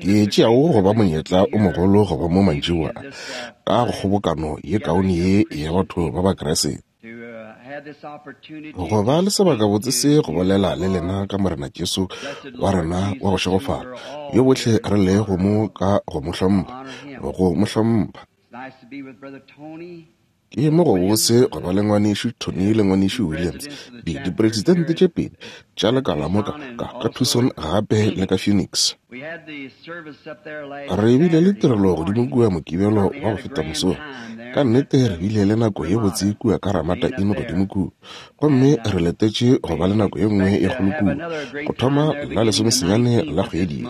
Ke e tšeago go ba monyetla o mogolo go ba mo mantšiboa a, ka go kgobokano ye kaone ye ya batho ba Bakriste. Go ba le sebakabotse se go bolela le lena ka Morena Jesu wa rena wa go šegofala, yo bohle re lego mo ka go mo hlompha, go mo hlompha. Ke mo gobose go ba le Ngwanešu Tony le Ngwanešu Williams, di, dipresidente tše pedi tša lekala mo ka, ka, ka Tucson gape le ka Phoenix. Re bile le tirelo godimo kua Mokibelo wa go feta mosong. Ka nnete re bile le nako ye botse kua ka Ramada Inn godimo kua. Gomme re letetše go ba le nako ye nngwe ye kgolo kua, go thoma la lesomesenyane la kgwedi ye,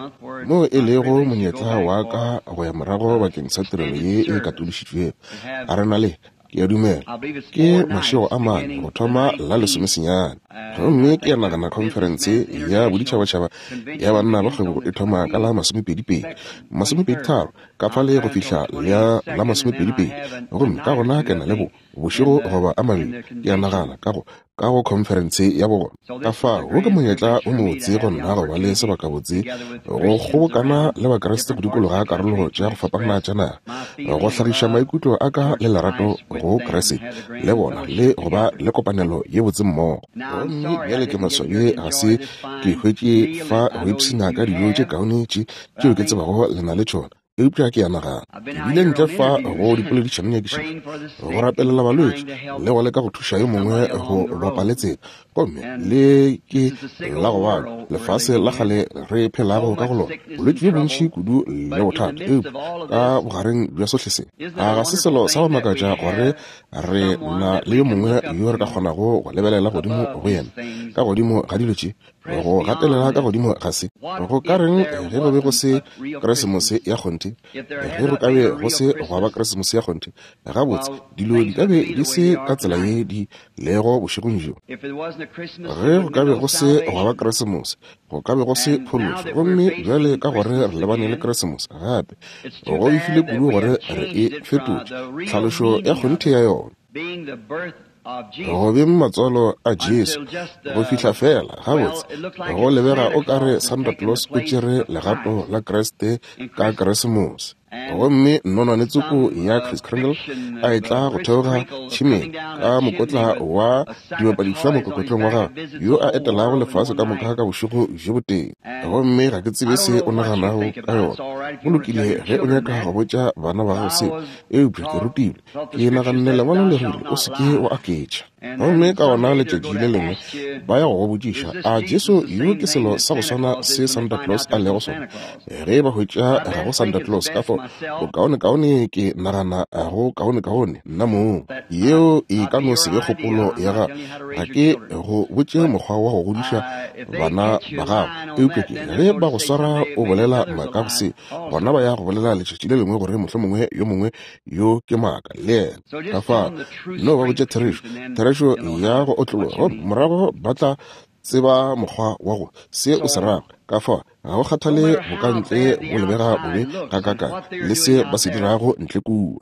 moo e lego monyetla wa ka go ya morago bakeng sa tirelo ye e katološitšwego. A re na le, ke a dumela, ke mašego a mane go thoma la lesomesenyane. Gomme ke a nagana khonferense ya boditšhabatšhaba ya banna ba kgwebo e thoma ka la masomepedipedi, masomepeditharo, ka fale go fihla la la masomepedipedi. Gomme ka gona ke na le bo, bošego goba a mabedi, ke a nagana, ka go, ka go khonferense ya bona. Ka fao, wo ke monyetla o mobotse go nna go ba le sebakabotse go kgobokana le Bakriste go dikologa karolo tša go fapana tša naga, go hlagiša maikutlo a ka le lerato go Kriste le bona le go ba le kopanelo ye botse mmogo. Gomme bjale ke maswabi ga se ke hwetše fa go ipshina ka dijo tše kaone tše tšeo ke tsebago le na le tšona. Eupša ke a nagana, ke bile ntle fa go dipoledišanonyakišišo, go rapelela balwetši le go leka go thuša yo mongwe go bapa le tsela. Gomme le ke la go bala lefase la kgale re phelago ka go lona, bolwetši bjo bontši kudu le bothata. Eupša ka bogareng bja sohle se, a ga se selo sa go makatša gore re na le yo mongwe yo re ka kgonago go lebelela godimo go yena ka godimo ga dilo tše? Go gatelela ka godimo ga se. Go ka reng ge go be go se Keresemose ya kgonthe? Ge go ka be go se gwa ba Keresemose ya kgonthe, gabotse, dilo di ka be di se ka tsela ye di lego bošegong bjo. Ge go ka be go se gwa ba Keresemose, go ka be go se phološo. Gomme bjale ka gore re lebane le Keresemose gape, go befile kudu gore re e fetotše tlhalošo ya kgonthe ya yona. Go beng matswalo a Jesu go fihla feela gabotse go lebega o ka re Santa Claus o tšere legato la Kriste ka Keresemose. Gomme nonwane tsoko ya Kris Kringle a etla go theoga tšhemeng ka mokotla wa dibapadišwa mokokotlong wa gagwe, yo a etelago lefase ka moka ka bošego bjo botee. Gomme ga ke tsebe se o naganago ka yona. Go lokile ge o nyaka go botša bana ba gago seo, eupša ke rutilwe Ke naganne Lengwalo le rile, O se ke wa aketša. Gomme ka gona letšatši le lengwe ba ya go go botšiša, A Jesu yo ke selo sa go swana se Santa Claus a lego sona? Ge ba hwetša ga go Santa Claus, ka fao bokaonekaone ke nagana go kaonekaone nna mong. Yeo e ka no se be kgopolo ya gago. Ga ke go botše mokgwa wa go godiša bana ba gago. Eupša ke ge ba go swara o bolela maaka go se, gona ba ya go bolela letšatši le lengwe gore mohlomongwe yo mongwe yo ke maaka le yena. Ka fao, no ba botše therešo, therešo ya go otlologa, gomme morago ba tla tseba mokgwa wa go se o se rago. Ka fao, ga go kgathale bokantle bo lebega bobe gakaakang le se ba se dirago ntle kua.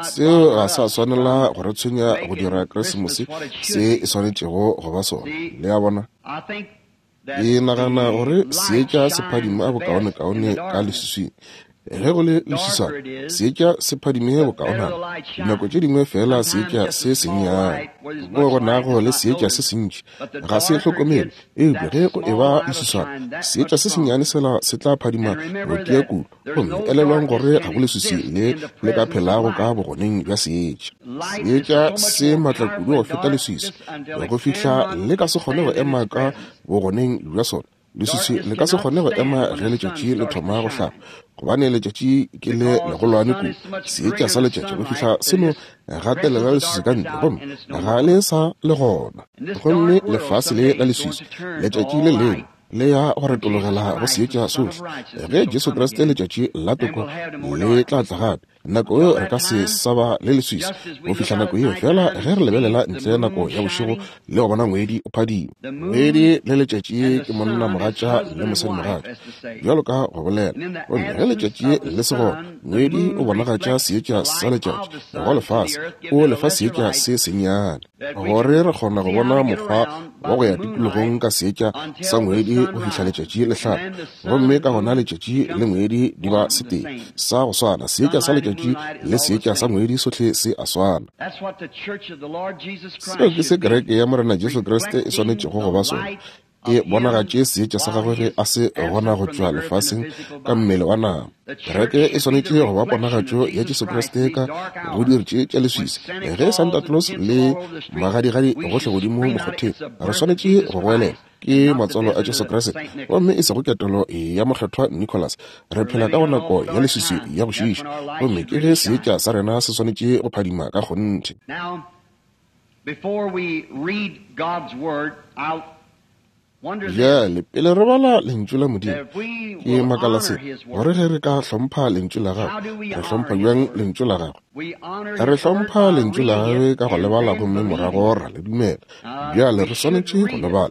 Seo ga sa swanela go re tshwenya go dira Keresemose se e swanetšego go ba sona. Le a bona? Ke nagana gore seetša se phadima bokaonekaone ka leswiswing. Ge go le leswiswana, seetša se phadime bokaonana. Dinako tše dingwe fela seetša se sennyane. Moo go nago le seetša se sentši, ga se hlokomelwe. Eupša ge go eba leswiswana, seetša se sennyane sela se tla phadima go tia kudu. Gomme elelwang gore ga go leswiswi le le ka phelago ka bogoneng bja seetša. Seetša se matla kudu go feta leswiswi, go fihla le ka se kgone go ema ka bogoneng bja sona. Leswiswi le ka se kgone go ema ge letšatši le thoma go hlaba, gobane letšatši ke le legolwane kudu, seetša sa letšatši, go fihla se no gatelela leswiswi ka ntle, gomme ga le sa le gona. Gomme lefase le la leswiswi, letšatši le lengwe le ya go retologela go seetša sohle. Ge Jesu Kriste letšatši la toko le tla tla gape, nako yeo re ka se sa ba le leswiswi go fihla nako yeo. Fela ge re lebelela ntle nako ya bošego le go bona ngwedi o phadima, ngwedi le letšatši ke monna mogatša le mosadi mogatša, bjalo ka go bolela. Gomme ge letšatši le se gona, ngwedi o bonagatša seetša sa letšatši go lefase, o lefa seetša se sennyane, gore re kgona go bona mokgwa. wa go ya tikologong ka seetša sa ngwedi go fihla letšatši le hlaba, gomme ka gona letšatši le ngwedi di ba setee sa go swana. Seetša sa letšatši le seetša sa ngwedi sohle se a swana. Seo ke se Kereke ya Morena Jesu Kriste e swanetšego go ba sona, e bonagatše seetša sa gagwe ge a se gona go tšwa lefaseng ka mmele wa nama. Kereke e swanetše go ba ponagatšo ya Jesu Kriste ka go diri tše tša leswiswi. Ge Santa Claus le magadigadi gohle godimo mokgotheng, re swanetše go goelela, Ke matswalo a Jesu Kriste, gomme e sego ketelo ya Mokgethwa Nicholas. Re phela ka go nako ya leswiswi ya go šiiša, gomme ke ge seetša sa rena se swanetše go phadima ka kgonthe. Bjale, pele re bala Lentšu la Modimo, ke makala se, gore ge re ka hlompha Lentšu la Gagwe, re hlompha bjang Lentšu la Gagwe? Re hlompha Lentšu la Gagwe ka go le bala gomme morago ra le dumela. Bjale re swanetše go le bala.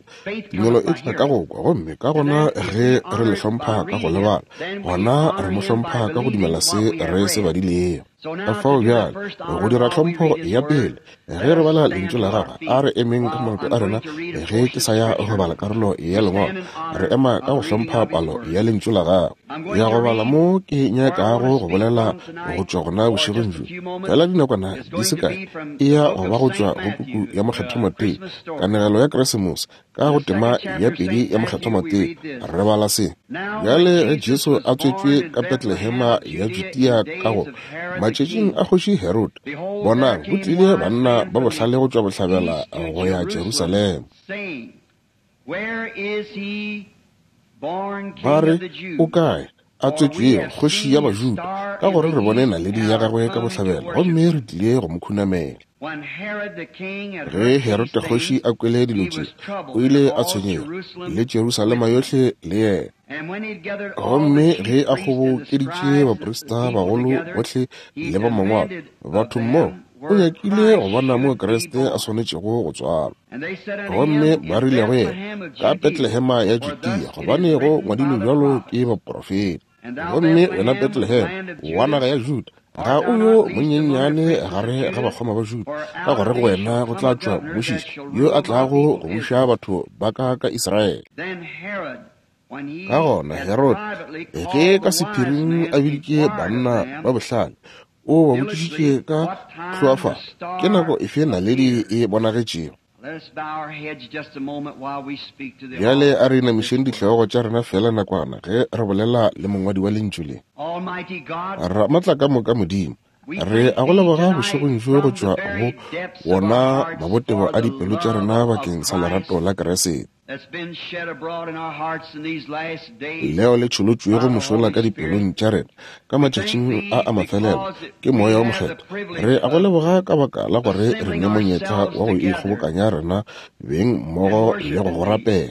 Tumelo e tla ka go kwa, gomme ka gona ge re le hlompha ka go le bala, gona re mo hlompha ka go dumela se re se badilego. Ka fao bjale, go dira tlhompho ya pele, ge re bala Lentšu la Gagwe, a re emeng ka maoto a rena ge ke sa ya go bala karolo ya Lengwalo. Re ema ka go hlompha palo ya Lentšu la Gagwe. Ya go bala mo ke nyakago go bolela go tšwa gona bošegong bjo, fela dinakwana di se kae, e ya go ba go tšwa go puku ya Mokgethwa Mateo, kanegelo ya Keresemose, Ka go tema ya pedi ya Mokgethwa Mateo, re bala se. Bjale ge Jesu a tswetšwe ka Betlehema ya Judea ka go matšatšing a kgoši Herode, bonang, go tlile banna ba bohlale go tšwa bohlabela go ya Jerusalema. Ba re, O kae a tswetšwego kgoši ya Bajuda? Ka gore re bone naledi ya gagwe ka bohlabela, gomme re tlile go mo khunamela. Ge Herode kgoši a kwele dilo tše, o ile a tshwenyega, le Jerusalema yohle le yena. Gomme ge a kgobokeditše baprista bagolo bohle le ba mangwalo, batho mmogo, o nyakile go bona moo Kriste a swanetšego go tswalwa. Gomme ba rile go yena, Ka Betlehema ya Judea, gobane go ngwadilwe bjalo ke baprofeta. Gomme wena Bethlehem wa naga ya Juda, ga o yo monyenyane gare ga bakgoma ba Juda, ka gore go wena go tla tšwa mmušiši yo a tlago go buša batho ba ka ka Israele. Ka gona Herode, ge ka sephiring a biditše banna ba bohlale, o ba botšišitše ka hloafalo, ke nako efe naledi e bonagetšego? Bjale a re inamišeng dihlogo tša rena feela nakwana ge re bolela le mongwadi wa Lentšu le. Ramatlakamoka Modimo, re a go leboga bošegong bjo go tšwa go wona mabotebo a dipelo tša rena bakeng sa lerato la Keresete leo le tšholotšwego mošola ka dipelong tša rena ka matšatšing a a mafelelo ke Moya wo Mokgethwa. Re a go leboga ka baka la gore re ne monyetla wa go ikgobokanya rena beng mmogo le go go rapela,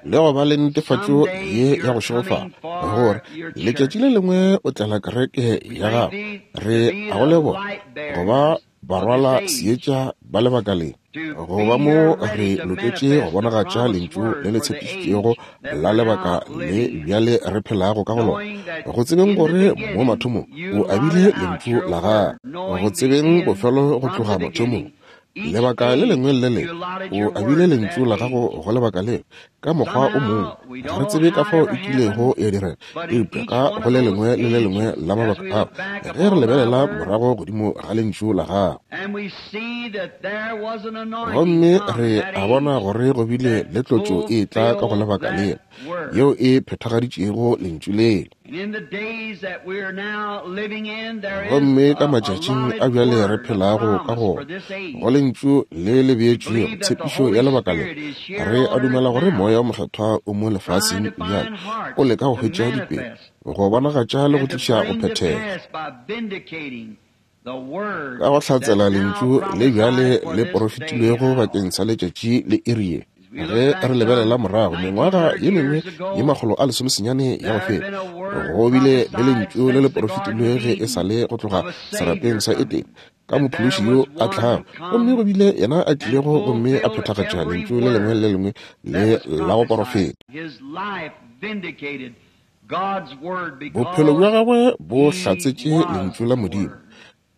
le go ba le netefatšo ye ya go šegofala gore letšatši le lengwe o tlela kereke ya gago. Re a go leboga go ba barwala seetša ba lebaka le, go ba mo re loketše go bonagatša Lentšu le le tshepišitšwego la lebaka le bjale re phelago ka go lona, go tsebeng gore mo mathomong o abile Lentšu la gagwe, go tsebeng bofelo go tloga mathomong, lebaka le lengwe le le lengwe o abile Lentšu la gago go lebaka leo ka mokgwa o mongwe. Ga re tsebe ka fao e kilego ya direga, eupša ka go le lengwe le le lengwe la mabaka ao, ge re lebelela morago godimo ga Lentšu la gago, gomme re a bona gore go bile le tlotšo e etla ka go lebaka lela, yeo e phethagaditšego Lentšu lela. Gomme ka matšatšing a bjale re phelago ka go go Lentšu le le beetšwego tshepišo ya lebaka le, re a dumela gore Moya wo Mokgethwa o mo lefaseng bjale, o leka go hwetša dipelo, go bonagatša le go tliša go phethega. Ka go hlatsela Lentšu le bjale le porofetilwego bakeng sa letšatši le iri ye. Ge re lebelela morago mengwaga ye mengwe ye 190 ya go feta, go bile le Lentšu le le porofetilwe ge e sa le go tloga serapeng sa Edene, ka Mophološi yo a tlago, gomme go bile yena a tlilego gomme a phethagatša Lentšu le lengwe le le lengwe le la go porofeta. Bophelo bja gagwe bo hlatsetše Lentšu la Modimo.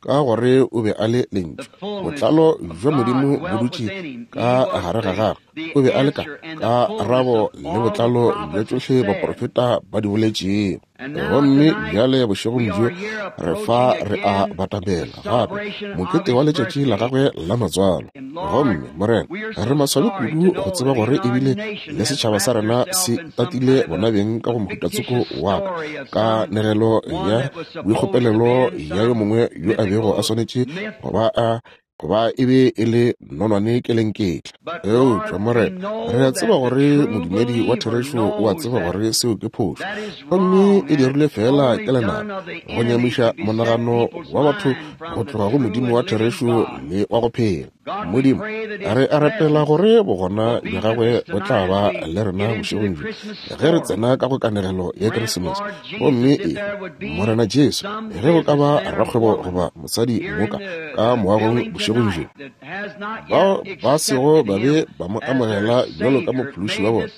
ka gore o be a le Lentšu. Botlalo bja Modimo bo dutše ka gare ga gagwe. O be a le ka karabo le botlalo bja tšohle baprofeta ba di boletšego. Gomme bjale bošegong bjo re fa re a batamela gape mokete wa letšatši la gagwe la matswalo. Gomme, Morena, re maswabi kudu go tseba gore ebile le setšhaba sa rena se tatile bona beng ka go mohutatsoko wa ka kanegelo ya boikgopelelo ya yo mongwe yo a bego a swanetše go ba a goba e be e le nonwane kelenketla. Eupša, Morena, re a tseba gore modumedi wa therešo o a tseba gore seo ke phošo, gomme e dirilwe feela ke lenaba go nyamiša monagano wa batho go tloga go Modimo wa therešo le wa go phela. Modimo, re a rapela gore bogona bja gagwe bo tla ba le rena bošegong bjo ge re tsena ka go kanegelo ya Keresemose. Gomme e, Morena Jesu, ge go ka ba rakgwebo goba mosadi moka ka moagong bošegong bjo, bao ba sego ba be ba mo amogela bjalo ka mophološi wa bona,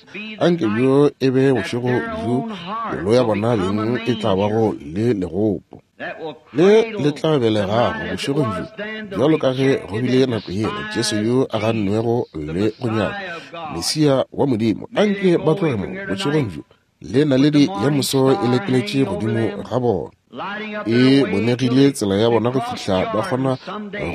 anke bjo e be bošego bjo pelo ya bona beng e tla bago le legopo le le tla belegago bošegong bjo, bjalo ka ge go bile nako yela Jesu yo a gannwego le go nyaka, Mesia wa Modimo. Anke ba tloge mo bošegong bjo le naledi ya moso e lekeletše godimo ga bona, e bonegile tsela ya bona go fihla ba kgona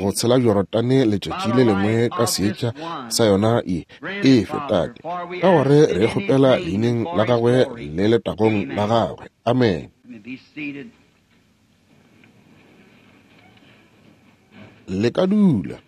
go tshela Jorodane letšatši le lengwe ka seetša sa yona ye e fetate, ka gore re kgopela leineng la gagwe le letagong la gagwe. Amen. Le ka dula.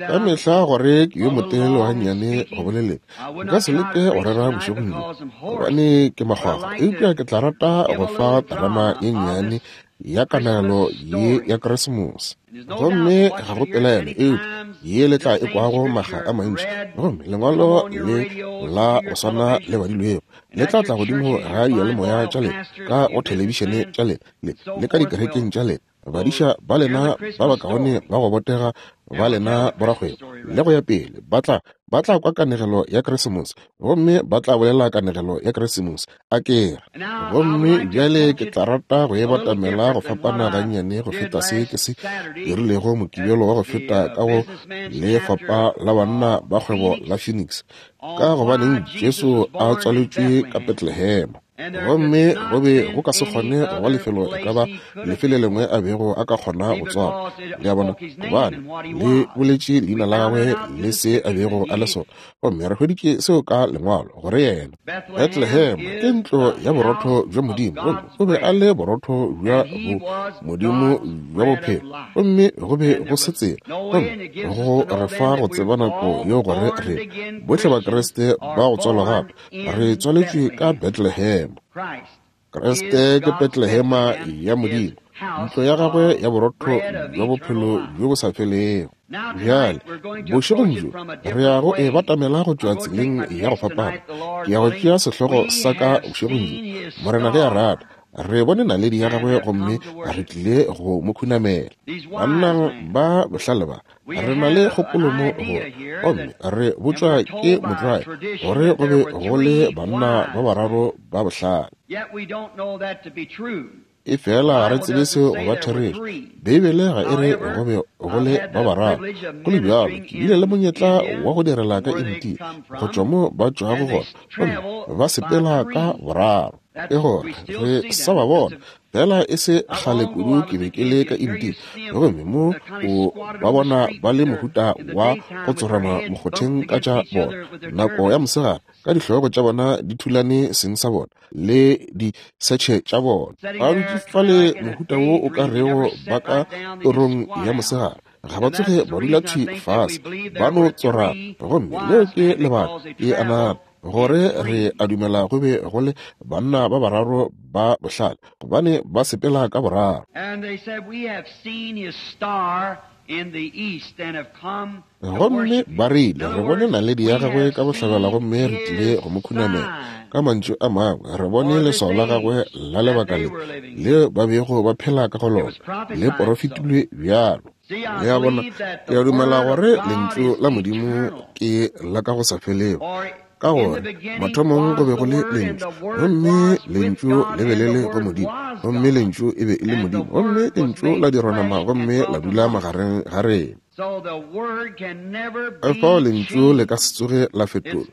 Ka mehla gore ke yo motelele gannyane go boleleng, nka se leke go rera bošegong bjo gobane ke makgwakgwa, eupša ke tla rata go fa terama ye nnyane ya kanegelo ye ya Keresemose. Gomme ga go pelaelo eupša ye le tla e kwago makga a mantši, gomme lengwalo le la go swana le badilwego le tla tla godimo ga diyalemoya tša lena, ka go thelebišene tša lena, le ka dikerekeng tša lena, badiša ba lena ba bakaone ba go botega ba lena borakgwebo le go ya pele, ba tla ba tla kwa kanegelo ya Keresemose gomme ba tla bolela kanegelo ya Keresemose, a kere. Gomme bjale ke tla rata go e batamela go fapana gannyane go feta se ke se dirilego Mokibelo wa go feta ka go Lefapha la Banna ba Kgwebo la Phoenix, ka gobaneng Jesu a tswaletšwe ka Bethlehem. Gomme go be go ka se kgone go ba lefelo e ka ba lefe le lengwe a bego a ka kgona go tswalwa, le a bona, gobane le boletše leina la gagwe le se a bego a le sona. Gomme re hweditše seo ka Lengwalo, gore yena, Bethlehem ke ntlo ya borotho bja Modimo, gomme o be a le borotho bja bo Modimo bja bophelo, gomme go be go se tsela. Gomme go re fa go tseba nako yeo gore re bohle Bakriste ba go tswalwa gape re tswaletšwe ka Bethlehem. Kriste ke Bethlehema ya Modimo, ntlo ya gagwe ya borotho bja bophelo bjo bo sa felego. Bjale, bošegong bjo re ya go e batamela go tšwa tseleng ya go fapana. Ke ya go tšea sehlogo sa ka bošegong bjo, Morena ge a rata, re bone naledi ya gagwe gomme re tlile go mo khunamela. Banna ba bohlale ba, re na le kgopolo mo gore, gomme re botšwa ke motlwae gore go be go le banna ba bararo ba bohlale. E fela ga re tsebe seo go ba therešo. Beibele ga e re go be go le ba bararo. Go le bjalo, ke bile le monyetla wa go direla ka India, go tšwa mo ba tšwago gona, gomme ba sepela ka boraro. Ke gore re sa ba bona. Fela e se kgale kudu ke be ke le ka India, gomme mo o ba bona ba le mohuta wa go tsorama mokgotheng ka tša bona nako ya mosegare, ka dihlogo tša bona di thulane seng sa bona le disetšhe tša bona. Ba dutše fale mohuta wo o ka rego ba ka torong ya mosegare, ga ba tsoge ba dula thwi fase, ba no tsorama. Gomme leo ke lebaka ke a nagana gore re a dumela go be go le banna ba bararo ba bohlale, gobane ba sepela ka boraro. Gomme ba rile, re bone naledi ya gagwe ka bohlabela gomme re tlile go mo khunamela. Ka mantšu a mangwe, re bone leswao la gagwe la lebaka le leo ba bego ba phela ka go lona, le porofetilwe bjalo. Le a bona, ke a dumela gore Lentšu la Modimo ke la ka go sa felego. Ka gore mathomong go be go le Lentšu, gomme Lentšu le be le le go Modimo, gomme Lentšu e be e le Modimo, gomme Lentšu la dirwa nama gomme la dula magareng ga rena. Ka fao Lentšu le ka se tsoge la fetolwa,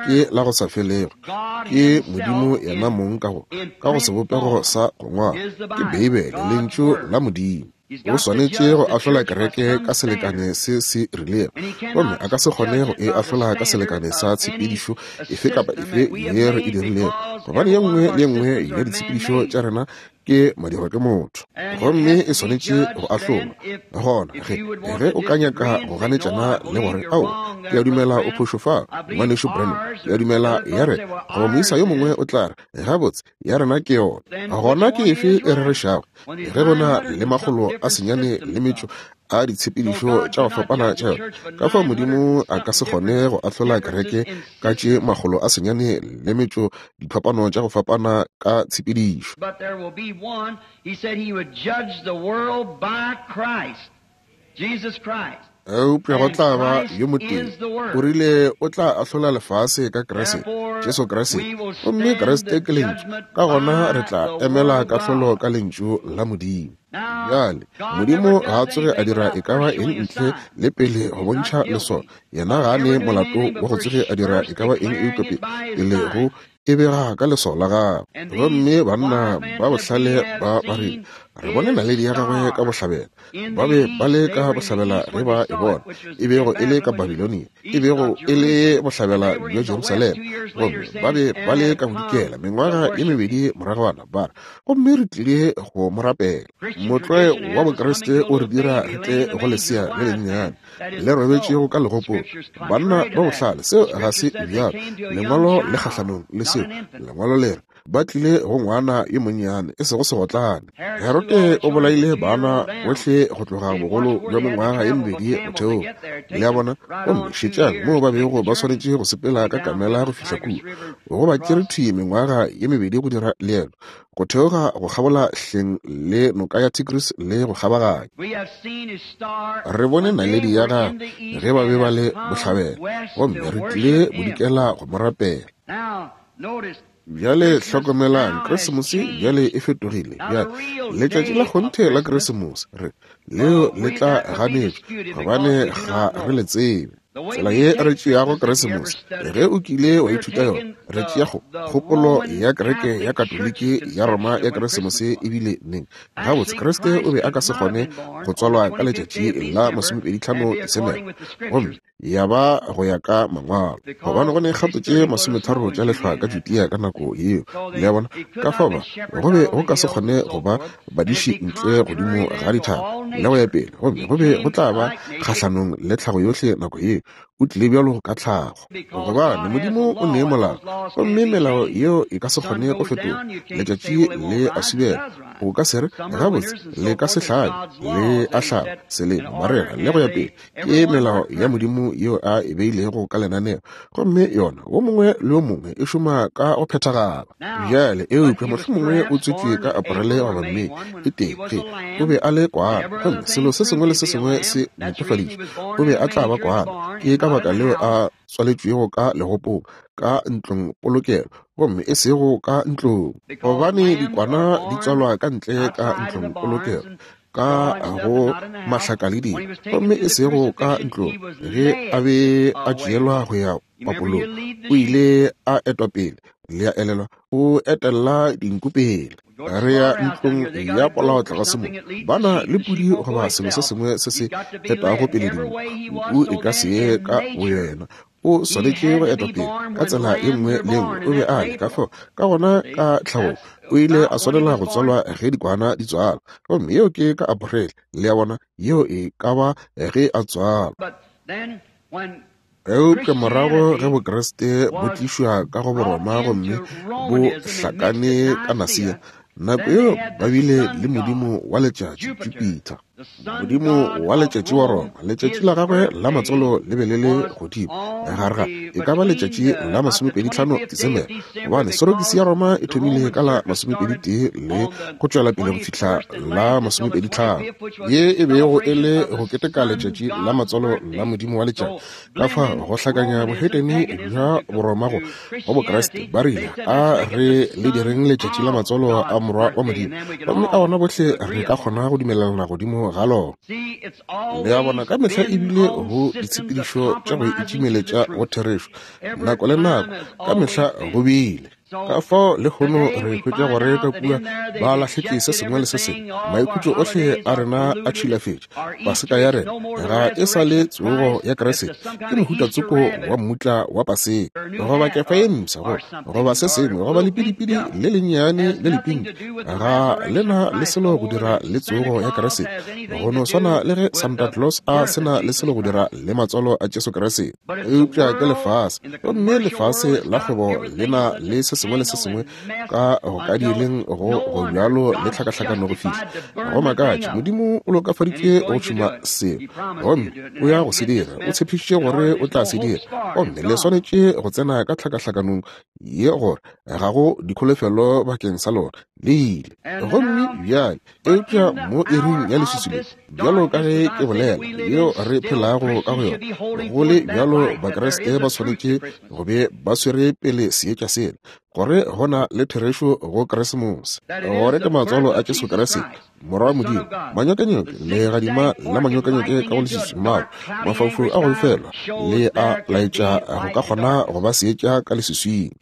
ke la go sa felego, ke Modimo yena mong ka go, ka go sebopego sa go ngwalwa, ke Beibele, Lentšu la Modimo. O swanetše go ahlola kereke ka selekane se se rilego, gomme a ka se kgone go e ahlola ka selekane sa tshepedišo efe kapa efe ye re e dirilego, gobane ye nngwe le ye nngwe ya ditshepedišo tša rena ke madirwa ke motho, gomme e swanetše go ahlolwa. Gona ge, ge o ka nyaka go ganetšana le gore, Ao, ke a dumela o phošo fa, Ngwanešu Branham, ke a dumela ya re, goba moisa yo mongwe o tla re, Gabotse, ya rena ke yona. Gona ke efe e rerešago? Ge go na le 908 a ditshepedišo tša go fapana tša yona, ka fao Modimo a ka se kgone go ahlola kereke ka tše 908 diphapano tša go fapana ka tshepedišo. But there will be one, he said he would judge the world by Christ, Jesus Christ. Eupša go tla ba yo motee, o rile o tla ahlola lefase ka Kriste, Jesu Kriste. Gomme Kriste ke Lentšu, ka gona re tla emela kahlolo ka Lentšu la Modimo. Bjale, Modimo ga a tsoge a dira e ka ba eng ntle le pele go bontšha leswao. Yena ga a ne molato wa go tsoge a dira e ka ba eng eupša pele go e bega ka leswao la gagwe. Gomme banna ba bohlale ba ba rile, Re bone naledi ya gagwe ka bohlabela. Ba be ba le ka bohlabela ge ba e bona, e bego e le ka Babilonia, e bego e le bohlabela bja Jerusalema. Gomme ba be ba le ka bodikela mengwaga ye mebedi moragwana, ba re, Gomme re tlile go mo rapela. Motlwae wa Bokriste o re dira re tle go lesea le lennyane le robetšego ka legopong. Banna ba bohlale, seo ga se bjalo. Lengwalo le kgahlanong le seo. Lengwalo le re ba tlile go ngwana yo monnyane, e sego segotlane. Herode o bolaile bana bohle go tloga bogolo bja mengwaga ye mebedi go theoga. Le a bona? Gomme šetšang moo ba bego ba swanetše go sepela ka kamela go fihla kua. Go ba tšere thwi mengwaga ye mebedi go dira leeto go theoga go kgabola hleng le noka ya Tigris le go kgabaganya. Re bone naledi ya gagwe ge ba be ba le bohlabela, gomme re tlile bodikela go mo rapela. Bjale hlokomelang, Krisemose bjale e fetogile. Bjale, letšatši la kgonthe la Krisemose, re, leo le tla ganetšwa, gobane ga re le tsebe. Tsela ye re tšeago Keresemose, ge o kile wa ithuta yona, re tšea kgo, kgopolo ya kereke ya Katoliki ya Roma ya Keresemose e bile neng. Gabotse, Kriste o be a ka se kgone go tswalwa ka letšatši la 25 Desemere, gomme ya ba go ya ka Mangwalo, gobane go ne kgato tše 30 tša lehlwa ka Judea ka nako yeo. Le a bona? Ka fao ba, go be go ka se kgone go ba badiši ntle godimo ga dithaba le go ya pele, gomme go be go tla ba kgahlanong le tlhago yohle nako yeo. O tlile bjalo ka tlhago, gobane Modimo o ne molao, gomme melao yeo e ka se kgone go fetolwa. Letšatši le a subela, o ka se re, Gabotse, le ka se hlabe, le a hlaba, selemo, marega, le go ya pele. Ke melao ya Modimo yeo a e beilego ka lenaneo, gomme yona wo mongwe le wo mongwe e šoma ka go phethagala. Bjale, eupša mohlomongwe o tswetšwe ka Aparele goba Mei e tee, ge o be a le kwana, gomme selo se sengwe le se sengwe se netefaditšwe, o be a tla ba kwana. Ke ka baka leo a tswaletšwego ka legopong, ka ntlong polokelo, gomme e sego ka ntlong, gobane dikwana di tswalwa ka ntle ka ntlong polokelo, ka go mahlakaledi, gomme e sego ka ntlong. Ge a be a tšeelwa go ya papolong, o ile a etwa pele, le a elelwa, o etella dinku pele. Re ya ntlong ya polao tlase mo, ba na le pudi goba selo se sengwe se se etago pele dinku. Nku e ka se ye ka boyena, o swanetše go etwa pele ka tsela ye nngwe le ye nngwe. O be a le ka fao, ka gona ka tlhagong o ile a swanela go tswalwa ge dikwana di tswalwa, gomme yeo ke ka Aprele, le a bona, yeo e ka ba ge a tswalwa. Eupša morago ge Bokriste bo tlišwa ka go Boroma gomme bo hlakane ka Nasia, nako yeo ba bile le modimo wa letšatši, Jupiter. Modimo wa letšatši wa Roma, letšatši la gagwe la matswalo le be le le godimo gare ga e ka ba letšatši la 25 Disemere, gobane sorokisi ya Roma e thomile ka la 21 le go tšwela pele go fihla la 25, ye e bego e le go keteka letšatši la matswalo la modimo wa letšatši. Ka fa go hlakanya bohetene bja Boroma go go Bokriste, ba rile, A re le direng letšatši la matswalo a Morwa wa Modimo, gomme a ona bohle re ka kgona go dumelelana godimo ga lona. Le a bona, ka mehla e bile go ditshepedišo tša go itšimeletša go therešo, nako le nako, ka mehla go bile. Ka fao lehono re hwetša gore ka kua ba lahletše se sengwe le se sengwe. Maikhutšo ohle a rena a tšhilafetše. Paseka ya rena ga e sa le tsogo ya Kriste, ke mohuta tsoko wa mmutla wa Paseka, goba kefa ye mpsha, goba se sengwe, goba lepidipidi le lennyane le lepinki. Ga le na le selo go dira le tsogo ya Kriste, go no swana le ge Santa Claus a se na le selo go dira le matswalo a Jesu Kriste. Eupša ke lefase, gomme lefase la kgwebo le na le se sengwe le se sengwe ka go ka dieleng go go bjalo le tlhakahlakano go fihla go makatše. Modimo o lokafaditše go tšhuma seo, gomme o ya go se dira. O tshepišitše gore o tla se dira, gomme le swanetše go tsena ka tlhakahlakanong ye gore ga go dikholofelo bakeng sa lona. Le ile. Gomme bjale, eupša mo iring ya leswiswi le, bjalo ka ge ke bolela, yeo re phelago ka go yona, go le bjalo Bakriste ba swanetše go be ba swere pele seetša sela, gore go na le therešo go Keresemose, gore ke matswalo a Jesu Kriste, Morwa wa Modimo. Manyokenyoke, legadima la manyokenyoke ka go leswiswi, maru, mafaufau a go befelwa, le a laetša go ka kgona go ba seetša ka leswiswing.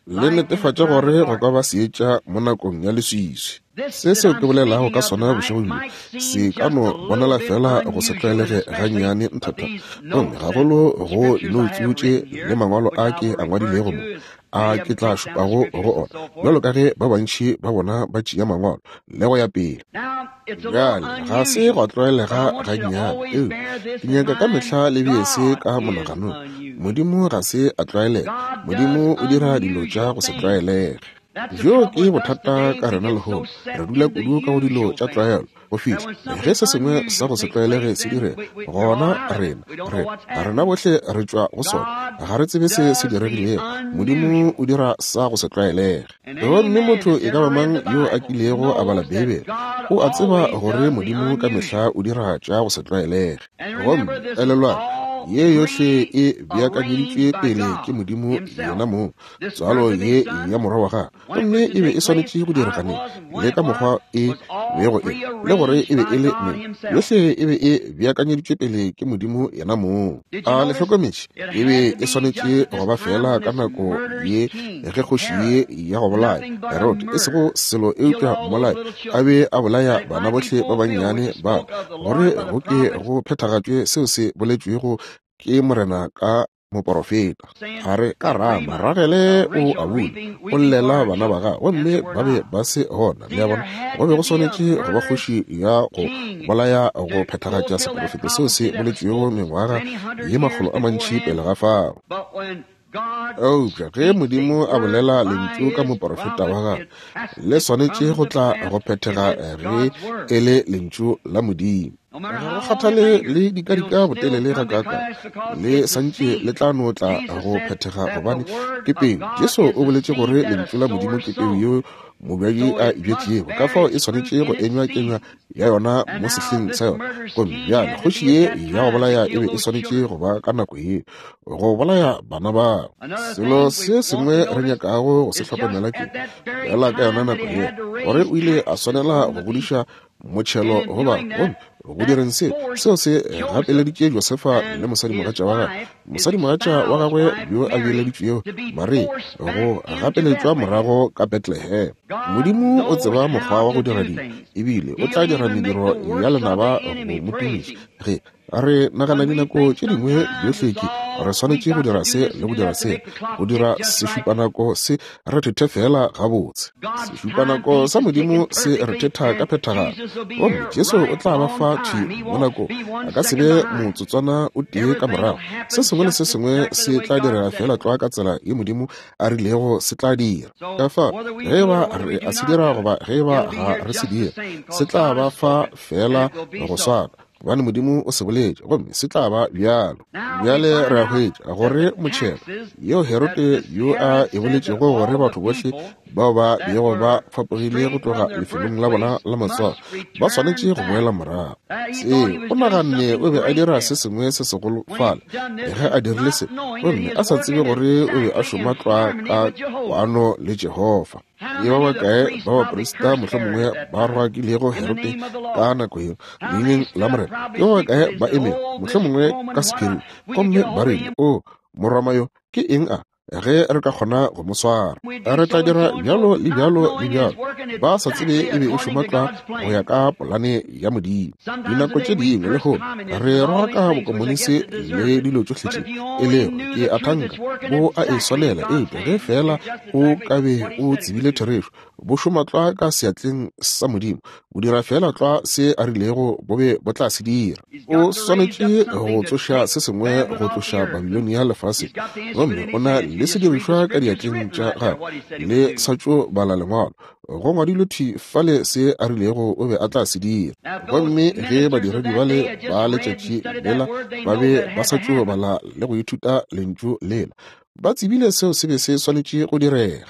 Le netefatša gore go ka ba seetša mo nakong ya leswiswi. Se seo ke bolelago ka sona bošego bjo se ka no bonala fela go se tlwaelege gannyane nthatha, gomme gagolo go dinoutsu tše le mangwalo a ke a ngwadilego mo, a ke tla šupago go ona, bjalo ka ge ba bantši ba bona ba tšea mangwalo le go ya pele. Bjale, ga se gwa tlwaelega gannyane, eupša ke nyaka ka mehla le bee se ka monaganong. Modimo ga se a tlwaelega. Modimo o dira dilo tša go se tlwaelege. Bjoo ke bothata ka rena lehono. Re dula kudu ka go dilo tša tlwaelo go fihla ge se sengwe sa go se tlwaelege se direga, gona rena, re, rena bohle re tšwa go sona. Ga re tsebe se se diregilego. Modimo o dira sa go se tlwaelege. Gomme motho e ka ba mang yo a kilego a bala Beibele o a tseba gore Modimo ka mehla o dira tša go se tlwaelege. Gomme elelwang, ye yohle e beakanyeditšwe pele ke Modimo yena mong, tswalo ye ya Morwa wa gagwe. Gomme e be e swanetše go direga neng, le ka mokgwa e bego e le gore e be e le neng. Yohle e be e beakanyeditšwe pele ke Modimo yena mong. A le hlokometše? E be e swanetše go ba feela ka nako ye ge kgoši ye ya go bolaya, Herode, e sego selo eupša mmolai, a be a bolaya bana bohle ba bannyane ba, gore go ke go phethagatšwe seo se boletšwego ke Morena ka moporofeta. A re ka Rama, Ragele o a bula, o llela bana ba gagwe, gomme ba be ba se gona. Le a bona, go be go swanetše go ba kgoši ya go bolaya go phethagatša seporofeto seo se boletšwego mengwaga ye makgolo a mantši pele ga fao. Eupša ge Modimo a bolela lentšu ka moporofeta wa gagwe, le swanetše go tla go phethega ge e le lentšu la Modimo. Ga go kgathale le dikadika botelele gakaakang, le santše le tla no tla go phethega gobane ke peu. Jesu o boletše gore lentšu la Modimo ke peu yeo mobjadi a e bjetšego, ka fao e swanetše go enywa kenywa ya yona mo sehleng sa yona. Gomme bjale kgoši ye ya go bolaya e be e swanetše go ba ka nako ye go bolaya bana bao. Selo se sengwe re nyakago go se hlokomela ke fela ka yona nako ye gore o ile a swanela go godiša motšhelo go ba, gomme go direng se, seo se gapeleditše Josefa le mosadimogatša wa gagwe, mosadimogatša wa gagwe yo a beeleditšwego, Maria, go gapeletšwa morago ka Bethlehem. Modimo o tseba mokgwa wa go dira dilo, ebile o tla dira mediro ya lenaba go mo tumiša ge Re nagana dinako tše dingwe bjohle ke re swanetše go dira se le go dira se, go dira sešupanako se re thethe feela gabotse. Sešupanako sa Modimo se re thetha ka phethagalo, gomme Jesu o tla ba fa thwi mo nako, a ka se be motsotswana o tee ka morago. Se sengwe le se sengwe se tla direga feela tlwa ka tsela ye Modimo a rilego se tla dira. Ka fa, ge eba re a se dira goba ge eba ga re se dire, se tla ba fa feela go swana, gobane Modimo o se boletše, gomme se tla ba bjalo. Bjale re a hwetša gore motšhelo yeo Herode yo a e boletšego gore batho bohle bao ba bego ba fapogile go tloga lefelong la bona la matswalo ba swanetše go boela morago. Seo o naganne o be a dira se sengwe se segolo fale ge a dirile se, gomme a sa tsebe gore o be a šoma tlwa ka kwano le Jehofa. Ke ba bakae ba baprista mohlomongwe ba rwakilego Herode ka nako yeo leineng la Morena? Ke ba bakae ba emego mohlomongwe ka sephiring gomme ba rile, O Moroma yo ke eng a? Ge re ka kgona go mo swara, re tla dira bjalo le bjalo le bjalo. Ba sa tsebe e be e šoma tlwa go ya ka polane ya Modimo. Dinako tše dingwe lehono re rwaka bokomonisi le dilo tšohle tše e lego, ke a thanka, bo a e swanela, eupša ge feela o ka be o tsebile therešo, bo šoma tlwa ka seatleng sa Modimo, bo dira feela tlwa se a rilego bo be bo tla se dira. O swanetše go tsoša se sengwe go tloša Babilonia lefaseng, gomme o na le sedirišwa ka diatleng tša gagwe, le sa tšo bala Lengwalo, go ngwadilwe thwi fale se a rilego o be a tla se dira. Gomme ge badiredi bale ba letšatši lela ba be ba sa tšo bala le go ithuta Lentšu lela, ba tsebile seo se be se swanetše go direga.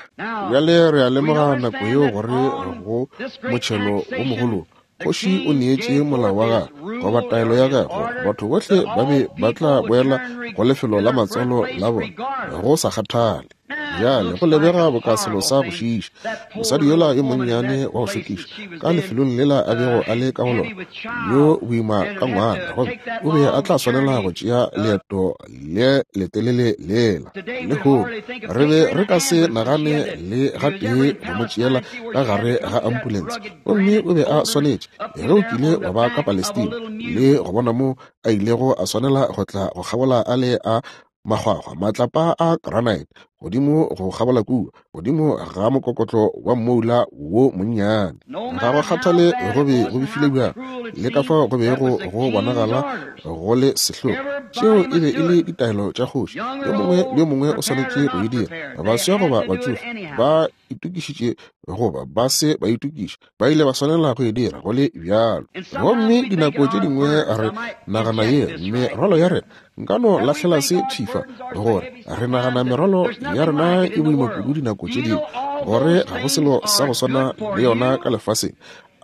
Bjale re a lemoga nako yeo gore go motšhelo wo mogolo, kgoši o neetše molao wa gagwe goba taelo ya gagwe gore batho bohle ba be ba tla boela go lefelo la matswalo la bona go sa kgathale. Bjale go lebega boka selo sa go šiiša, mosadi yola yo monnyane wa go šokiša ka lefelong lela a bego a le ka go lona, yo boima ka ngwana, gomme o be a tla swanela go tšea leeto le letelele lela. Lehono re be re ka se nagane le gatee go mo tšeela ka gare ga ambulense, gomme o be a swanetše. Ge o kile wa ba ka Palestina le go bona mo a ilego a swanela go tla go kgabola a le a makgwakgwa, matlapa a granite godimo go kgabola kua, godimo ga mokokotlo wa mmoula wo monnyane. Ga go kgathale go be go befile bjang le ka fao go bego go bonagala go le sehlogo, tšeo e be e le ditaelo tša kgoši. Yo mongwe le yo mongwe o swanetše go e dira, baswa goba batšofe, ba itokišitše goba ba se ba itokiša, ba ile ba swanela go e dira go le bjalo. Gomme dinako tše dingwe re nagana ye merwalo ya rena, nka no lahlela se thifa, gore re nagana merwalo ya rena e boima kudu dinako tše dingwe, gore ga go selo sa go swana le yona ka lefaseng.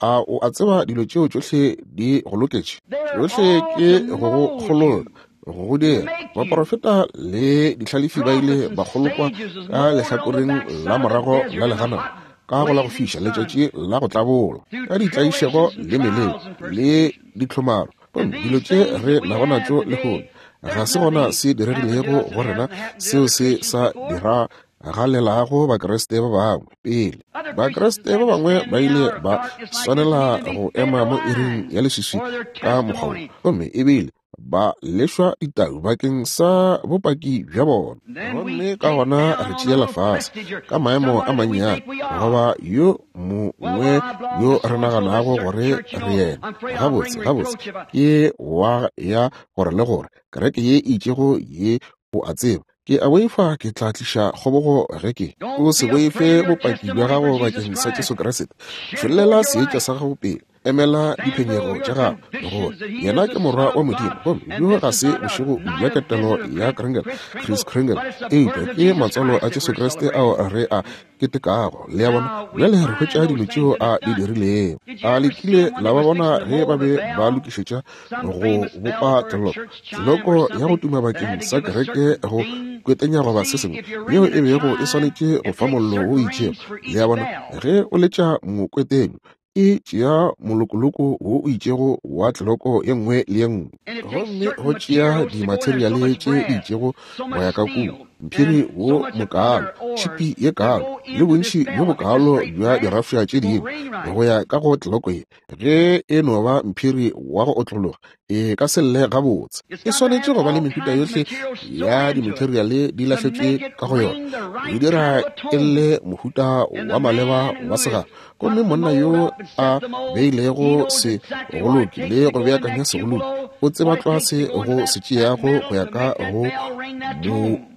A o a tseba dilo tšeo tšohle di go loketše? Tšohle ke go go kgolola, go go dira. Baporofeta le dihlalefi ba ile ba kgolokwa ka lehlakoreng la morago la leganata, ka go la go fiša letšatši la go tlabola, ka ditlaišego le meleko le ditlhomaro. Gomme dilo tše re nago natšo lehono, ga se gona se diregilego go rena seo se sa diragalelago Bakriste ba bangwe pele. Bakriste ba bangwe ba ile ba swanela go ema mo iring ya leswiswi ka mokgwa wo, gomme ebile ba lešwa ditau bakeng sa bopaki bja bona. Gomme ka gona re tšeela fase ka maemo a mannyane goba yo mongwe yo re naganago gore re yena. Gabotse, gabotse ke wa ya gore le gore kereke ye e itšego ye, o a tseba. Ke a boifa ke tla tliša kgobogo ge ke. O se boife bopaki bja gago bakeng sa Jesu Kriste. Tšhollela seetša sa gago pele. Emela diphenyego tša gago gore yena ke Morwa wa Modimo, gomme bjo ga se bošego bja ketelo ya Kringle, Kris Kringle, eupša ke matswalo a Jesu Kriste ao re a ketekago. Le a bona? Bjale re hwetša dilo tšeo a di dirilego. A le kile la ba bona ge ba be ba lokišetša go bopa tleloko, tleloko ya go tuma bakeng sa kereke go kwetenya goba se sengwe yeo e bego e swanetše go fa mollo wo itšego? Le a bona? Ge o letša mokwetenyo, e tšea molokoloko wo o itšego wa tleloko ye nngwe le ye nngwe, gomme go tšea dimateriale tše di itšego go ya ka kua. mphiri wo mokaalo, tšhipi ye kaalo, le bontši bjo bokaalo bja dirafša tše dingwe go ya ka go tleloko ye. Ge e no ba mphiri wa go otlologa, e ka se lle gabotse. E swanetše go ba le mehuta yohle ya dimateriale di lahletšwe ka go yona, go e dira e lle mohuta wa maleba wa segalo. Gomme monna yo a beilego segoloki le go beakanya segoloki o tseba tlwa se go se tšeago go ya ka go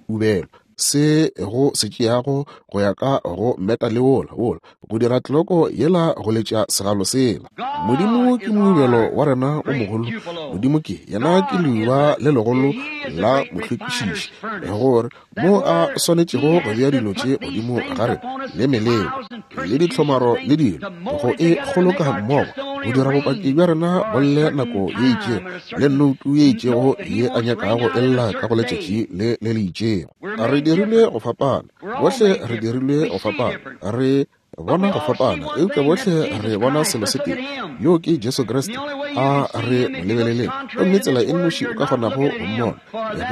moubelo, se go se tšeago go ya ka go meta le wola, wola, go dira tleloko yela go letša segalo sela. Modimo ke moubelo wa rena o mogolo. Modimo ke yena ke leuba le legolo la mohlwekišiši, gore mo a swanetšego go bea dilo tše godimo ga rena, le meleko le ditlhomaro le dilo, go e kgoloka mmogo, go dira bopaki bja rena bo lle nako ye itšego, le nnoutu ye itšego ye a nyakago e lla ka go letšatši le le le itšego. Re dirilwe go fapana, bohle re dirilwe go fapana, re bona go fapana, eupša bohle re bona selo se tee, yoo ke Jesu Kriste. A re mo lebeleleng. Gomme tsela e nnoši o ka kgonago go mmona,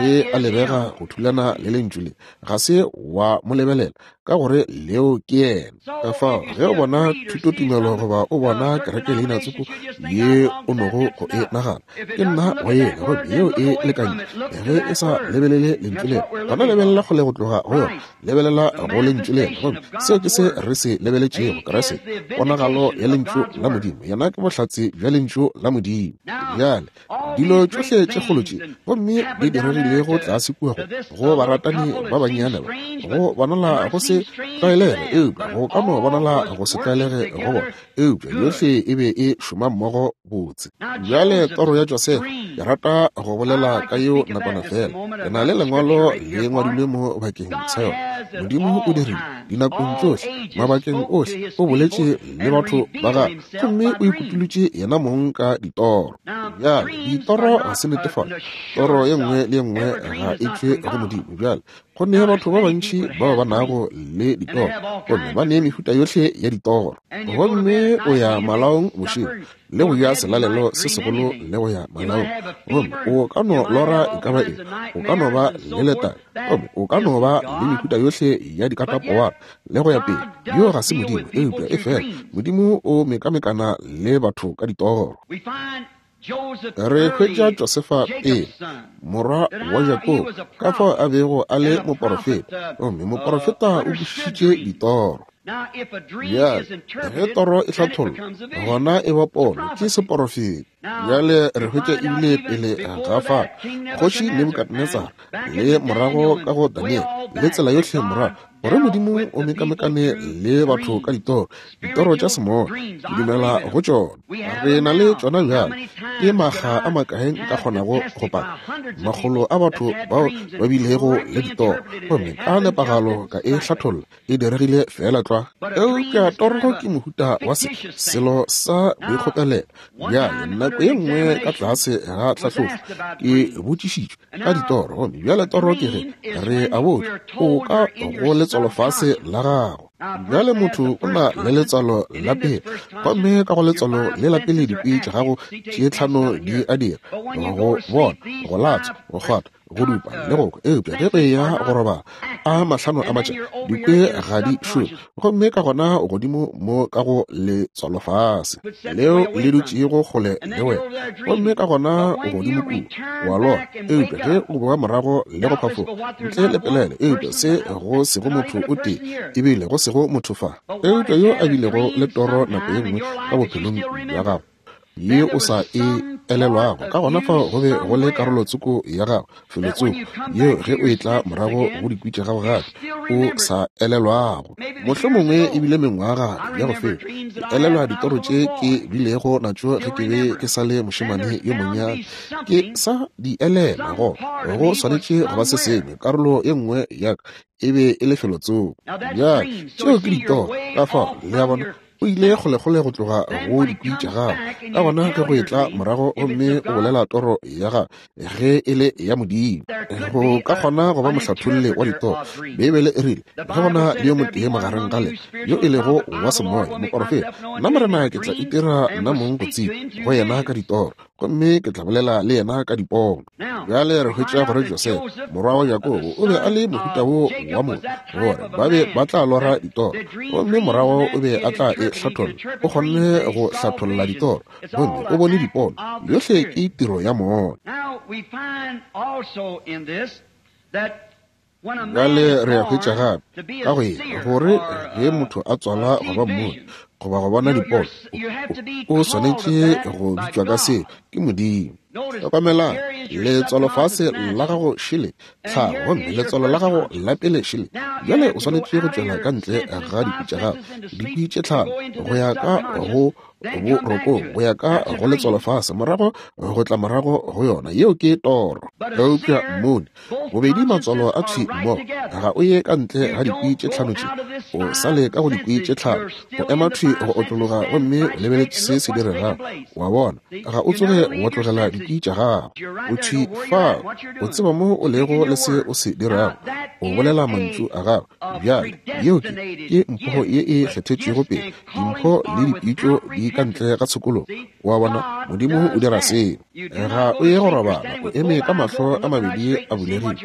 ge a lebega go thulana le Lentšu le, ga se wa mo lebelela, ka gore leo ke yena. Ka fao ge o bona thutotumelo goba o bona kereke leina tsoko ye o nogo go e nagana, ke nna wa yena, gomme yeo e lekantše. Ge e sa lebelele Lentšu leo, gona lebelela kgole go tloga go yona. Lebelela go Lentšu lela, gomme seo ke se re se lebeletšego, Kriste, ponagalo ya Lentšu la Modimo. Yena ke bohlatse bja Lentšu la Modimo. Bjale, dilo tšohle tše kgolo tše gomme di diregilego tlase kua go, go baratani ba bannyane ba, go bonala go se tlwaelege, eupša go ka no bonala go se tlwaelege go bona, eupša yohle e be e šoma mmogo botse. Bjale toro ya Josefa, ke rata go bolela ka yeo nakwana feela. Ke na le lengwalo le ngwadilwe mo bakeng sa yona. Modimo o dirile dinakong tšohle, mabakeng ohle, o boletše le batho ba gagwe gomme o ikutulotše yena mong ka ditoro. Bjale ditoro ga se netefatšo, toro ye nngwe le ye nngwe ga e tšwe go Modimo. Bjale go ne batho ba bantši bao ba nago le ditoro, gomme ba ne mehuta yohle ya ditoro. Gomme o ya malaong bošego le go ja selalelo se segolo le go ya malaong, gomme o ka no lora e ka ba eng, o ka no ba le letadi, gomme o ka no ba le mehuta yohle ya dikatapowana le go ya pele. Yo ga se Modimo, eupša efela Modimo o mekamekana le batho ka ditoro. Re hwetša Josefa pele, morwa wa Jakobo, ka fao a bego a le moporofeta, gomme moporofeta o kwešišitše ditoro. Bjale, ge toro e hlathollwa, gona e ba pono, ke seporofeta. Bjale re hwetša ebile pele ga fao, Kgoši Nebukadnetsara, le morago ka go Daniele, le tsela yohle morago, gore Modimo o mekamekane le batho ka ditoro, ditoro tša semoya. Ke dumela go tšona. Re na le tšona bjale. Ke makga a makae nka kgonago go paka makgolo a batho bao ba bilego le ditoro, gomme ka nepagalo ka e hlatholla, e diregile feela tlwa. Eupša toro ke mohuta wa se, selo sa boikgopelelo. Bjale, nako ye nngwe ka tlase ga tlhahlobo, ke botšišitšwe ka ditoro, gomme bjale toro ke ge re a botšwa o ka go letswalofase la gago. Bjale motho o na le letswalo la pele, gomme ka go letswalo le la pele dikwi tša gago tše tlhano di a dira, go bona, go latswa, go kgwatha, go dupa le go kwa. Eupša ge o eya go robala a mahlano a matša, dikwi ga di šome, gomme ka gona godimo mo ka go letswalofase leo le dutšego kgole le wena, gomme ka gona godimo kua wa lora. Eupša ge o boa morago le go phafoga ntle le pelaelo, eupša se go sego motho o tee, ebile go sego motho fa, eupša yo a bilego le toro nako ye nngwe ka bophelong bja gago ye o sa e elelwago, ka gona fao go be go le karolo tsoko ya gago felotsoko yeo ge o etla morago go dikwi tša gago gape o sa elelwago. Mohlomongwe e bile mengwaga ya go feta, ke elelwa ditoro tše ke bilego natšo ge ke be ke sa le mošemane yo monnyane. Ke sa di elelwa, go go swanetše go ba se sengwe, karolo ye nngwe ya ka e be e le felotsoko. Bjale tšeo ke ditoro, ka fao le a bona, o ile kgolekgole go tloga go dikwi tša gago. Ka gona ge go etla morago gomme o bolela toro ya gago, ge e le ya Modimo, go ka kgona go ba mohlatholli wa ditoro. Beibele e rile, ge go na le yo motee magareng ga lena yo e lego wa semoya, moporofeta, nna Morena ke tla itira nna mong go tseba go yena ka ditoro. Gomme ke tla bolela le yena ka dipono. Bjale re hwetša gore Josefa, morwa wa Jakobo, o be a le mohuta wo wa motho, gore ba be ba tla lora ditoro, gomme morago o be a tla e hlatholla. O kgonne go hlatholla ditoro, gomme o bone dipono. Yohle ke tiro ya moya. Bjale re a hwetša gape ka go ye gore ge motho a tswala go ba mmoni goba go bona dipono, o swanetše go bitšwa ka seo ke Modimo. Hlokomelang, letswalo fase la gago šele tlhago, gomme letswalo la gago la pele šele. Bjale o swanetše go tšwela ka ntle ga dikwi tša gago, dikwi tše tlhago, go ya ka go borokong, go ya ka go letswalo fase, morago go tla morago go yona. Yeo ke toro. Eupša mmoni, bobedi matswalo a thwi mmogo, ga o ye ka ntle ga dikwi tše tlhano tše, o sa le ka go dikwi tše tlhano, o ema thwi go otlologa gomme o lebeletše se se diregago. Wa bona, ga o tsoge wa tlogela dikwi tša gago. O thwi fao, o tseba mo o lego le se o se dirago, o bolela mantšu a gago. Bjale, yeo ke, ke mpho ye e kgethetšwego pele. Dimpho le dipitšo di ka ntle ga tshokologo. Wa bona, Modimo o dira seo. Ga o ye go robala, o eme ka mahlo a mabedi a bulegile, o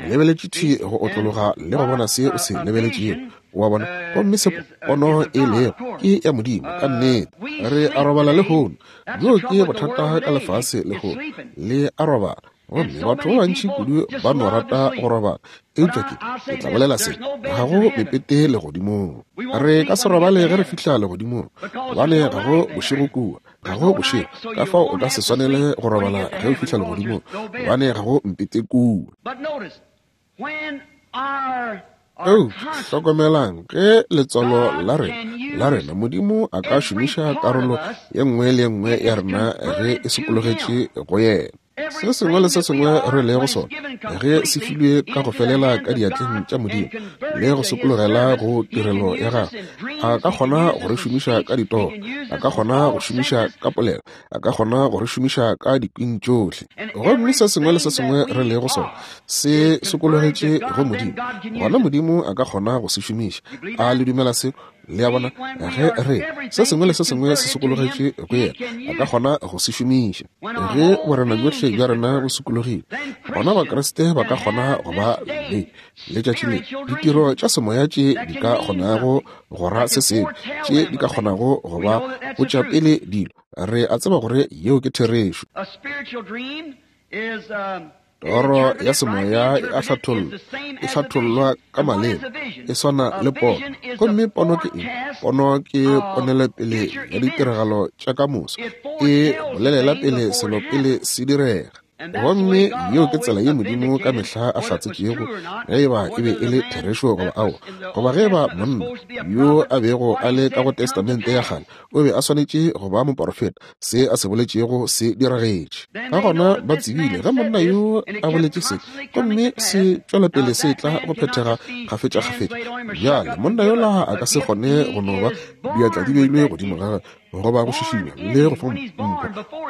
lebeletše thwi go otlologa le go bona se o se lebeletšego. Wa bona, gomme se pono e lego ke ya Modimo ka nnete. Re a robala lehono. Bjoo ke bothata ka lefase lehono, le a robala. Gomme batho ba bantši kudu ba no rata go robala. Eupša ke, ke tla bolela se, ga go mepete legodimong. Re ka se robale ge re fihla legodimong, gobane ga go bošego kua. Ga go bošego, ka fao o ka se swanele go robala ge o fihla legodimong, gobane ga go mpete kua. Eupša hlokomelang, ge letswalo la rena, la rena, Modimo a ka šomiša karolo ye nngwe le ye nngwe ya rena ge e sokologetše go yena. Se sengwe le se sengwe re lego sona, ge se filwe ka go felela ka diatleng tša Modimo le go sokologela go tirelo ya gagwe, a ka kgona go re šomiša ka ditoro, a ka kgona go šomiša ka polelo, a ka kgona go re šomiša ka dikwing tšohle. Gomme se sengwe le se sengwe re lego sona se sokologetše go Modimo, gona Modimo a ka kgona go se šomiša. A le dumela seo? Le a bona, ge re se sengwe le se sengwe se sokologetše go yena, a ka kgona go se šomiša. Ge borena bjohle bja rena bo sokologile, gona Bakriste ba ka kgona go ba le letšatši le ditiro tša semoya tše di ka kgonago go ra se sengwe, tše di ka kgonago go ba botša pele dilo. Re a tseba gore yeo ke therešo. Toro ya semoya e a hlathollwa, e hlathollwa ka maleme, e swana le pono. Gomme pono ke eng? Pono ke ponelepele ya ditiragalo tša ka moso, e bolelela pele selo pele se direga. Gomme yeo ke tsela ye Modimo ka mehla a hlatsetšego ge eba e be e le therešo goba aowa, goba ge eba monna yo a bego a le ka go Testamente ya Kgale o be a swanetše go ba moporofeta, se a se boletšego se diragetše. Ka gona ba tsebile ge monna yo a boletše se, gomme se tšwela pele se tla go phethega kgafetšakgafetša. Bjale monna yola a ka se kgone go no ba diatla di beilwe godimo ga gagwe goba go šišinywa le go fa mpho.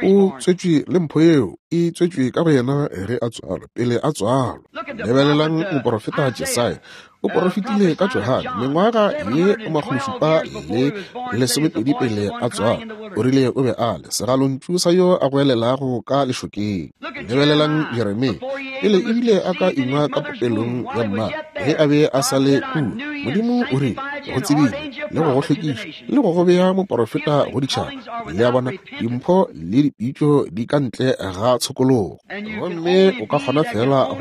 O tswetšwe le mpho yeo e tswetšwe ka go yena ge a tswalwa, pele a tswalwa. Lebelelang moporofeta Jesaya, o porofetile ka Johane mengwaga ye 720 pele a tswalwa. O rile o be a le segalontšu sa yo a goelelago ka lešokeng. Lebelelang Jeremia, pele ebile a ka ingwa ka popelong ya mma, ge a be a sa le kua, Modimo o rile go tsebile le go go hlwekiša le go go bea moporofeta go ditšhaba. Le a bona, dimpho le dipitšo di ka ntle ga tshokologo, gomme o ka kgona fela go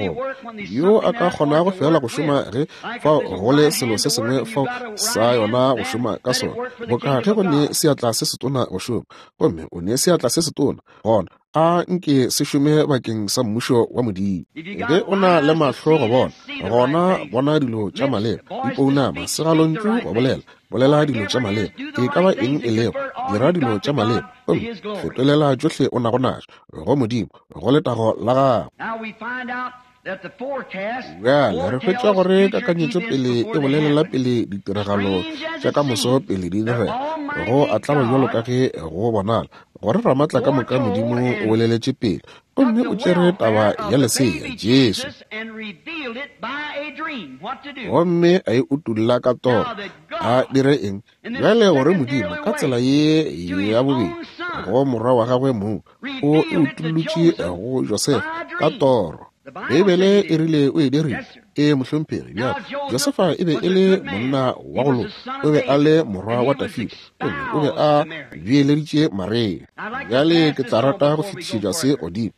yo a ka kgonago fela go šoma ge fao go le selo se sengwe fao sa yona go šoma ka sona, boka ge go ne seatla se setona go šoma, gomme o ne seatla se setona, gona a nke se šome bakeng sa mmušo wa Modimo. Ge o na le mahlo go bona, gona bona dilo tša maleba, dipounama, segalontšu go bolela, bolela dilo tša maleba, e ka ba eng e lego, dira dilo tša maleba, gomme fetolela tšohle o nago najo go Modimo, go letago la gagwe. Bjale re hwetša gore kakanyetšo pele e bolelela pele ditiragalo tša ka moso pele di direga. Go a tlaba bjalo ka ge go bonala gore Ramatla ka moka Modimo o boleletše pele gomme o tšere taba ya lesea Jesu gomme a e utolla ka toro. A dire eng? Bjale gore Modimo ka tsela ye ya bobedi go morwa wa gagwe mong, o e utollotše go Josefa ka toro. Beibele e rile o e dirile. Ee, mohlomphegi. Bjale, Josefa e be e le monna wa go loka. O be a le morwa wa Dafida, gomme o be a beeleditše Maria. Bjale ke tla rata go fetišetša se godimo.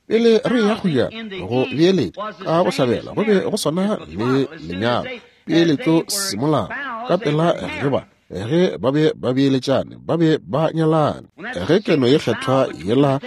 Pele re eya go ya go beeletša ka go hlabela, go be go swana le lenyalo, peeletšo semolao, ka pela ge ba ge ba be ba beeletšane, ba be ba nyalane. Ge keno ye kgethwa yela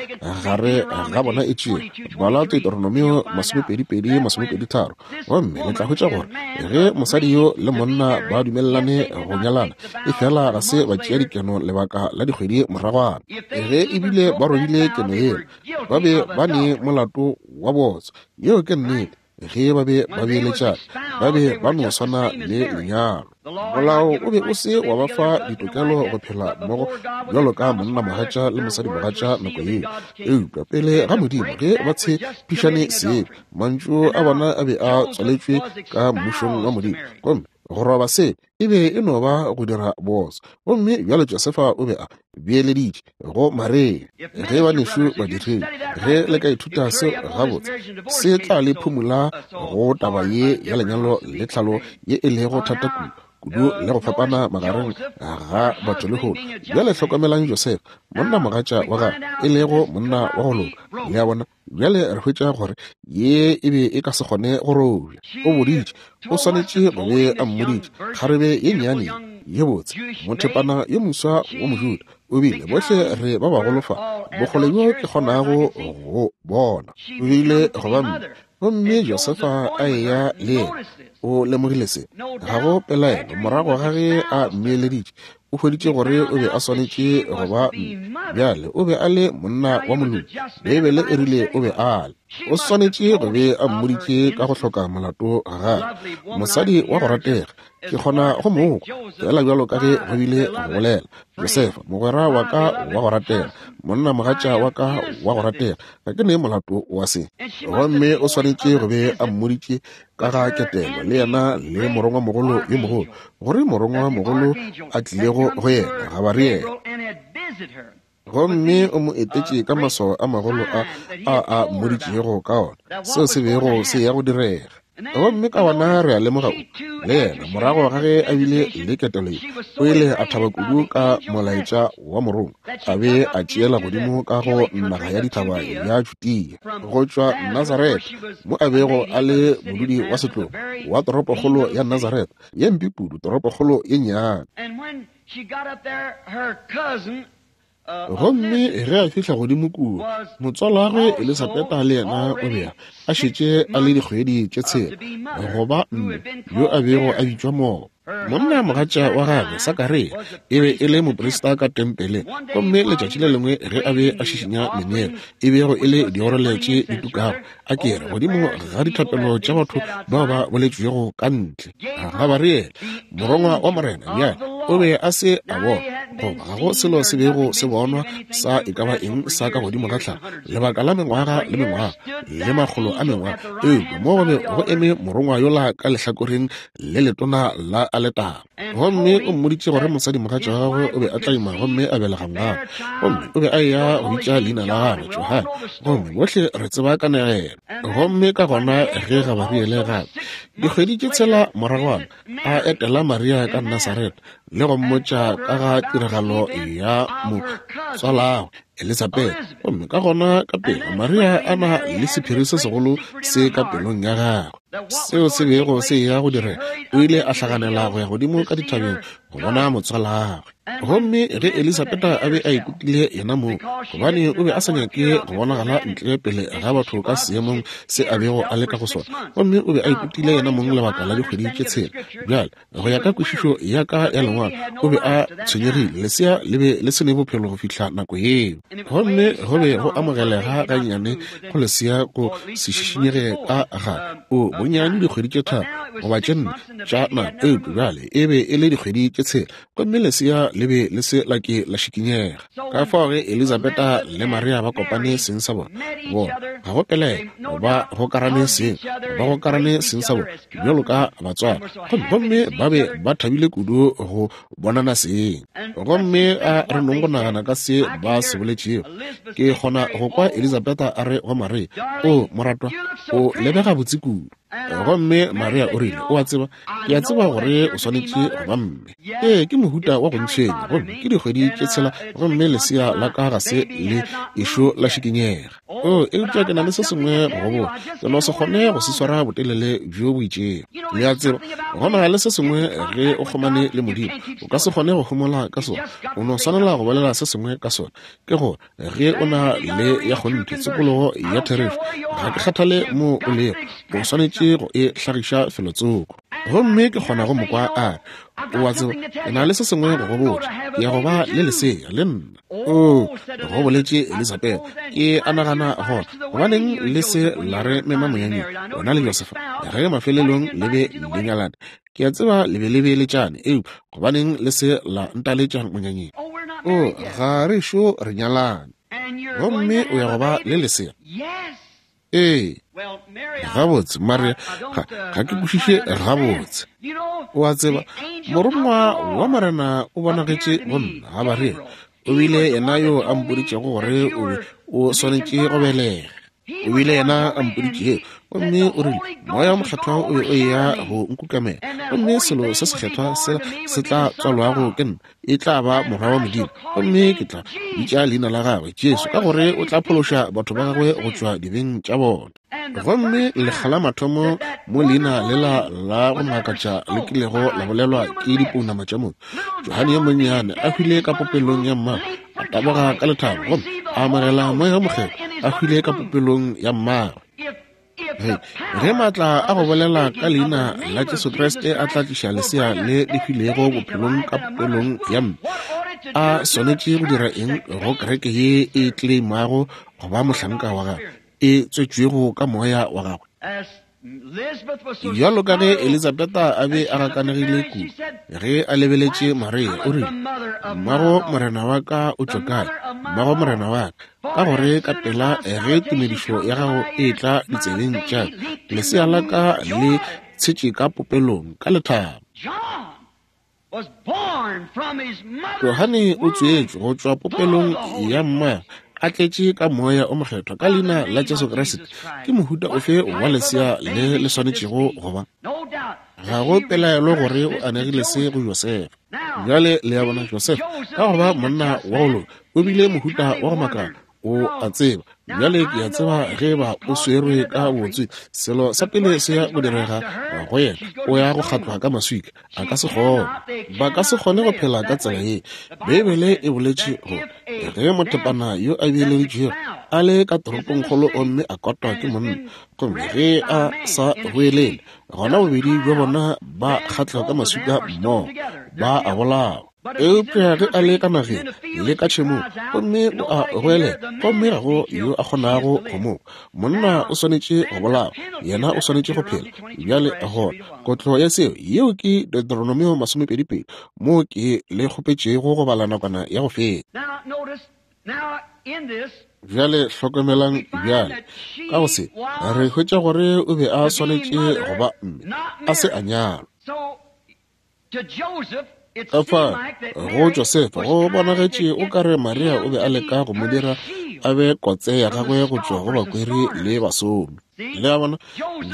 gare ga bona e tšewa, bala Deuteronomio 22, 23, gomme le tla hwetša gore ge mosadi yo le monna ba dumelelane go nyalana, efela ga se ba tšea dikeno lebaka la dikgwedi moragwana, ge ebile ba robile keno yela, ba be ba ne molato wa bootswa. Yeo ke nnete. Ge ba be ba beeletšana, ba be ba no swana le lenyalo. Molao o be o se wa ba fa ditokelo go phela mmogo bjalo ka monnamogatša le mosadimogatša nako yeo. Eupša pele ga Modimo, ge ba tshepišane sebe, mantšu a bona a be a tswaletšwe ka mmušong wa Modimo, gomme go roba sebe e be e no ba go dira bootswa. Gomme bjale Josefa o be a beeleditše go Maria. Ge banešu badiredi, ge le ka ithuta seo gabotse, se tla le phumula go taba ye ya lenyalo le tlhalo ye e lego thata kudu kudu le go fapana magareng ga batho lehono. Bjale hlokomelang Josefa, monnamogatša wa gagwe, e lego monna wa go loka. Le a bona? Bjale re hwetša gore ye e be e ka se kgone go robja. O boditše, o swanetše go be a mmoditše, kgarebe ye nnyane ye botse, mothepana yo moswa wa Mojuda, o bile, bohle re ba bagolo fa, bokgole bjo ke kgonago go bona, o bile go ba mme. Gomme Josefa a eya le yena. O lemogile se, ga go pelaelo, morago ga ge a mmeeleditše, o hweditše gore o be a swanetše go ba mme. Bjale, o be a le monna wa moloki, Beibele e rile o be a le. O swanetše go be a mmoditše ka go hloka molato ga gagwe. Mosadi wa go ratega, ke kgona go mo kwa, feela bjalo ka ge go bile go bolela. Josefa, mogwera wa ka wa go ratega, monna mogatša wa ka wa go ratega, ga ke ne molato wa se. Gomme o swanetše go be a mmoditše ka ga ketelo le yena le morongwamogolo yo mogolo, gore morongwamogolo a tlilego go yena, Gabariele. Gomme o mo etetše ka maswao a magolo a a a mmoditšego ka ona, seo se bego se ya go direga. Gomme ka gona re a lemoga o, le yena, morago ga ge a bile le ketelo ye, o ile a thaba kudu ka molaetša wa morongwa, a be a tšeela godimo ka go naga ya dithaba ya Judea, go tšwa Nazaretha, mo a bego a le modudi wa setlogo wa toropokgolo ya Nazaretha, ye mpe kudu, toropokgolo ye nnyane. Gomme ge a fihla godimo kua, motswalagwe Elisabeta le yena o be a šetše a le dikgwedi tše tshela go ba mme, yo a bego a bitšwa Mogo. Monna mogatša wa gagwe, Sakaria, e be e le moprista ka tempeleng, gomme letšatši le lengwe ge a be a šišinya meneelo, e bego e le diorele tše di tukago, a ke re, godimo ga dithapelo tša batho bao ba boletšwego ka ntle, Gabariele, morongwa wa Morena, bjale o be a se a bona, goba ga go selo se bego se bonwa sa e ka ba eng sa ka godimo ga tlhago, lebaka la mengwaga le mengwaga le makgolo a mengwaga, eupša mo go be go eme morongwa yola ka lehlakoreng le letona la aletara. Gomme o mmoditše gore mosadimogatša wa gagwe o be a tla ima gomme a belega ngwana, gomme o be a eya go bitša leina la gagwe Johane. Gomme bohle re tseba kanegelo. Gomme ka gona ge Gabariele gape, dikgwedi tše tshela moragwana, a etela Maria ka Nasaretha le go mmotša ka ga tiragalo ya motswalagwe Elisabetha, gomme ka gona ka pela Maria a na le sephiri se segolo se ka pelong ya gagwe seo se bego se eya go direga, o ile a hlaganela go ya godimo ka dithabeng go bona motswalagwe. Gomme ge Elisabetha a be a ikutile yena mong, gobane o be a sa nyake go bonagala ntle pele ga batho ka seemong se a bego a le ka go sona, gomme o be a ikutile yena mong lebaka la dikgwedi tše tshela. Bjale, go ya ka kwešišo ya ka ya lengwalo, o be a tshwenyegile. Lesea le be le se ne bophelo go fihla nako yeo, gomme go be go amogelega gannyane go lesea go se šišinyege ka ga o bonnyane dikgwedi tše tharo goba tše nne tša nako, eupša bjale e be e le dikgwedi tše tshela, gomme lesea le be le se la ke la šikinyega. Ka fao ge Elizabeta le Maria ba kopane seng sa bona, bona, ga go pelaelo, ba gokarane seng, ba gokarane seng sa bona, bjalo ka batswadi, gomme, gomme ba be ba thabile kudu go bonana seng. Gomme a re nong go nagana ka se ba se boletšego. Ke kgona go kwa Elizabeta a re go Maria, O, moratwa, o lebega botse kudu. Gomme Maria o rile, O a tseba, ke a tseba gore o swanetše go ba mme. Ee, ke mohuta wa go ntshwenya, gomme ke dikgwedi tše tshela, gomme lesea la ka ga se le ešo la šikinyega. O, eupša ke na le se sengwe go go botša, ke no se kgone go se swara botelele bjo bo itšego. Le a tseba, go na le se sengwe ge o kgomane le Modimo, o ka se kgone go homola ka sona. O no swanela go bolela se sengwe ka sona. Ke gore, ge o na le ya kgonthe tshokologo ya therešo, ga ke kgathale mo o lego, o swanetše go e hlagiša felotsoko. Gomme ke kgona go mo kwa a re, O a tseba, ke na le se sengwe go go botša, ke ya go ba le lesea le nna. O, go boletše Elizabeth, ke a nagana gona, gobaneng le se la re mema monyanyeng, wena le Josefa, ge mafelelong le be le nyalane? Ke a tseba le be le beeletšane, eupša gobaneng le se la ntaletša monyanyeng? O, ga re šo re nyalane. Gomme o ya go ba le lesea? Ee. Gabotse, Maria, ga, ga ke kwešiše gabotse. O a tseba, morongwa wa Morena o bonagetše go nna, Gabaria. O bile yena yo a mpoditšego gore o be o swanetše go belega. O bile yena a mpoditšego, gomme o rile, Moya wo Mokgethwa o be o eya go nkukamela, gomme selo se sekgethwa sela se tla tswalwago ke nna e tla ba Morwa wa Modimo, gomme ke tla bitša leina la gagwe Jesu, ka gore o tla phološa batho ba gagwe go tšwa dibeng tša bona. Gomme lekga la mathomo mo leina lela la go makatša le kilego la bolelwa ke dipounama tša motho, Johane yo monnyane a hwile ka popelong ya mmagwe, a taboga ka lethabo gomme a amogela Moya wo Mokgethwa, a hwile ka popelong ya mmagwe. Ge, ge maatla a go bolela ka leina la Jesu Kriste a tla tliša lesea le le hwilego bophelong ka popelong ya mme, a swanetše go dira eng go kereke ye e tleimago go ba mohlanka wa gagwe, e tswetšwego ka moya wa gagwe? Bjalo ka ge Elizabeta a be a gakanegile kudu ge a lebeletše Maria, o rile, Mmago Morena wa ka o tšwa kae? Mmago Morena wa ka. Ka gore ka pela ge tumedišo ya gago e etla ditsebeng tša ka, lesea la ka le tshetše ka popelong ka lethabo. Johane o tswetšwe go tšwa popelong ya mmagwe a tletše ka Moya o Mokgethwa ka leina la Jesu Kriste. Ke mohuta ofe wa lesea le le swanetšego go ba? Ga go pelaelo gore o anegile se go Josefa. Bjale le a bona, Josefa, ka go ba monna wa go loka, o bile mohuta wa go makala. O a tseba, bjale ke a tseba ge ba o swerwe ka botswi, selo sa pele se ya go direga go yena, o ya go kgatlwa ka maswika. A ka se kgone. Ba ka se kgone go phela ka tsela ye. Beibele e boletše gore ge mothepana yo a beeleditšwego a le ka toropongkgolo gomme a kotwa ke monna, gomme ge a sa boelele, gona bobedi bja bona ba kgatlwa ka maswika mmogo, ba a bolawa. Eupša ge a le ka nageng le ka tšhemong, gomme o a goelela, gomme ga go yo a kgonago go mo kwa, monna o swanetše go bolawa, yena o swanetše go phela. Bjale gona, kotlo ya seo, yeo ke Deuteronomio masomepedipedi, moo ke le kgopetšego go bala nakwana ya go feta. Bjale hlokomelang bjale, ka go se, re hwetša gore o be a swanetše go ba mme, a se a nyalwa. Ka fa go Josefa go bonagetše o ka re Maria o be a leka go mo dira a be kotse ya gagwe go tšwa go bakweri le basomi. Le a bona,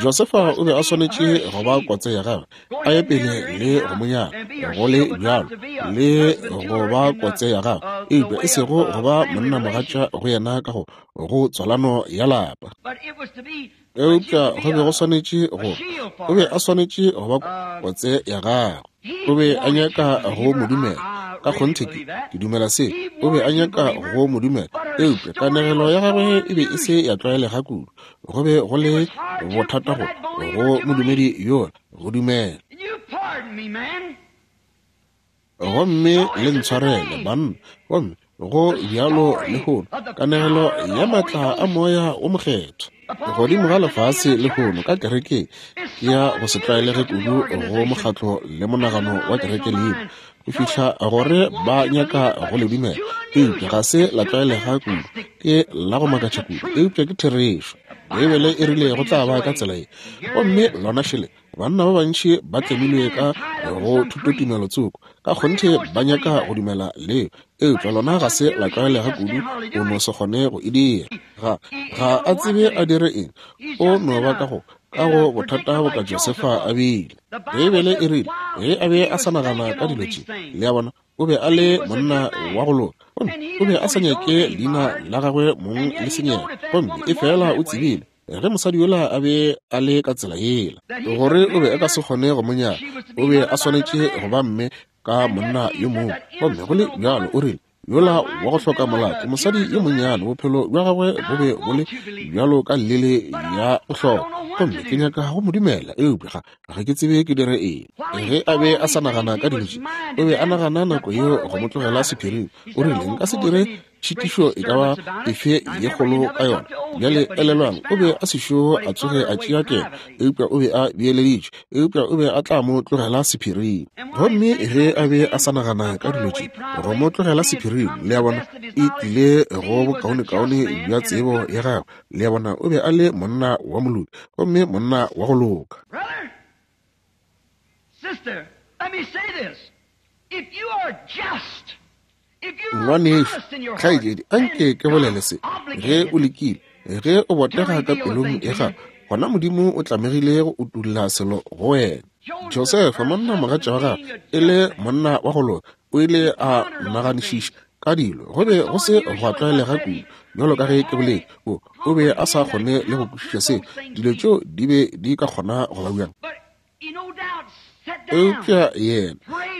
Josefa o be a swanetše go ba kotse ya gagwe, a ye pele le go mo nyala, go le bjalo, le go ba kotse ya gagwe, eupša e sego go ba monnamogatša go yena ka go go tswalano ya lapa. Eupša go be go swanetše go, o be a swanetše go ba kotse ya gagwe. O be a nyaka go mo dumela. Ka kgonthe ke, ke dumela se. O be a nyaka go mo dumela. Eupša kanegelo ya gagwe e be e se ya tlwaelega kudu. Go be go le bothata go, go modumedi yola go dumela. Gomme le ntshwarele, banna. Gomme go bjalo lehono, kanegelo ya maatla a Moya wo Mokgethwa godimo ga lefase lehono ka kerekeng ke ya go se tlwaelege kudu go mokgatlo le monagano wa kereke leina. Go fihla gore ba nyaka go le dumela, eupša ga se la tlwaelega kudu. Ke la go makatša kudu, eupša ke therešo. Beibele e rile go tla ba ka tsela ye. Gomme lona šele, banna ba bantši ba tlemilwe ka go thutotumelo tsoko, ka kgonthe ba nyaka go dumela leo, eupša lona ga se la tlwaelega kudu, o no se kgone go e dira. Ga, ga a tsebe a dire eng, o no ba ka go, ka go bothata boka Josefa a bile. Beibele e rile, ge a be a sa nagana ka dilo tše, le a bona, o be a le monna wa go loka, gomme o be a sa nyake leina la gagwe mong le senyega, gomme efela o tsebile ge mosadi yola a be a le ka tsela yela, gore o be a ka se kgone go mo nyala, o be a swanetše go ba mme ka monna yo mongwe. Gomme go le bjalo o rile, yola wa go hloka molato, mosadi yo monnyane, bophelo bja gagwe bo be bo le bjalo ka llele ya go hloka, gomme ke nyaka go mo dumela, eupša ga ke tsebe ke dire eng. Ge a be a sa nagana ka dilo tše, o be a nagana nako yeo go mo tlogela sephiring. O rile, nka se dire tšhitišo e ka ba efe ye kgolo ka yona. Bjale elelwang, o be a sešo a tsoge a tšea keno, eupša o be a beeleditše, eupša o be a tla mo tlogela sephiring. Gomme ge a be a sa nagana ka dilo tše, go mo tlogela sephiring, le a bona, e tlile go bokaonekaone bja tsebo ya gagwe. Le a bona, o be a le monna wa moloki, gomme monna wa go loka. Brother, sister, let me say this. If you are just, Ngwanešu, kgaetšedi, anke ke bolele se. Ge o lekile, ge o botega ka pelong ya gago, gona Modimo o tlamegile go utolla selo go wena. Josefa, monna mogatša wa gagwe, e le monna wa go loka, o ile a naganišiša ka dilo. Go be go se gwa tlwaelega kudu, bjalo ka ge ke boletše. O, o be a sa kgone le go kwešiša seo. Dilo tšeo di be di ka kgona go ba bjang? Eupša yena,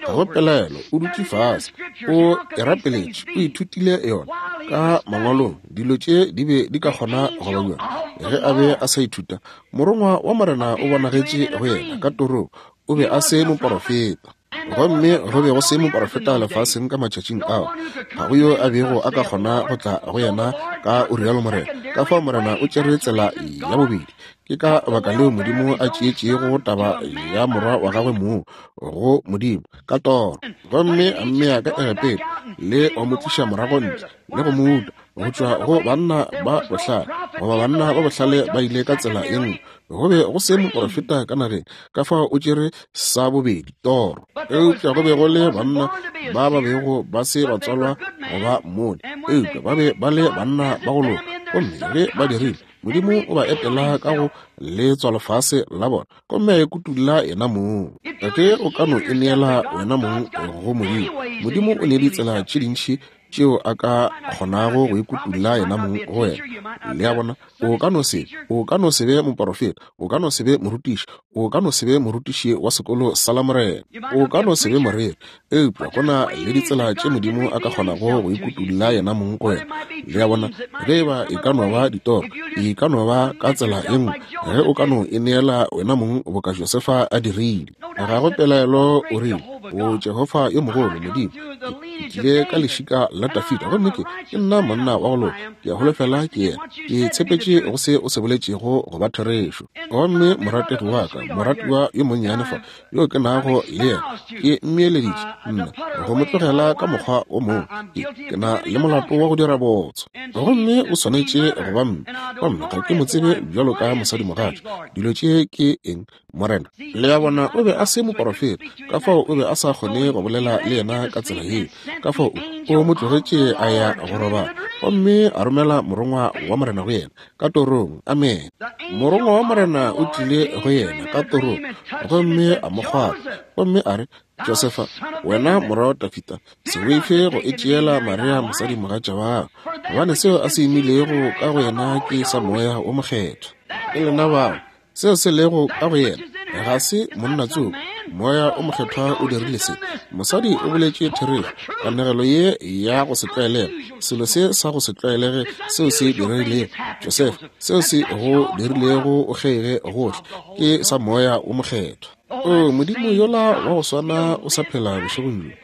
ga go pelaelo, o dutše fase, o e rapeletše, o ithutile yona ka mangwalong. Dilo tše di be di ka kgona go ba bjang? Ge a be a sa ithuta, morongwa wa Morena o bonagetše go yena ka torong. O be a se moporofeta. Gomme go be go se moporofeta lefaseng ka matšatšing ao. Ga go yo a bego a ka kgona go tla go yena ka o rialo Morena. Ka fao Morena o tšere tsela ya bobedi. Ke ka baka leo Modimo a tšeetšego taba ya morwa wa gagwe mong go Modimo ka toro, gomme a mmea ka Egepeta le go mo tliša morago ntle le go mo uta go tšwa go banna ba bohlale, goba banna ba bohlale ba ile ka tsela ye nngwe. Go be go se moporofeta ka nageng, ka fao o tšere sa bobedi toro. Eupša go be go le banna ba ba bego ba se ba tswalwa go ba mmone, eupša ba be ba le banna ba go loka, gomme ge ba dirile, Modimo o ba etela ka go letswalofase la bona, gomme a ikutulla yena mong. Ge o ka no ineela wena mong go Modimo, Modimo o ne ditsela tše dintši tšeo a ka kgonago go ikutulla yena mong go wena. Le a bona, o ka no se, o ka no se be moporofeta, o ka no se be morutiši, o ka no se be morutiši wa sekolo sa Lamorena, o ka no se be moreri, eupša go na le ditsela tše Modimo a ka kgonago go ikutulla yena mong go wena. Le a bona, ge eba e ka no ba ditoro, e ka no ba ka tsela ye nngwe, ge o ka no e neela wena mong boka Josefa a dirile. Ga go pelaelo o rile, O Jehofa yo mogolo, Modimo, ke tlile ka lešika la Dafida, gomme ke, ke nna monna wa go loka. Ke a holofela ke yena. Ke tshepetše go se o se boletšego go ba therešo. Gomme morategi wa ka, moratiwa yo monnyane fa, yo ke nago le yena, ke mmeeleditše nna go mo tlogela ka mokgwa o mongwe. Ke, ke na le molato wa go dira botso. Gomme o swanetše go ba mme, gomme ga ke mo tsebe bjalo ka mosadimogatša. Dilo tše ke eng, Morena? Le a bona, o be a se moporofeta, ka fao o be a sa kgone go bolela le yena ka tsela yeo. Ka fao o, o mo tlogetše a ya go robala, gomme a romela morongwa wa Morena go yena ka torong. Amene. Morongwa wa Morena o tlile go yena ka torong, gomme a mo kgwatha, gomme a re, Josefa, wena morwa wa Dafida, se boife go e tšeela Maria mosadimogatša wa gago, gobane seo a se imilego ka go yena ke sa Moya wo Mokgethwa. Ke lena bao. Seo se lego ka go yena ga se monna tsoko. Moya o Mokgethwa o dirile se. Mosadi o boletše therešo. Kanegelo ye ya go se tlwaelege, selo se sa go se tlwaelege seo se diregilego, Josefa, seo se go dirilego o kgeige gohle, ke sa Moya o Mokgethwa. O Modimo yola wa go swana o sa phela bošegong bjo.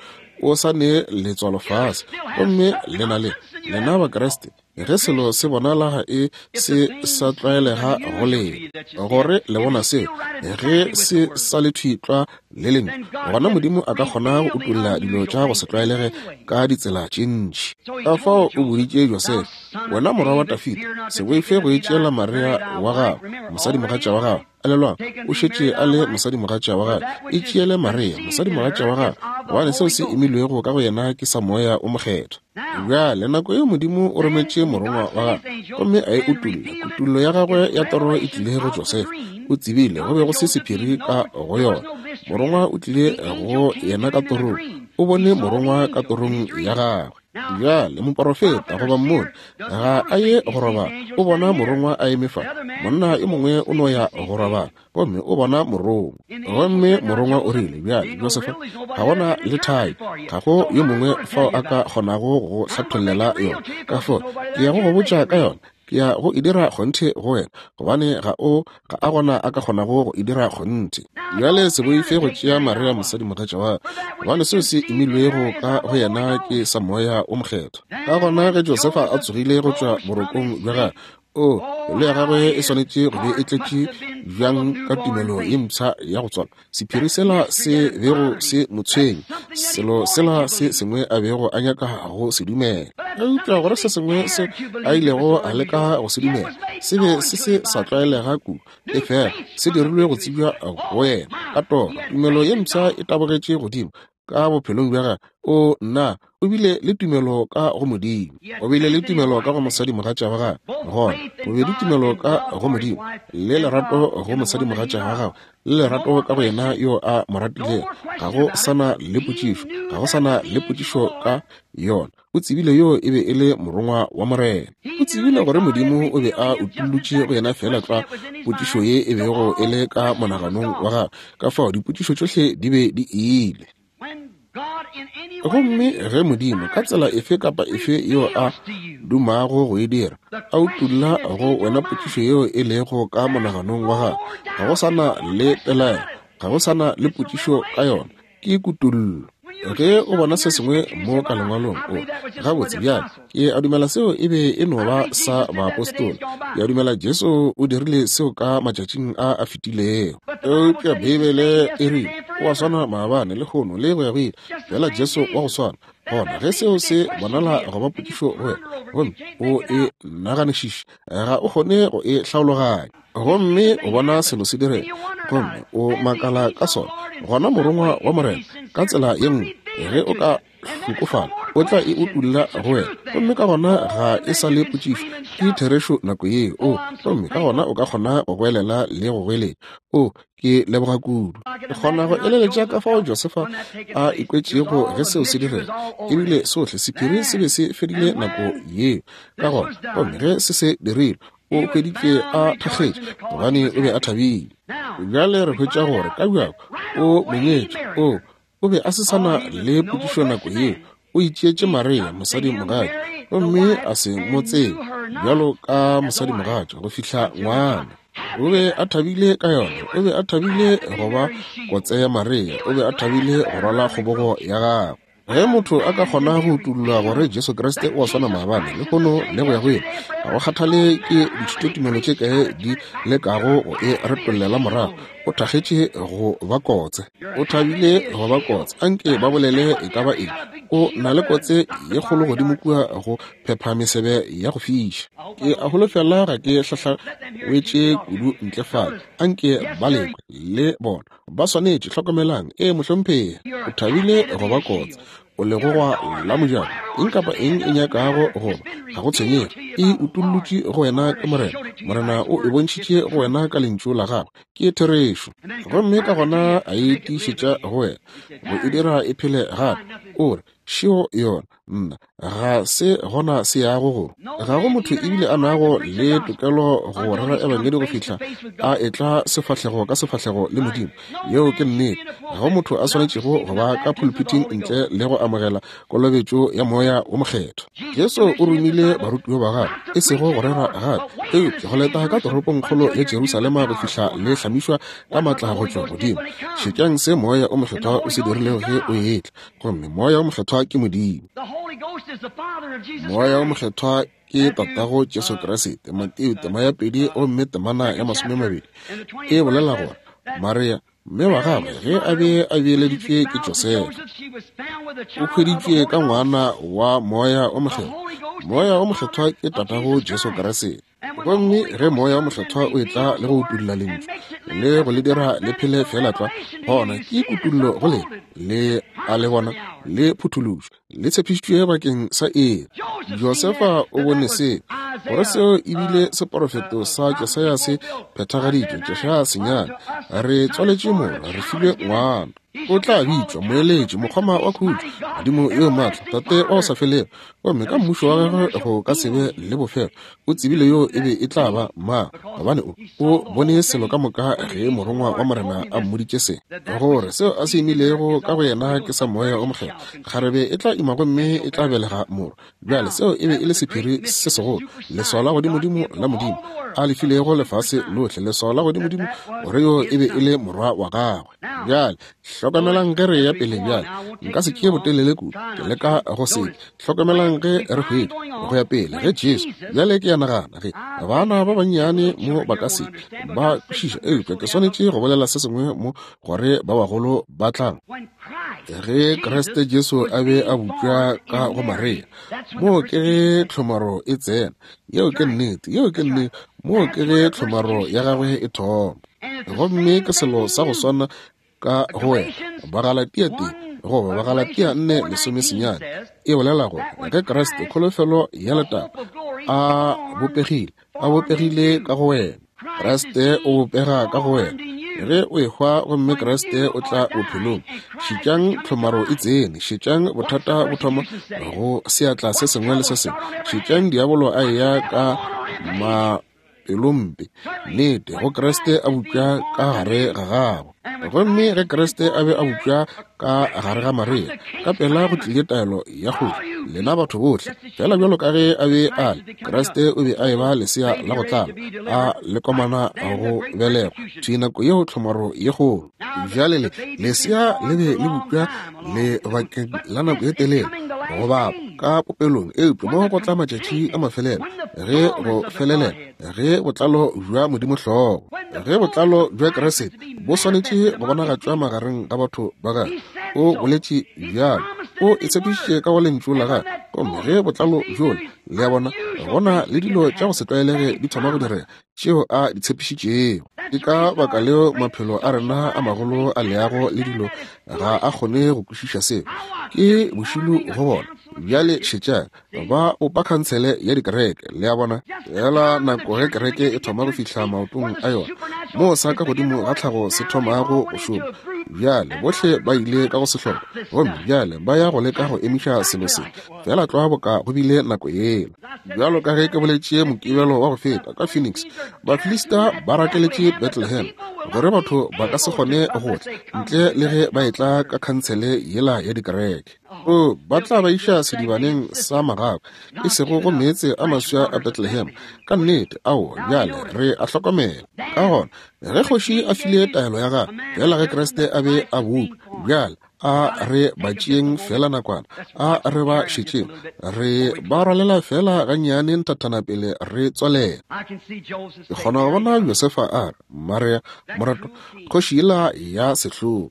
O sa ne letswalo fase. Gomme lena le, lena Bakriste, Ge selo se bonala e se sa tlwaelega go lena, gore le bona seo, ge se sa le thwi tlwa Le lentšu, gona Modimo a ka kgona go utolla dilo tša go se tlwaelege ka ditsela tše ntši. Ka fao o boditše Josefa, Wena morwa wa Dafida, se boife go itšeela Maria wa gago, mosadimogatša wa gago. Elelwang, o šetše a le mosadimogatša wa gagwe. Itšeele Maria, mosadimogatša wa gago, gobane seo se imilwego ka go yena ke sa Moya wo Mokgethwa. Bjale, nako yeo Modimo o rometše morongwa wa gagwe gomme a e utolla. Kutollo ya gagwe ya toro e tlile go Josefa. O tsebile go be go se sephiri ka go yona. Morongwa o tlile go yena ka torong. O bone morongwa ka torong ya gagwe. Bjale, moporofeta goba mmoni ga a ye go robala, o bona morongwa a eme fa. Monna yo mongwe o no ya go robala gomme o bona morongwa. Gomme morongwa o rile, Bjale, Josefa, ga gona le thai, ga go yo mongwe fao a ka kgonago go hlathollela yona. Ka fao, ke ya go go botša ka yona. Ke ya go e dira kgonthe go wena, gobane ga o, ga a gona a ka kgonago go e dira kgonthe. Bjale se boife go tšea Maria mosadimogatša wa ka, gobane seo se imilwego ka go yena ke sa Moya wo Mokgethwa. Ka gona ge Josefa a tsogile go tšwa borokong bja gagwe, O, pelo ya gagwe e swanetše go be e tletše bjang ka tumelo ye mpsha ya go tswalwa, sephiri sela se bego se mo tshwenya, selo sela se sengwe a bego a nyaka go se dumela. Eupša gore se sengwe se a ilego a leka go se dumela se be se se sa tlwaelega kudu, efela se dirilwe go tsebja go yena ka toro. Tumelo ye mpsha e tabogetše godimo ka bophelong bja gagwe. O, nna, o bile le tumelo ka go Modimo. O bile le tumelo ka go mosadimogatša wa gagwe. Gona, bobedi tumelo ka go Modimo le lerato go mosadimogatša wa gagwe, le lerato ka go yena yo a mo ratilego. Ga go sa na le potšišo, ga go sa na le potšišo ka yona. O tsebile yoo e be e le Morongwa wa Morena. O tsebile gore Modimo o be a utollotše go yena feela tlwa potšišo ye e bego e le ka monaganong wa gagwe. Ka fao dipotšišo tšohle di be di ile. Gomme ge Modimo, ka tsela efe kapa efe yeo a dumago go e dira, a utolla go wena potšišo yeo e lego ka monaganong wa gago, ga go sa na le pelaelo, ga go sa na le potšišo ka yona. Ke kutollo. Ge o bona se sengwe mo ka Lengwalong, o gabotse bjale, ke a dumela seo e be e no ba sa baapostola. Ke a dumela Jesu o dirile seo ka matšatšing a a fetilego. Eupša Beibele e rile, O a swana maabane, lehono, le go ya go ile, feela Jesu wa go swana. Gona ge seo se bonala go ba potšišo go wena, gomme o e naganišiše, ga o kgone go e hlaologanya. Gomme o bona selo se direga, gomme o makala ka sona, gona Morongwa wa Morena, ka tsela ye nngwe, ge o ka hlokofala, o tla e utulla go wena. Gomme ka gona ga e sa le potšišo, ke therešo nako yeo. O, gomme ka gona o ka kgona go goelela le go goeletša. O, ke leboga kudu. Ke kgona go eleletša ka fao Josefa a ikwetšego ge seo se direga. Ebile sohle sephiri se be se fedile nako yeo. Ka gona, gomme ge se se dirilwe, o hweditšwe a thakgetše gobane o be a thabile. Bjale re hwetša gore ka bjako o monyetše o o be a se sa na le potšišo nako yeo. O itšeetše Maria mosadimogatša gomme a se mo tsebe bjalo ka mosadimogatša go fihla ngwana. O be a thabile ka yona. O be a thabile go ba kotse ya Maria. O be a thabile go rwala kgobogo ya gagwe. Ge motho a ka kgona go utolla gore Jesu Kriste o a swana maabane, lehono le go ya go ile, ga go kgathale ke dithutotumelo tše kae di lekago go e retollela morago, o thakgetše go ba kotse. O thabile go ba kotse. Anke ba bolele e ka ba eng. O na le kotse ye kgolo godimo kua go phepha mesebe ya go fiša. Ke a holofela ga ke hlahlawetše kudu ntle fale. Anke ba lekwe, le bona. Ba swanetše, hlokomelang, ee, mohlomphegi, o thabile go ba kotse, o legogwa la mojako, eng kapa eng e nyakago go ba, ga go tshwenyege, e utollotše go wena ke Morena. Morena o e bontšhitše go wena ka Lentšu la Gagwe, ke therešo. Gomme ka gona a e tiišetša go wena, go e dira e phele gape. O re, Šeo yona. Nna, ga se gona se yago go. Ga go motho ebile a nago le tokelo go rera ebangedi go fihla a etla sefahlego ka sefahlego le Modimo. Yeo ke nnete. Ga go motho a swanetšego go ba ka phuluphiting ntle le go amogela kolobetšo ya Moya wo Mokgethwa. Jesu o romile barutiwa ba gagwe, e sego go rera gape, eupša go leta ka toropongkgolo ya Jerusalema go fihla le hlamišwa ka matla go tšwa godimo. Šetšang se Moya o Mokgethwa o se dirilego ge o etla. Gomme Moya wo Mokgethwa ke Modimo. Moya wo Mokgethwa ke Tatago Jesu Kriste. Mateo tema ya 2 gomme temana ya 20 e bolela gore Maria Mme wa gagwe ge a be a beeleditšwe ke Josefa, o hweditšwe ka ngwana wa Moya o Mokgethwa. Moya o Mokgethwa ke Tatago Jesu Kriste. Gomme ge Moya o Mokgethwa o etla le go utolla Lentšu le go le dira le phele feela tlwa, gona ke kutollo go lena, le a le bona le phuthološwa, le tshepišitšwe bakeng sa iri. Josefa o bone se, gore seo e bile seporofeto sa Jesaya se phethagaditšwe. Jesaya senyane, re tswaletše morwa, re filwe ngwana. O tla bitšwa Moeletši, Mokgoma wa Khutšo, Modimo yo Maatla, Tate wa go sa felego. Gomme ka mmušo wa gagwe go ka se be le bofelo. O tsebile yo e be e tla ba mang, gobane o, o bone selo ka moka ge morongwa wa Morena a mmoditše se, gore seo a se imilego ka go yena ke sa Moya o Mokgethwa. Kgarebe e tla ima gomme e tla belega morwa. Bjale seo e be e le sephiri se segolo, leswao la godimodimo la Modimo a le filego lefase lohle, leswao la godimodimo gore yo e be e le morwa wa gagwe. Bjale hlokamelang ge re ya pele bjale, nka se tšee botelele kudu, ke leka go se hlokamelang ge re hwetša go ya pele ge Jesu. Bjale ke ya nagana ge bana ba bannyane mo ba ka se ba kwešiša, eupša ke swanetše go bolela se sengwe mo gore ba bagolo ba tla. Ge Kriste Jesu a be a bopša ka go Maria, moo ke ge tlhomaro e tsena. Yeo ke nnete, yeo ke nnete. Moo ke ge tlhomaro ya gagwe e thoma. Gomme ke selo sa go swana ka go wena. Bagalatia tee goba Bagalatia 4:19 e bolela gore ge Kriste, kholofelo ya letago, a bopegile, a bopegile ka go wena. Kriste o bopega ka go wena ge o ehwa, gomme Kriste o tla bophelong. Šetšang tlhomaro e tsene, šetšang bothata bo thoma go seatla se sengwe le se sengwe, šetšang diabolo a eya ka mapelompe, nnete, go Kriste a bupša ka gare ga gago. Gomme ge Kriste a be a bupša ka gare ga Maria, ka pela go tlile taelo ya kgoši, lena batho bohle, fela bjalo ka ge a be a le, Kriste o be a eba lesea la go tlala, a lekomana go belegwa, thwi nako yeo tlhomaro ye kgolo. Bjale le, lesea le be le bupša lebakeng la nako ye telele go bapa ka popelong, eupša mo go tla matšatši a mafelelo, ge go felelela, ge botlalo bja Modimo hlogo, ge botlalo bja Kriste bo swanetše go bonagatšwa magareng ga batho ba gagwe. O boletše bjalo, o e tshepišitše ka go Lentšu la gagwe. Gomme ge botlalo bjola, le a bona, gona le dilo tša go se tlwaelege di thoma go direga tšeo a di tshepišitšego. Ke ka baka leo maphelo a rena a magolo a leago le dilo ga a kgone go kwešiša seo. Ke bošilo go bona. Bjale šetšang, ba bopa khansele ya dikereke, le a bona, fela nako ge kereke e thoma go fihla maotong a yona, moo sa ka godimo ga tlhago se thomago go šoma. Bjale bohle ba ile ka go sehlopa, gomme bjale ba ya go leka go emiša selo se, fela tlwa boka go bile nako yela. Bjalo ka ge ke boletše Mokibelo wa go feta ka Phoenix, Bafilista ba rakeletše Bethlehem gore batho ba ka se kgone go tla ntle le ge ba etla ka khansele yela ya dikereke. O, ba tla ba iša sedibaneng sa magakwa, e sego go meetse a maswa a Bethlehem. Ka nnete, aowa, bjale re a hlokomela. Ka gona, ge kgoši a file taelo ya gagwe, bjale ge Kriste a be a bopša, bjale a re ba tšeeng feela nakwana, a re ba šetšeng, re ba rwalela feela gannyane nthathana pele re tswalela. Ke kgona go bona Josefa a re, Maria, moratwa, kgoši yela ya sehlogo.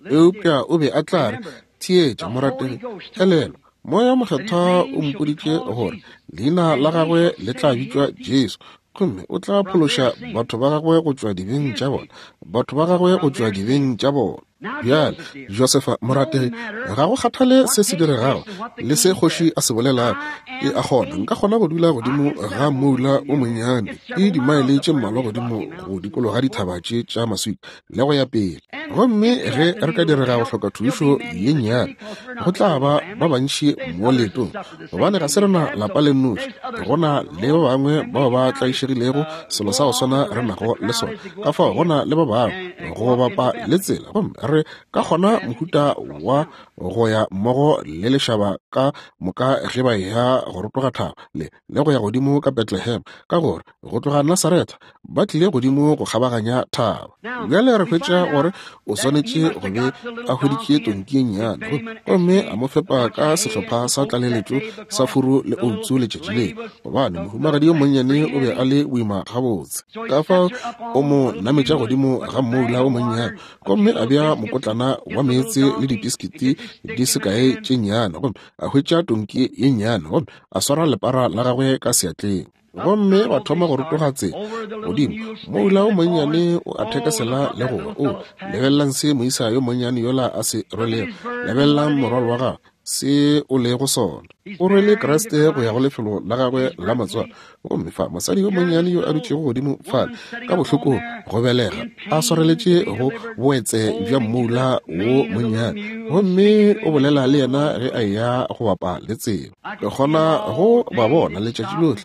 Eupša o be a tla re, Theetša, morategi, elelwa, Moya Mokgethwa o mpoditše gore leina la gagwe le tla bitšwa Jesu, gomme o tla phološa batho ba gagwe go tšwa dibeng tša bona, batho ba gagwe go tšwa dibeng tša bona. Bjale, Josefa, morategi, ga go kgathale se se diregago le se kgoši a se bolelago, ke a kgona, nka kgona go dula godimo ga moula o monnyane, ke dimaele tše mmalwa godimo go dikologa dithaba tše tša maswika, le go ya pele. Gomme ge re ka direga go hloka thušo ye nnyane, go tla ba ba bantši mo leetong, gobane ga se rena lapa le nnoši, go na le ba bangwe bao ba tlaišegilego selo sa go swana re nago le sona. Ka fao go na le ba bangwe go bapa le tsela, gomme Re ka kgona mohuta wa go ya mmogo le lešaba ka moka ge ba eya go rotoga thaba le le go ya godimo ka Bethlehem, ka gore go tloga Nasaretha ba tlile godimo go kgabaganya thaba. Bjale re hwetša gore o swanetše go be a hweditše tonki ye nnyane gomme a mo fepa ka sehlopha sa tlaleletšo sa furu le outsu letšatši leo, gobane mohumagadi yo monnyane o be a le boima gabotse. Ka fao o mo nametša godimo ga mmoula o monnyane gomme a bea mokotlana wa meetse le dipiskiti di se kae tše nnyane, gomme a hwetša tonki ye nnyane gomme a swara lepara la gagwe ka seatleng. Gomme ba thoma go rotoga tsela godimo. Moula o monnyane o a thekesela le go wa. O, lebelelang se moisa yo monnyane yola a se rwelego. Lebelelang morwalo wa gagwe, se o lego sona. O rwele Kriste go ya go lefelo la gagwe la matswalo. Gomme fa mosadi yo monnyane yo a dutšego godimo fale ka bohlokong go belega, a swareletše go boetse bja mmoula wo monnyane, gomme o bolela le yena ge a eya go bapa le tsela. Ke kgona go ba bona letšatši lohle.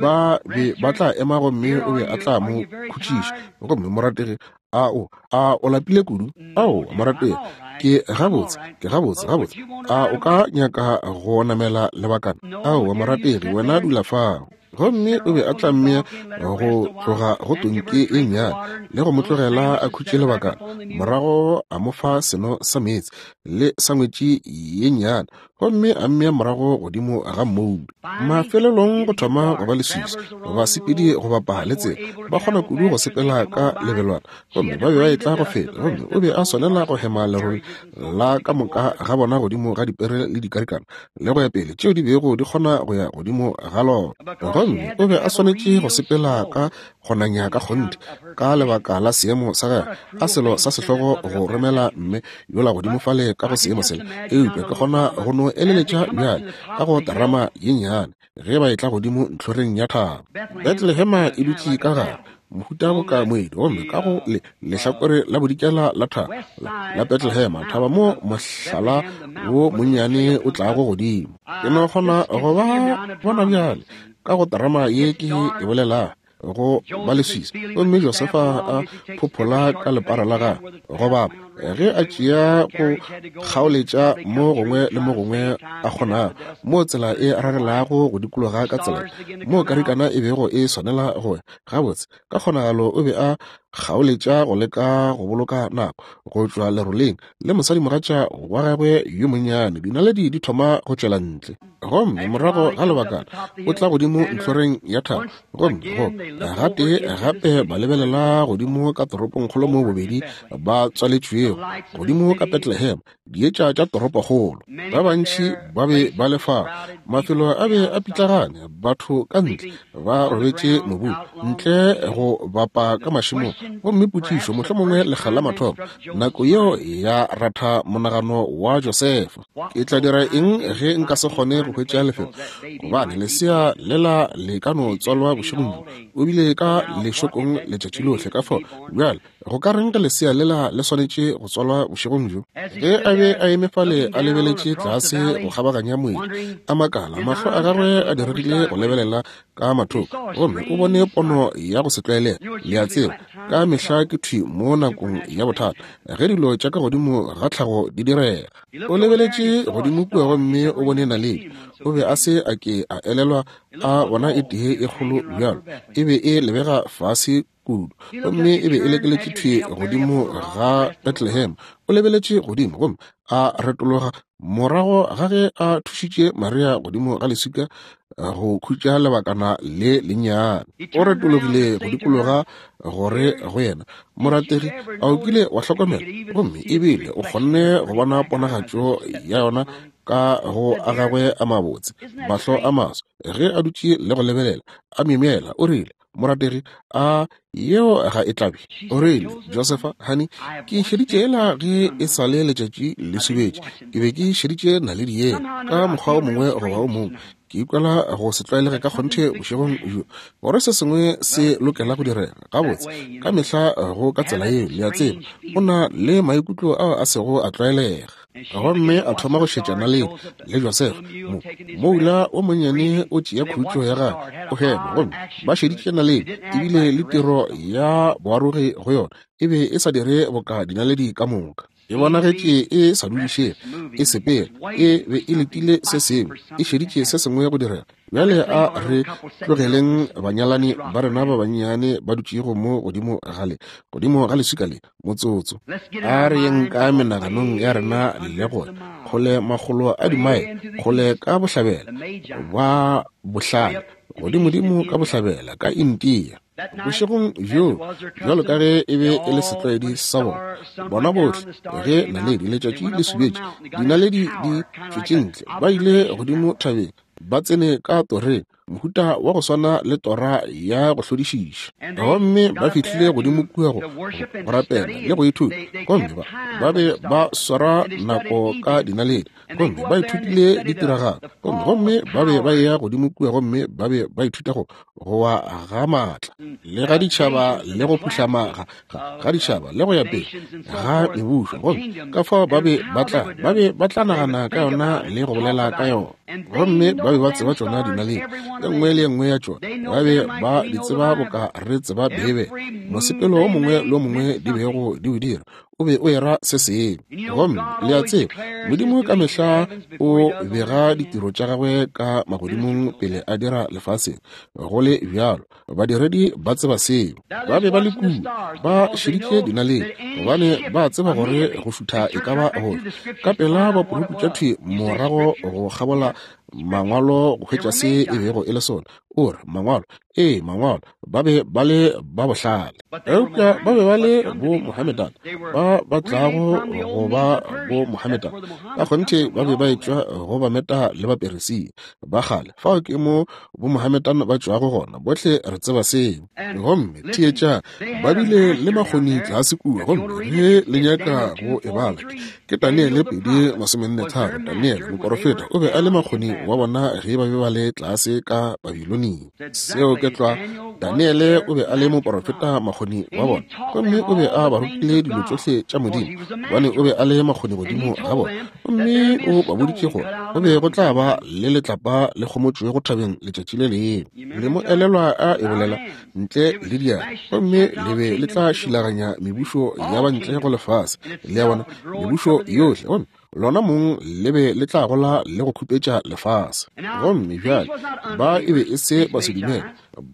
Ba be ba tla ema gomme o be a tla mo khutšiša. Gomme morategi, a o, a o lapile kudu? Ao, morategi, ke gabotse, ke gabotse, gabotse. A o ka nyaka go namela lebakana? Aowa, morategi, wena dula fao. Gomme o be a tla mmea go tloga go tonki e nnyane le go mo tlogela a khutše lebakana, morago a mo fa seno sa meetse le sangwetši ye nnyane, gomme a mmea morago godimo ga mmoulo. Mafelelong go thoma go ba leswiswi, basepedi go bapa le tsela ba kgona kudu go sepela ka lebelwana, gomme ba be ba etla go feta, gomme o be a swanela go hema lerole la ka moka ga bona godimo ga dipere le dikarikana le go ya pele tšeo di bego di kgona go ya godimo ga lona. Gomme o be a swanetše go sepela ka go nanya ka kgonthe ka lebaka la seemo sa gagwe, a selo sa sehlogo go romela mme yola godimo fale ka go seemo sela. Eupša ke kgona go no eleletša bjale ka go terama ye nnyane ge ba etla godimo ntlhoreng ya thaba. Bethlehema e dutše ka gare mohuta boka moedi, gomme ka go le lehlakore la bodikela la thaba la Bethlehema, thaba mo mohlala wo monnyane o tlago godimo. Ke no kgona go ba bona bjale ka go terama ye ke e bolelago, go ba leswiswi. Gomme Josefa a phophola ka lepara la gagwe go bapa ge a tšea go kgaoletša mo gongwe le mo gongwe a kgonago, mo tsela e rarelago go dikologa ka tsela mo karikana e bego e swanela go ya. Gabotse, ka kgonagalo o be a kgaoletša go leka go boloka nako go tšwa leroleng le mosadimogatša wa gagwe yo monnyane. Dinaledi di thoma go tšwela ntle, gomme morago ga lebakana o tla godimo ntlhoreng ya thaba, gomme go gatee gape ba lebelela godimo ka toropongkgolo mo bobedi ba tswaletšwego godimo ka Bethlehem, dietša tša toropokgolo. Ba bantši ba be ba le fao, mafelo a be a pitlagane, batho ka ntle ba robetše mobung ntle go bapa ka mašemong. Gomme potšišo, mohlomongwe lekga la mathomo, nako yeo ya ratha monagano wa Josefa, ke tla dira eng ge nka se kgone go hwetša lefelo? Gobane lesea lela le ka no tswalwa bošegong bjo, o bile ka lešokong letšatši lohle. Ka fao bjale go ka reng ge lesea lela le swanetše go tswalwa bošegong bjo? Ge a be a eme fale a lebeletše tlase go kgabaganya moedi, a makala, mahlo a gagwe a diregile go lebelela ka mathoko, gomme o bone pono ya go se tlwaelege. Le a tseba, ka mehla ke thwi mo nakong ya bothata ge dilo tša ka godimo ga tlhago di direga. O lebeletše godimo kua gomme o bone naledi. O be a se a ke a elelwa a bona e tee e kgolo bjalo. E be e lebega fase kudu, gomme e be e lekeletše thwi godimo ga Bethlehem. O lebeletše godimo gomme a retologa morago ga ge a thušitše Maria godimo ga leswika go khutša lebakana le lennyane. O retologile go dikologa gore go yena, Morategi, a o kile wa hlokomela? Gomme ebile o kgonne go bona ponagatšo ya yona ka go a gagwe a mabotse, mahlo a maso, ge a dutše le go lebelela, a myemyela, o rile, Morategi, a yeo ga e tlabe? O rile, Josefa, honey, ke šeditše yela ge e sa le letšatši le subetše. Ke be ke šeditše naledi yela ka mokgwa o mongwe goba o mongwe. Ke ikwela go se tlwaelege ka kgonthe bošegong bjo, gore se sengwe se lokela go direga. Gabotse, ka mehla go ka tsela yeo, le a tseba. O na le maikutlo ao a sego a tlwaelega. Gomme a thoma go šetša naledi le Josefa. Mo, moula o monnyane o tšea khutšo ya gagwe, o hema, gomme ba šeditše naledi, ebile le tiro ya boarogi go yona e be e sa dire boka dinaledi ka moka. E bonagetše e sa dudišege, e sepela, e be e letile se sengwe, e šeditše se sengwe go direga. Bjale a re tlogeleng banyalani ba rena ba bannyane ba dutšego mo godimo ga le, godimo ga leswika le, motsotso. A re yeng ka menaganong ya rena le gore kgole makgolo a dimaele kgole ka bohlabela ba bohlale, godimodimo ka bohlabela ka India. Bošegong bjoo, bjalo ka ge e be e le setlwaedi sa bona, bona bohle, ge naledi letšatši le subetše, dinaledi di tšwetše ntle, ba ile godimo thabeng, ba tsene ka toreng, mohuta wa go swana le tora ya go hlodišiša. Gomme ba fihlile godimo kua go rapela le go ithuta, gomme ba be ba swara nako ka dinaledi, gomme ba ithutile ditiragalo, gomme ba be ba eya godimo kua gomme ba be ba ithuta go wa ga maatla le ga ditšhaba le go phuhlama ga ditšhaba le go ya pele ga mebušo, gomme ka fao ba be ba tla nagana ka yona le go bolela ka yona. Gomme ba be ba tseba tšona dinaledi, e nngwe le e nngwe ya tšona ba be ba di tseba boka re tseba Beibele. Mosepelo o mongwe le o mongwe di bego di o dira o be o era se sengwe. Gomme le a tseba, Modimo ka mehla o bega ditiro tša gagwe ka magodimong pele a dira lefaseng. Go le bjalo, badiredi ba tseba seo. Ba be ba le kua, ba šeditše dinaledi, gobane ba tseba gore go šutha e ka ba gofe. Ka pela ba puruputša thwi morago go kgabola mangwalo go hwetša se e bego e le sona. O re, mangwalo, ee, mangwalo, ba be ba le ba bohlale. Eupša ba be ba le bo Mohammedan, ba ba tlago go ba bo Mohammedan. Ka kgonthe ba be ba etšwa go Bameta le Baperesia ba kgale. Fao ke mo bo Mohammedan ba tšwago gona. Bohle re tseba seo. Gomme theetša, ba bile le makgoni tlase kua. Gomme ge le nyaka go e bala, ke Daniele 2:43. Daniele moporofeta o be a le makgoni wa bona ge ba be ba le tlase ka Babilonia. Seo ke tlwa. Daniele o be a le moporofeta makgoni wa bona, gomme o be a ba rutile dilo tšohle tša Modimo, gobane o be a le makgoni godimo ga bona. Gomme o ba boditše gore go be go tla ba le letlapa le kgomotšwego thabeng letšatši le lengwe. Le mo elelwa a e bolela ntle le diatla, gomme le be le tla šilaganya mebušo ya ba ntle go lefase, le ya bona, mebušo yohle, gomme lona mong le be le tla gola le go khupetša lefase. Gomme bjale ba e be e se basedumele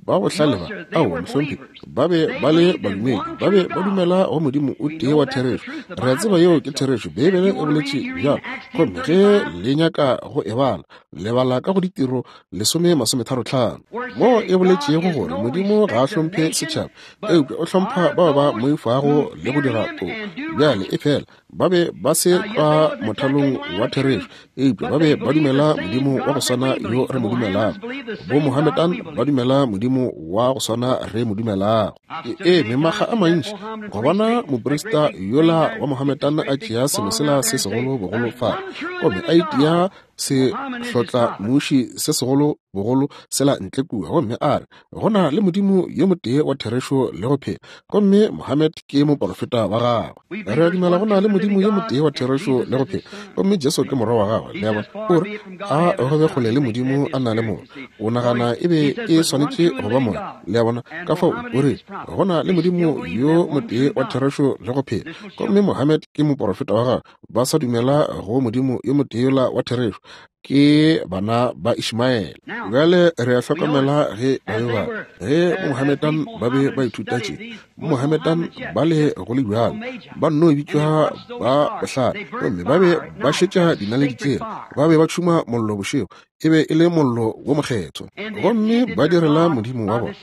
ba bohlale ba, aowa mohlomphegi, ba be ba le badumedi, ba be ba dumela go Modimo o tee wa therešo. Re a tseba yeo ke therešo, Beibele e boletše bjalo. Gomme ge le nyaka go e bala, le bala ka go Ditiro 10:35, moo e boletšego gore Modimo ga a hlomphe setšhaba, eupša o hlompha bao ba moifago le go dira toka. Bjale e fela ba be ba se ka mothalong wa therešo, eupša ba be ba dumela Modimo wa go swana yo re mo dumelago. Bo Mohammedan ba dumela Modimo wa go swana re mo dumelago. Ke eme makga a mantši go bona moprista yola wa Mohammedan a tšea selo sela se segolo bogolo fa, gomme a itia se hlotla muši se segolo bogolo sela ntle kua, gomme a re go na le Modimo yo motee wa therešo le go phela, gomme Mohammed ke moporofeta wa gagwe. Re a dumela go na le Modimo yo motee wa therešo le go phela, gomme Jesu ke morwa wa gagwe. Le a bona? O re a go be kgole le Modimo a na le moya. O nagana e be e swanetše go ba moya. Le a bona? Ka fao o re go na le Modimo yo motee wa therešo le go phela, gomme Mohammed ke moporofeta wa gagwe. Ba sa dumela go Modimo yo motee yola wa therešo, ke bana ba Ishmaele. Bjale re a hlokomela ge ba be ba ge Mohammedan ba be ba ithuta tše, Mohammedan ba le go le bjalo ba nno bitšwa ba bohlale, gomme ba be ba šetša dinaledi tšela, ba be ba tšhuma mollo bošego, e be e le mollo wo mokgethwa, gomme ba direla Modimo wa bona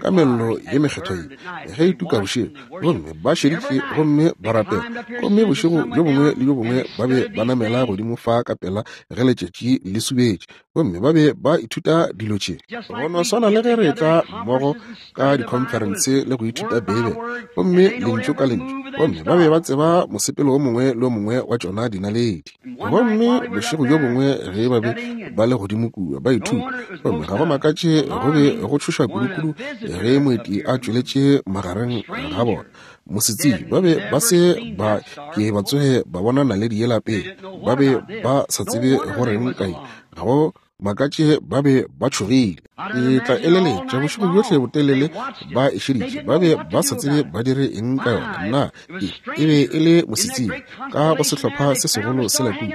ka mello ye mekgethwa ye ge e tuka bošego, gomme ba šeditše gomme ba rapela, gomme bošego bjo bongwe le bjo bongwe ba be ba namela godimo fa ka pela ge letšatši le subetše, gomme ba be ba ithuta dilo tše. Go no swana le ge re etla mmogo ka dikhonferense le go ithuta Beibele, gomme lentšu ka lentšu, gomme ba be ba tseba mosepelo o mongwe le o mongwe wa tšona dinaledi. Gomme bošego bjo bongwe ge ba be ba le godimo kua ba ithuta, gomme ga go makatše go be go tšhoša kudukudu ge moeti a tšweletše magareng ga bona. Mosetsebje ba be ba se ba ke ba tsoge ba bona naledi yela pele, ba be ba sa tsebe go reng kae. Ga go makatše ba be ba tšhogile. Ke tla eleletša bošego bjohle botelele ba e šeditše, ba be ba sa tsebe ba dire eng ka yona. Na e be e le mosetsebje ka go sehlopha se segolo sela kua?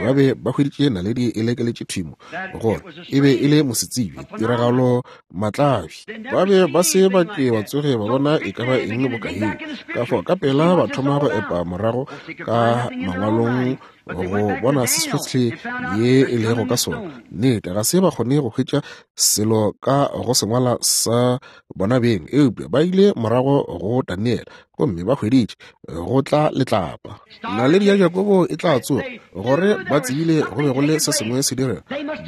Ba be ba hweditše naledi e lekeletše thimo, gore e be e le mosetsebje, tiragalo matlabi. Ba be ba se ba ke ba tsoge ba bona e ka ba eng boka yeo. Ka fao ka pela ba thoma go epa morago ka mangwalong go bona se sohle ye e lego ka sona. Nnete, ga se ba kgone go hwetša selo ka go sengwala sa bona beng, eupša ba ile morago go Daniele gomme ba hweditše go tla letlapa. Naledi ya Jakobo e tla tsoga, gore ba tsebile go be go le se sengwe se direga.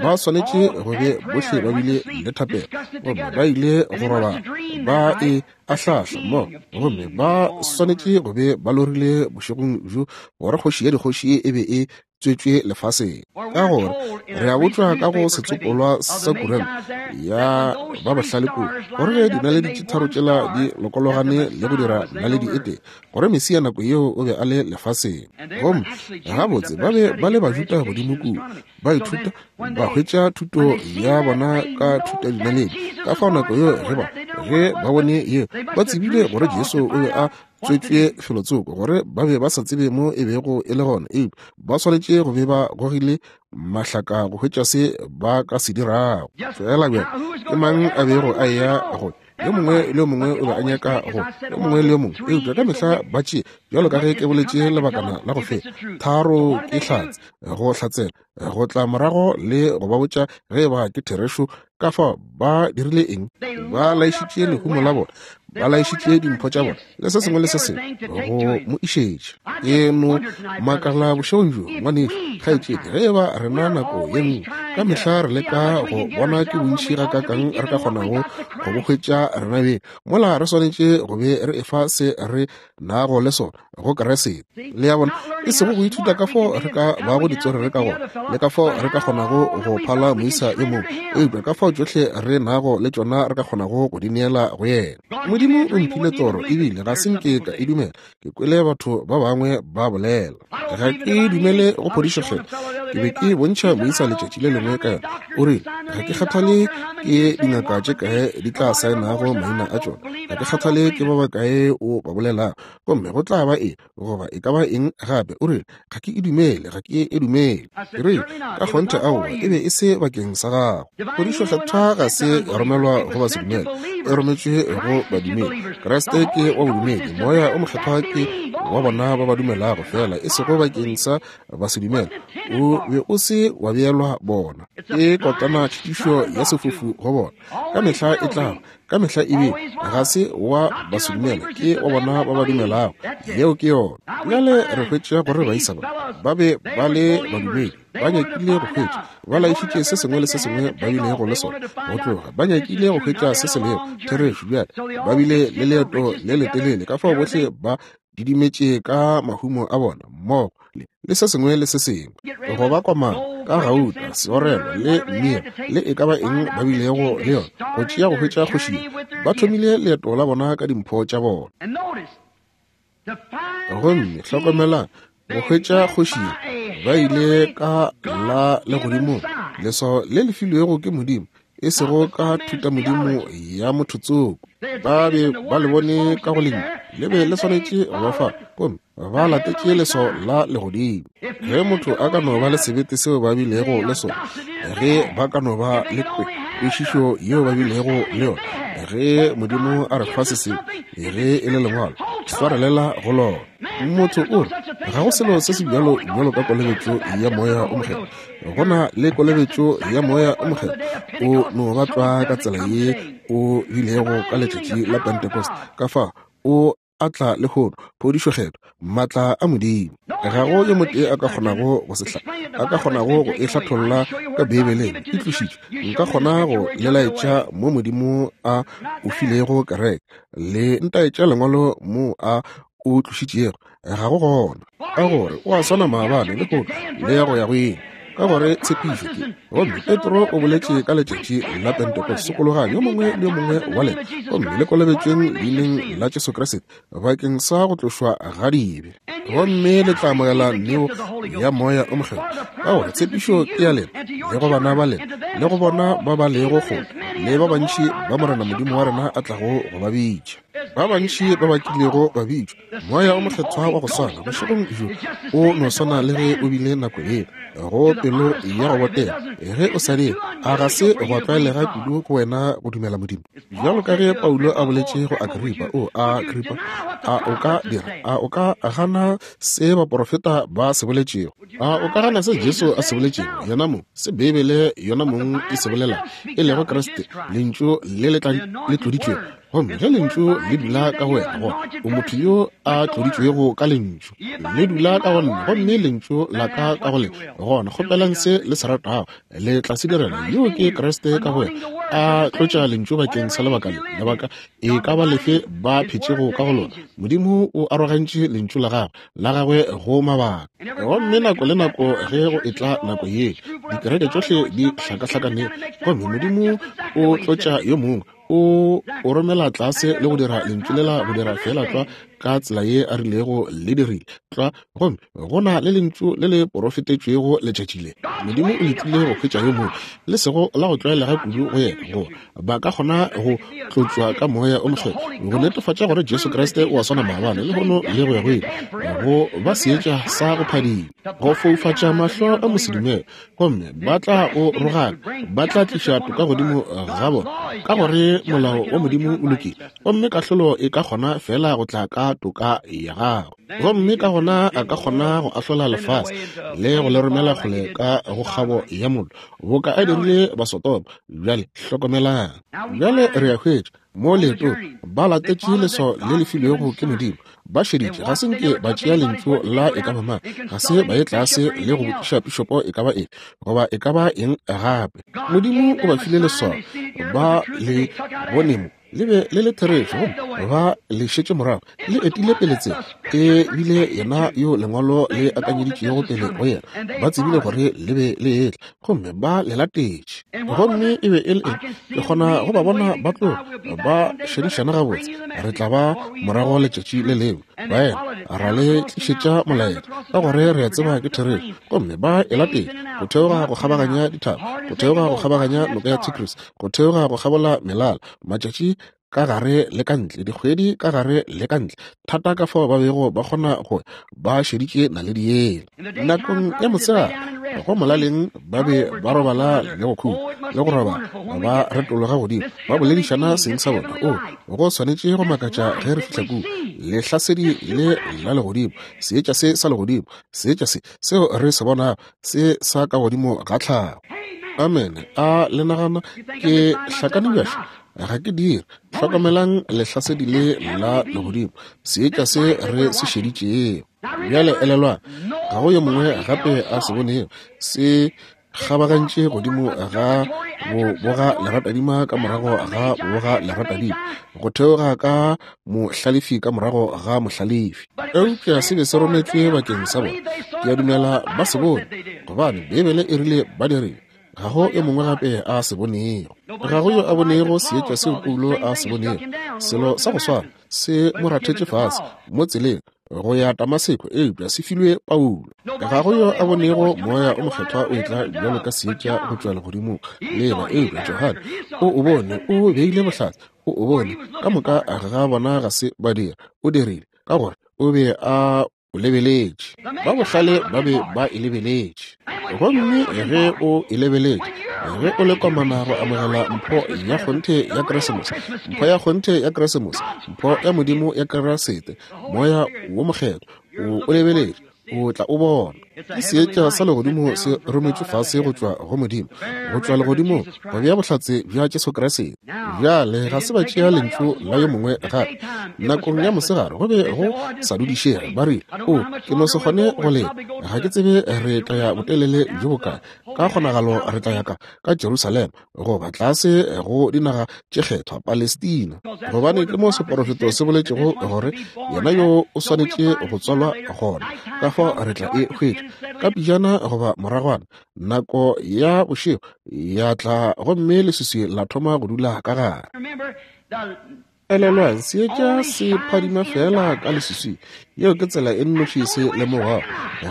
Ba swanetše go be bohle ba bile le thapelo, gomme ba ile go robala ba e ahlahla mmogo, gomme ba swanetše go be ba lorile bošegong bjo gore kgoši ya dikgoši e be e tswetšwe lefaseng. Ka gore re a botšwa ka go setsopolwa sa kuranta ya ba bohlale kua, gore ge dinaledi tše tharo tšela di lokologane le go dira naledi e tee, gore Mesia nako yeo o be a le lefaseng. Gomme gabotse ba be ba le Bajuda godimo kua, ba ithuta, ba hwetša thuto ya bona ka thutadinaledi. Ka fao nako yeo ge ba ge ba bone yeo, ba tsebile gore Jesu o be a tswetšwe felotsoko, gore ba be ba sa tsebe mo e bego e le gona, eupša ba swanetše go be ba gogile mahlaka go hwetša se ba ka se dirago. Fela bjale ke mang a bego a eya go yo mongwe le yo mongwe o be a nyaka go yo mongwe le yo mongwe, eupša ka mehla ba tšee, bjalo ka ge ke boletše lebakana la go feta, tharo ke hlatse go hlatsela go tla morago le go ba botša ge e ba ke therešo. Ka fao ba dirile eng? Ba laišitše lehumo la bona, ba laišitše dimpho tša bona le se sengwe le se sengwe go mo išetša. Ke no makala bošegong bjo, ngwanešu, kgaetšedi, ge e ba rena nako ye nngwe ka mehla re leka go bona ke bontši gakaakang re ka kgonago go bo hwetša rena beng, mola re swanetše go be re efa se re nago le sona go Kriste. Le ya bona, e sego go ithuta ka fao re ka bago ditswerere ka gona le ka fao re ka kgonago go phala moisa yo mongwe, eupša ka fao tšohle re nago le tšona re ka kgonago go di neela go yena. Modimo o mphile toro, ebile ga se nke ka e dumela. Ke kwele batho ba bangwe ba bolela. Ga ke dumele go phodišo kgethwa. Ke be ke bontšha moisa letšatši le lengwe ka yona. O rile, ga ke kgathale ke dingaka tše kae di tla saenago maina a tšona, ga ke kgathale ke ba bakae o ba bolelago, gomme go tla ba eng goba e ka ba eng gape. O rile, ga ke e dumele, ga ke e dumele. Ke rile, ka kgonthe aowa, e be e se bakeng sa gago. Phodišo kgethwa ga se ya romelwa go basedumele, e rometšwe go badumedi. Kriste ke wa bodumedi, Moya o Mokgethwa ke wa bona ba ba dumelago fela, e sego bakeng sa basedumele. O be o se wa beelwa bona. Ke kotana tšhitišo ya sefofu go bona. Ka mehla e tla ba, ka mehla e bile, ga se wa basedumele, ke wa bona ba ba dumelago. Yeo ke yona. Bjale re hwetša gore baisa ba ba be ba le badumedi, ba nyakile go hwetša, ba laišitše se sengwe le se sengwe ba bilego le sona go tloga, ba nyakile go hwetša se se lego therešo. Bjale ba bile le leeto le letelele, ka fao bohle ba didimetše ka mahumo a bona mmogo le se sengwe le se sengwe, go ba komana ka gauta, seorelo le mmira le e ka ba eng ba bilego le yona, go tšea go hwetša kgoši. Ba thomile leeto la bona ka dimpho tša bona. Gomme hlokomelang, go hwetša kgoši ba ile ka la legodimong, leswao le le filwego ke Modimo, e sego ka thutamodimo ya motho tsoko. Ba be ba le bone ka go lentšu, le be le swanetše go ba fa, gomme ba latetše leswao la legodimo. Ge motho a ka no ba le sebete seo ba bilego le sona, ge ba ka no ba le kwešišo yeo ba bilego le yona, ge Modimo a re fa se sengwe, ge e le lengwalo, swarelela go lona. Motho o re, ga go selo se se bjalo bjalo ka kolobetšo ya Moya o Mokgethwa. Go na le kolobetšo ya Moya o Mokgethwa. O no ba tlwa ka tsela ye o bilego ka letšatši la Pentecost. Ka fao o a tla lehono, phodišo kgethwa, maatla a Modimo. Ga go yo motee a ka kgonago go se a ka kgonago go e hlatholla ka Beibeleng. E tlošitšwe. Nka kgona go le laetša mo Modimo a o filego kereke, le ntaetša lengwalo mo a o tlošitšego. Ga go gona, ka gore o a swana maabane, lehono, le ya go ya go ile. Ka gore tshepišo ke, gomme Petro o boletše ka letšatši la Pentecost, sokologang yo mongwe le yo mongwe wa lena, gomme le kolobetšweng leineng la Jesu Kriste bakeng sa go tlošwa ga dibe, gomme le tla amogela neo ya Moya o Mokgethwa. Ka gore tshepišo ke ya lena, le go bana ba lena, le go bona ba ba lego kgole, Le ba bantši ba Morena Modimo wa rena a tlago go ba bitša. Ba bantši ba ba kilego ba bitšwa, Moya o Mokgethwa wa go swana bošegong bjo o no swana le ge o bile nako yela, go pelo ya go botega. Ge o sa dire, a ga se gwa tlwaelega kudu go wena go dumela Modimo? Bjalo ka ge Paulo a boletše go Agripa, o Agripa, a o ka dira, a o ka gana se baporofeta ba se boletšego? A o ka gana se Jesu a se boletšego, yena mong, se Beibele yona mong e se bolela, e lego Kriste, Lentšu le le tloditšwego? Gomme ge Lentšu le dula ka go wena, gona o motho yo a tloditšwego ka Lentšu. Le dula ka go nna, gomme Lentšu la ka ka go lena, gona kgopelang se le se ratago, le tla se direla. Yo ke Kriste ka go wena, a tlotša Lentšu bakeng sa lebaka le, lebaka e ka ba lefe ba phetšego ka go lona. Modimo o arogantše Lentšu la Gagwe, la Gagwe go mabaka. Gomme nako le nako ge go etla nako ye, dikereke tšohle di hlakahlakane, gomme Modimo o tlotša yo mongwe, o o romela tlase le go dira lentšu lela go dira feela tlwa ka tsela ye a rilego le dirile tlwa. Gomme go na le lentšu le le porofetetšwego letšatši le. Modimo o letile go hwetša yo mongwe, le sego la go tlwaelega kudu go yena, go ba ka kgona go tlotšwa ka Moya o Mokgethwa, go netefatša gore Jesu Kriste o a swana maabane, lehono le go ya go ile, go ba seetša sa go phadima, go foufatša mahlo a mosedumele. Gomme ba tla o rogaka, ba tla tliša toka godimo ga bona, ka gore molao wa Modimo o lokile, gomme kahlolo e ka kgona feela go tla ka toka ya gagwe. Gomme ka gona a ka kgona go ahlola lefase le go le romela kgole ka go kgabo ya mollo, boka a dirile Basodoma. Bjale hlokomelang. Bjale re a hwetša mo leetong ba latetše leswao le le filwego ke Modimo. Ba šeditše, ga se nke ba tšea lentšu la e ka ba mang, ga se ba ye tlase le go botšiša pišopo e ka ba eng goba e ka ba eng gape. Modimo o ba file leswao, ba le bone mo le be le le therešo, gomme ba le šetše morago, le etile pele tsela. E bile yena yo lengwalo le akanyeditšego pele go yena. Ba tsebile gore le be le etla, gomme ba le latetše. Gomme e be e le eng? Ke kgona go ba bona ba tloga ba šedišana gabotse. Re tla ba morago letšatši le lengwe, baena, ra le tlišetša molaetša, ka gore re a tseba ke therešo. Gomme ba e latetše go theoga go kgabaganya dithaba, go theoga go kgabaganya noka ya Tigris, go theoga go kgabola melala, matšatši ka gare le ka ntle, dikgwedi ka gare le ka ntle, thata ka fao ba bego ba kgona go ba šeditše naledi yela. Nakong ya mosegare go molaleng ba be ba robala le go khutša le go robala, ba retologa godimo ba boledišana seng sa bona. O, go swanetše go makatša ge re fihla kua, lehlasedi le la legodimo, seetša se sa legodimo, seetša se seo re se bonago se sa ka godimo ga tlhago. Amene. A le nagana ke hlakane bjaša? Ga ke dire. Hlokomelang lehlasedi le la legodimo, seetša se re se šeditšego. Bjale elelwang, ga go yo mongwe gape a se bonego se kgabagantše godimo ga boboga leratadima ka morago ga boboga leratadima, go theoga ka mohlalefi ka morago ga mohlalefi. Eupša se be se rometšwe bakeng sa bona. Ke a dumela ba se bone, gobane Beibele e rile ba dirile. Ga go yo mongwe gape a se bonego. Ga go yo a bonego seetša seo Paulo a se bonego. Selo sa go swana se mo rathetše fase mo tseleng go ya Damaseko, eupša se filwe Paulo. Ga go yo a bonego Moya o Mokgethwa o etla bjalo ka seetša go tšwa legodimong lela, eupša Johane o o bone, o beile bohlatse, o o bone. Ka moka ga bona ga se ba dira, o dirile, ka gore o be a o lebeletše. Ba bohlale ba be ba e lebeletše. Gomme ge o e lebeletše, ge o le komana go amogela mpho ya kgonthe ya Keresemose, mpho ya kgonthe ya Keresemose, mpho ya Modimo ya Keresete, Moya wo Mokgethwa, o o lebeletše, o tla o bona. Ke seetša sa legodimo se rometšwe fase go tšwa go Modimo, go tšwa legodimong, go bea bohlatse bja Jesu Kriste. Bjale ga se ba tšea lentšu la yo mongwe gape. Nakong ya mosegare go be go sa dudišege. Ba rile, O, ke no se kgone go leta. Ga ke tsebe re tla ya botelele bjo bokae. Ka kgonagalo re tla ya ka, ka Jerusalema, goba tlase go dinaga tše kgethwa, Palestina. Gobane ke mo seporofeto se boletšego gore yena yo o swanetše go tswalwa gona. Ka fao re tla e hwetša ka pejana goba moragwana. Nako ya bošego ya tla gomme leswiswi la thoma go dula ka gare. Elelwang, seetša se phadima feela ka leswiswing. Yeo ke tsela e nnoši se lemogwago.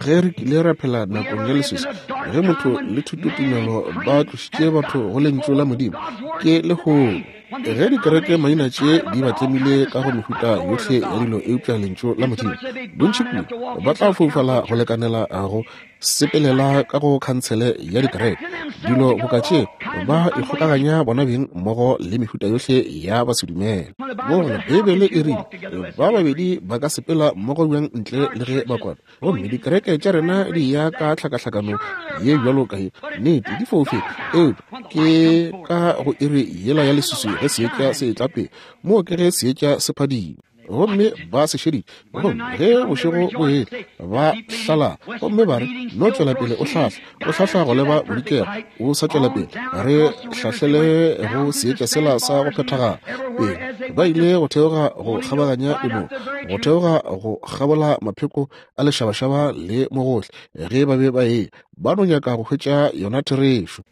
Ge re kile ra phela nakong ya leswiswi, Ge motho le thutotumelo ba tlošitše batho go Lentšu la Modimo, ke lehono. Ge dikereke maina tše di ba tlemile ka go mehuta yohle ya dilo eupša Lentšu la Modimo, bontši kudu ba tla foufala go lekanela go sepelela ka go khantshele ya dikereke. Dilo boka tše ba ikgokaganya bona beng mmogo le mehuta yohle ya basedumele. Bona, Beibele e rile, Ba babedi ba ka sepela mmogo bjang ntle le ge ba kwana? Gomme dikereke tša rena di ya ka tlhakahlakano ye bjalo ka ye. Nnete, di foufetše. Eupša ke ka go iri yela ya leswiswi ge seetša se etla pele. Moo ke ge seetša se phadima. Gomme ba se šeditše. Gomme ge bošego bo etla, ba hlala. Gomme ba re, No tšwela pele o hlahla, o hlahla go leba bodikela, o sa tšwela pele. Re hlahlele go seetša sela sa go phethagala. Pele ba ile go theoga go kgabaganya dinoka, go theoga go kgabola mapheko a lešabašaba le mogohle, ge ba be ba eya, ba no nyaka go hwetša yona therešo.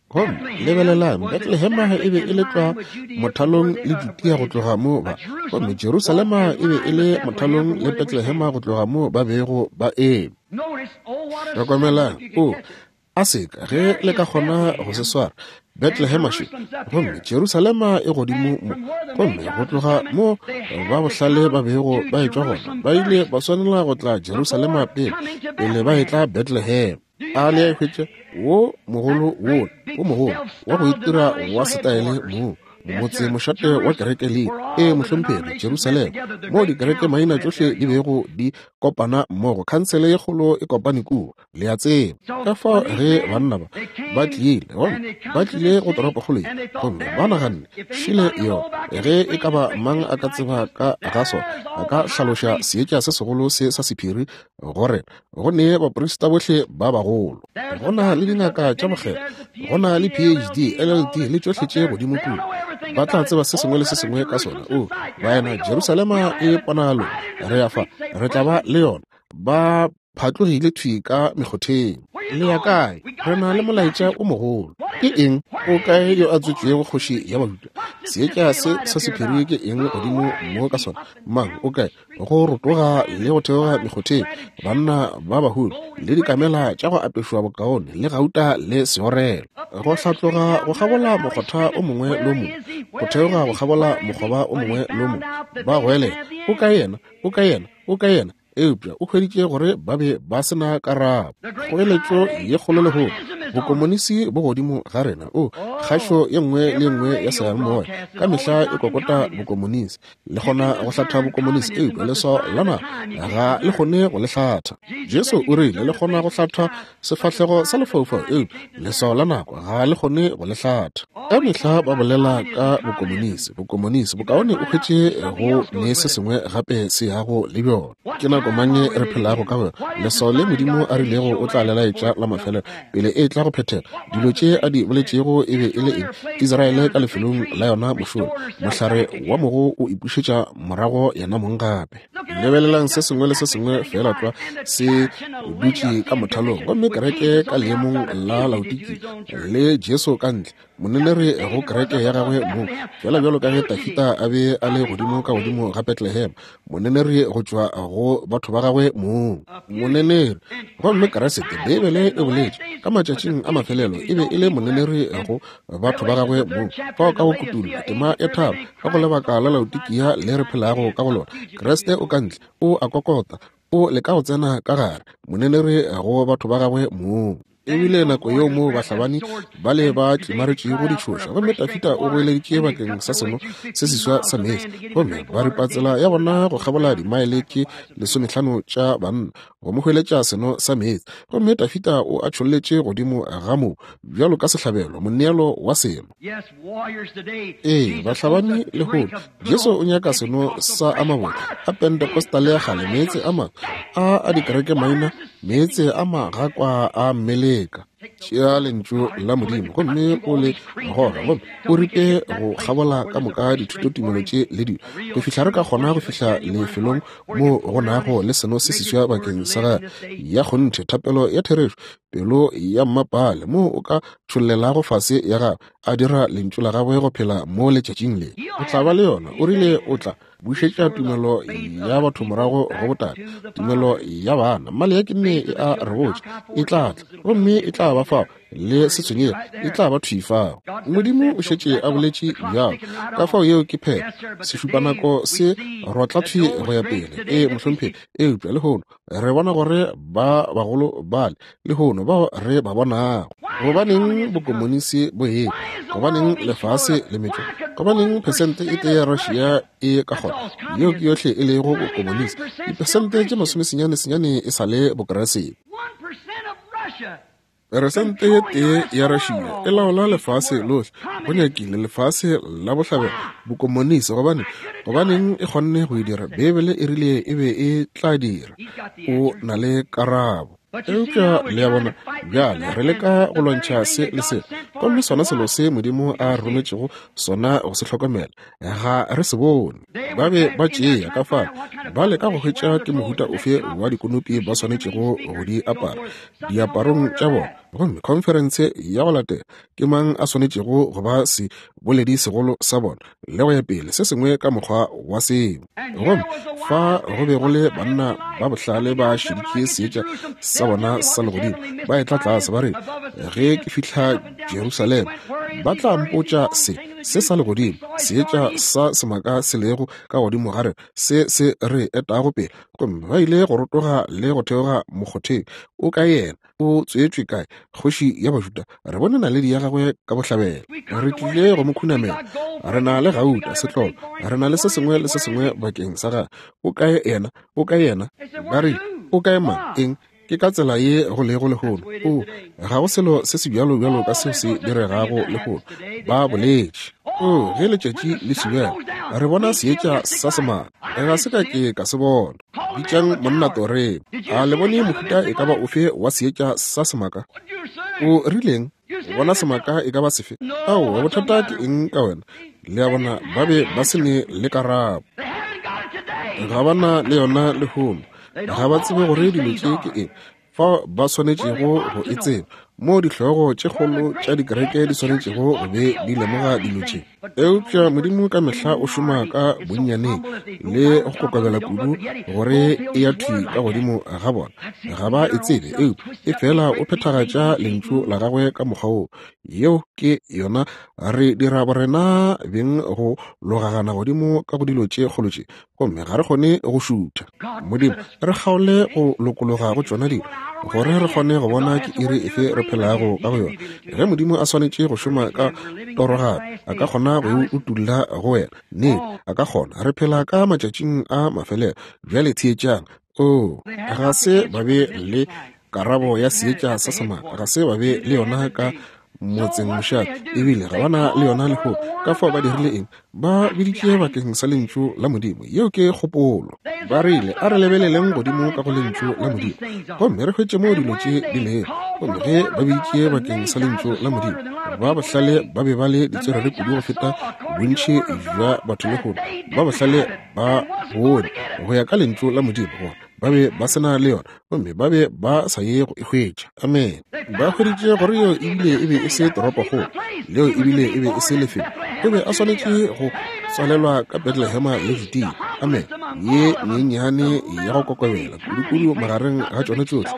Gomme lebelelang, Bethlehema e be e le tlwa mothalong le Judea go tloga mo ba, gomme Jerusalema e be e le mothalong le Bethlehema go tloga mo ba bego ba eme. Hlokomelang, o, a seka ge le ka kgona go se swara, Bethlehema še, gomme Jerusalema e godimo mo, gomme go tloga mo ba bohlale ba bego ba etšwa gona, ba ile ba swanela go tla Jerusalema pele, pele ba etla Bethlehem. A le a e hwetša? Wo mogolo wola, wo mogolo, wa go itira wa setaele mo, motse mošate wa kereke le ee mohlomphegi Jerusalema, moo dikereke maina tšohle di bego di kopana mmogo, khansele ye kgolo e kopane kua, le a tseba. Ka fao ge banna ba ba tlile, gomme ba tlile go toropokgolo ye, gomme ba naganne, Šele yona, ge e ka ba mang a ka tseba ka ga sona, a ka hlaloša seetša se segolo se sa sephiri go rena, go ne baprista bohle ba bagolo, go na le dingaka tša bokgethwa, go na le PhD, LLD le tšohle tše godimo kua. Ba tla tseba se sengwe le se sengwe ka sona. O, baena, Jerusalema e ponalo, re ya fa, re tla ba le yona. Ba phatlogile thwi ka mekgotheng. Le ya kae? Re na le molaetša o mogolo. Ke eng? O kae yo a tswetšwego kgoši ya Bajuda? Seetša se sa sephiri ke eng godimo mo ka sona? Mang? O kae? Go rotoga le go theoga mekgotheng, banna ba bahumi le dikamela tša go apešwa bokaone le gauta le seorelo, go hlatloga go kgabola mokgotha o mongwe le o mongwe, go theoga go kgabola mokgoba o mongwe le o mongwe, ba goelela, O kae yena? O kae yena? O kae yena? Eupša o hweditše gore ba be ba se na karabo. Kgoeletšo ye kgolo lehono, bokomonisi bo godimo ga rena. O, kgašo ye nngwe le ye nngwe ya seyalemoya ka mehla e kokota bokomonisi. Le kgona go hlatha bokomonisi, eupša leswao la nako ga le kgone go le hlatha. Jesu o rile le kgona go hlatha sefahlego sa lefaufau, eupša leswao la nako ga le kgone go le hlatha. Ka mehla ba bolela ka bokomonisi, bokomonisi, bokaone o hwetše go ne se sengwe gape se yago le bjona. Ke nako mang ye re phelago ka go yona? Leswao le Modimo a rilego o tla le laetša la mafelelo pele e tla go phethega. Dilo tše a di boletšego e be e le eng? Israele ka lefelong la yona mošola, mohlare wa mogo o ipušetša morago yena mong gape. Lebelelang se sengwe le se sengwe feela tlwa se dutše ka mothalong, gomme kereke ka leemong la Laodiki le Jesu ka ntle, moneneri go kereke ya gagwe mong, feela bjalo ka ge Dafida a be a le godimo ka godimo ga Bethlehem, moneneri go tšwa go batho ba gagwe mong, moneneri. Gomme Kriste, Beibele e boletše, ka matšatšing a mafelelo e be e le moneneri go batho ba gagwe mong. Fao ka go Kutullo, tema ya tharo, ka go lebaka la Laodikia le re phelago ka go lona, Kriste o ka ntle, o a kokota, o leka go tsena ka gare, moneneri go batho ba gagwe mong. E bile nako yeo moo bahlabani bale ba tlimaretšego ditšhoša, gomme Dafida o goeleditše bakeng sa seno se seswa sa meetse, gomme ba ripa tsela ya bona go kgabola dimaele tše lesomehlano tša banna go mo hweletša seno sa meetse, gomme Dafida o a tšholletše godimo ga moo bjalo ka sehlabelo, moneelo wa seno. Ee, bahlabani lehono, Jesu o nyaka seno sa a mabotse a Pentecostal ya kgale, meetse a mangwe a a dikereke maina, meetse a magakwa a mmeleka. Tšea Lentšu la Modimo gomme o le goge, gomme o ripe go kgabola ka moka dithutotumelo tše le dilo, go fihla re ka kgona go fihla lefelong moo go nago le seno se seswa bakeng sa gagwe, ya kgonthe, thapelo ya therešo, pelo ya mmapale, moo o ka tšhollelago fase ya gagwe, a dira Lentšu la gagwe go phela mo letšatšing le. O tla ba le yona. O rile o tla bušetša tumelo ya batho morago go botate, tumelo ya bana. Maleaki nne e a re botša, e tla tla, gomme e tla ba fao, le se tshwenyege, e tla ba thwi fao. Modimo o šetše a boletše bjalo, ka fao yeo ke phetho. Sešupanako se rotla thwi go ya pele. Ee, mohlomphegi. Eupša lehono re bona gore ba bagolo bale lehono bao re ba bonago. Gobaneng bokomonisi bo etla? Gobaneng lefase le metšwa? Gobaneng phesente e tee ya Russia e ka kgona? Yeo ke yohle e lego bokomonisi. Diphesente tše masomesenyane senyane e sa le Bokeresete. Peresente ye tee ya Russia e laola lefase lohle, go nyakile lefase la bohlabela, bokomonisi. Gobane, gobaneng e kgonne go e dira? Beibele e rile e be e tla dira. O na le karabo. Eupša le a bona, bjale re leka go lwantšha se le se, gomme sona selo se Modimo a re rometšego sona go se hlokomela, ga re se bone. Ba be ba tšea ka fale, ba leka go hwetša ke mohuta ofe wa dikonopi ba swanetšego go di apara diaparong tša bona. Gomme khonferense ya go latela, ke mang a swanetšego go ba seboledi segolo sa bona, le go ya pele, se sengwe ka mokgwa wa seo. Gomme fa go be go le banna ba bohlale ba šeditše seetša sa bona sa legodimo, ba etla tlase, ba re, Ge ke fihla Jerusalema, ba tla mpotša se, se sa legodimo, seetša sa semaka se lego ka godimo ga rena, se se re etago pele. Gomme ba ile go rotoga le go theoga mokgotheng. O kae yena? O tswetšwe kae? Kgoši ya Bajuda. Re bone naledi ya gagwe ka bohlabela. Re tlile go mo khunamela. Re na le gauta, setlolo. Re na le se sengwe le se sengwe bakeng sa gagwe. O kae yena? O kae yena? Ba rile, O kae mang? Eng? Ke ka tsela ye go lego lehono. O, ga go selo se se bjalo bjalo ka seo se diregago lehono. Ba boletše. O, ge letšatši le šibela, re bona seetša sa semaka. Ga se ka ke ka se bona. Bitšang monna toreng. A le bone mohuta e ka ba ofe wa seetša sa semaka? O rileng? O bona semaka e ka ba sefe? Aowa, bothata ke eng ka wena? Le a bona, ba be ba se ne le karabo. Ga ba na le yona lehono. Ga ba tsebe gore dilo tše ke eng, fao ba swanetšego go e tseba, moo dihlogo tše kgolo tša dikereke di swanetšego go be di lemoga dilo tše. Eupša Modimo ka mehla o šoma ka bonnyaneng le go kokobela kudu gore e ya thwi ka godimo ga bona. Ga ba e tsebe, eupša e fela o phethagatša Lentšu la Gagwe ka mokgwa woo. Yeo ke yona. Re dira borena beng go logagana godimo ka go dilo tše kgolo tše, gomme ga re kgone go šutha. Modimo, re kgaole go lokologa go tšona dilo, gore re kgone go bona ke iri efe re phelago ka go yona. Ge Modimo a swanetše go šoma ka toro gape, a ka kgona go e utulla go wena. Nnete, a ka kgona. Re phela ka matšatšing a mafelelo. Bjale theetšang. Oo, ga se ba be le karabo ya seetša sa semaka, ga se ba be le yona ka motseng mošate, ebile ga ba na le yona lehono. Ka fao ba dirile eng? Ba biditše bakeng sa Lentšu la Modimo. Yeo ke kgopolo. Ba rile, a re lebeleleng godimo ka go Lentšu la Modimo gomme re hwetše moo dilo tše di lego. Gomme ge ba biditše bakeng sa Lentšu la Modimo, ba bohlale ba be ba le ditswerere kudu go feta bontši bja batho lehono. Ba bohlale ba bone go ya ka Lentšu la Modimo gore ba be ba se na le yona, gomme ba be ba sa ye go e hwetša. Amen. Ba hweditše gore yeo ebile e be e se toropokgolo, leo ebile e be e se lefelo. O be a swanetše go tswalelwa ka Bethlehema le Judea. Amen. Ye nyenyane ya go kokobela kudukudu magareng ga tšona tšohle,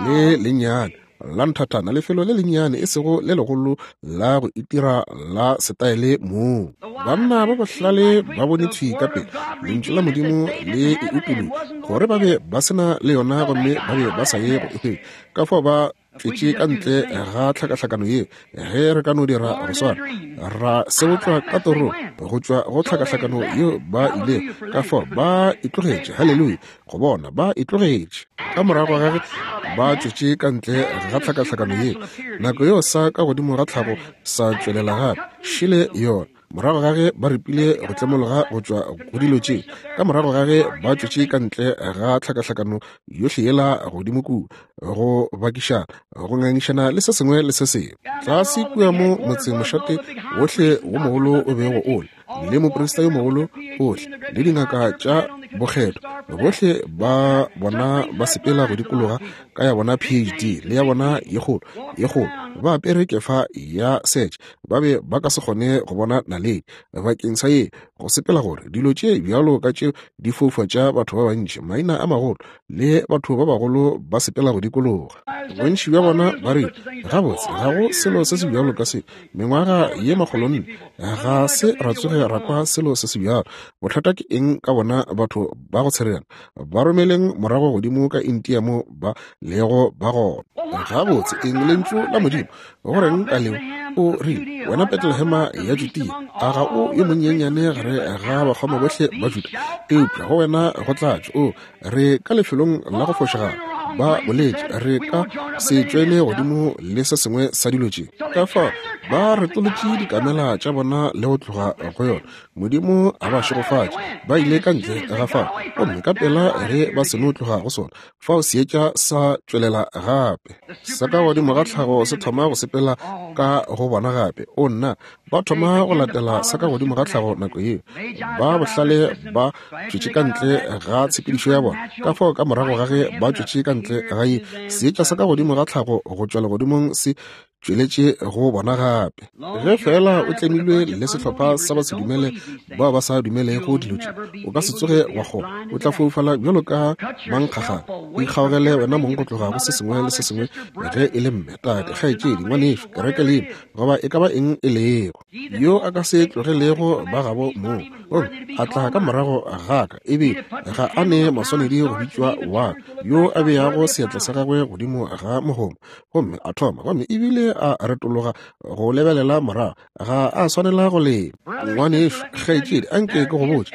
le lennyane la nthathana, lefelo le lennyane, e sego le legolo la go itira la setaele moo. Banna ba bohlale ba bone thwi ka pele Lentšu la Modimo le e utolotšwe, gore ba be ba se na le yona gomme ba be ba sa ye go e hwetša. Ka fao ba tšwetše ka ntle ga tlhakahlakano yeo. Ge re ka no dira go swana, ra sebotšwa ka torong go tšwa go tlhakahlakano yeo ba ilego, ka fao ba e tlogetše. Haleluya! Go bona ba e tlogetše ka morago ga ge ba tšwetše ka ntle ga tlhakahlakano yeo, nako yeo sa ka godimo ga tlhago sa tšwelela gape. Šele yona. Morago ga ge ba ripile go tlemologa go tšwa go dilo tše, ka morago ga ge ba tšwetše ka ntle ga tlhakahlakano yohle yela godimo kua, go bakišana, go ngangišana le se sengwe le se sengwe, tlase kua mo motsemošate wohle wo mogolo o bego o le, le moprista yo mogolo ohle le dingaka tša bokgethwa bohle ba bona ba sepela go dikologa ka ya bona PhD le ya bona ye kgolo ye kgolo, ba apere kefa ya setše, ba be ba ka se kgone go bona naledi bakeng sa ye go sepela, gore dilo tše bjalo ka tše di foufatša batho ba bantši, maina a magolo le batho ba bagolo ba sepela go dikologa. Bontši bja bona ba re, Gabotse, ga go selo se se bjalo ka se. Mengwaga ye makgolonne ga se ra tsoge ra kwa selo se se bjalo. Bothata ke eng ka bona batho ba go tshereana? Ba romeleng morago godimo ka India mo ba lego ba gona. Gabotse, eng Lentšu la Modimo? Go reng ka leo? O rile, Wena Betlehema ya Judea, a ga o yo monyenyane gare ga bakgoma bohle ba Juda? Eupša go wena go tla tšwa, o re ka lefelong la go fošagala. Ba boletše, re ka se tšwele godimo le se sengwe sa dilo tše. Ka fao ba retolotše dikamela tša bona le go tloga go yona. Modimo a ba šegofatše. Ba ile ka ntle ga fao, gomme ka pela ge ba seno tloga go sona, fao seetša sa tšwelela gape. Sa ka godimo ga tlhago se thoma go sepela ka go bona gape. O nna, ba thoma go latela sa ka godimo ga tlhago nako yeo. Ba bohlale ba tšwetše ka ntle ga tshepedišo ya bona. Ka fao ka morago ga ge ba tšwetše ka ntle ga ye, seetša sa ka godimo ga tlhago go tšwa legodimong se tšweletše go bona gape. Ge feela o tlemilwe le sehlopha sa basedumele bao ba sa dumelego dilo tše, o ka se tsoge wa kgona. O tla foufala bjalo ka mankgagane. Ikgaogele wena mong go tloga go se sengwe le se sengwe, ge e le mme, tate, kgaetšedi, ngwanešu, kereke leina, goba e ka ba eng e lego. Yo a ka se tlogelego ba gabo moo, gomme a tla ka morago ga ka, ebile ga a ne maswanedi go bitšwa wa ka, yo a beago seatla sa gagwe godimo ga mogoma, gomme a thoma, gomme ebile a retologa go lebelela morago, ga a swanela go lema. Ngwanešu, kgaetšedi, a nke ke go botše,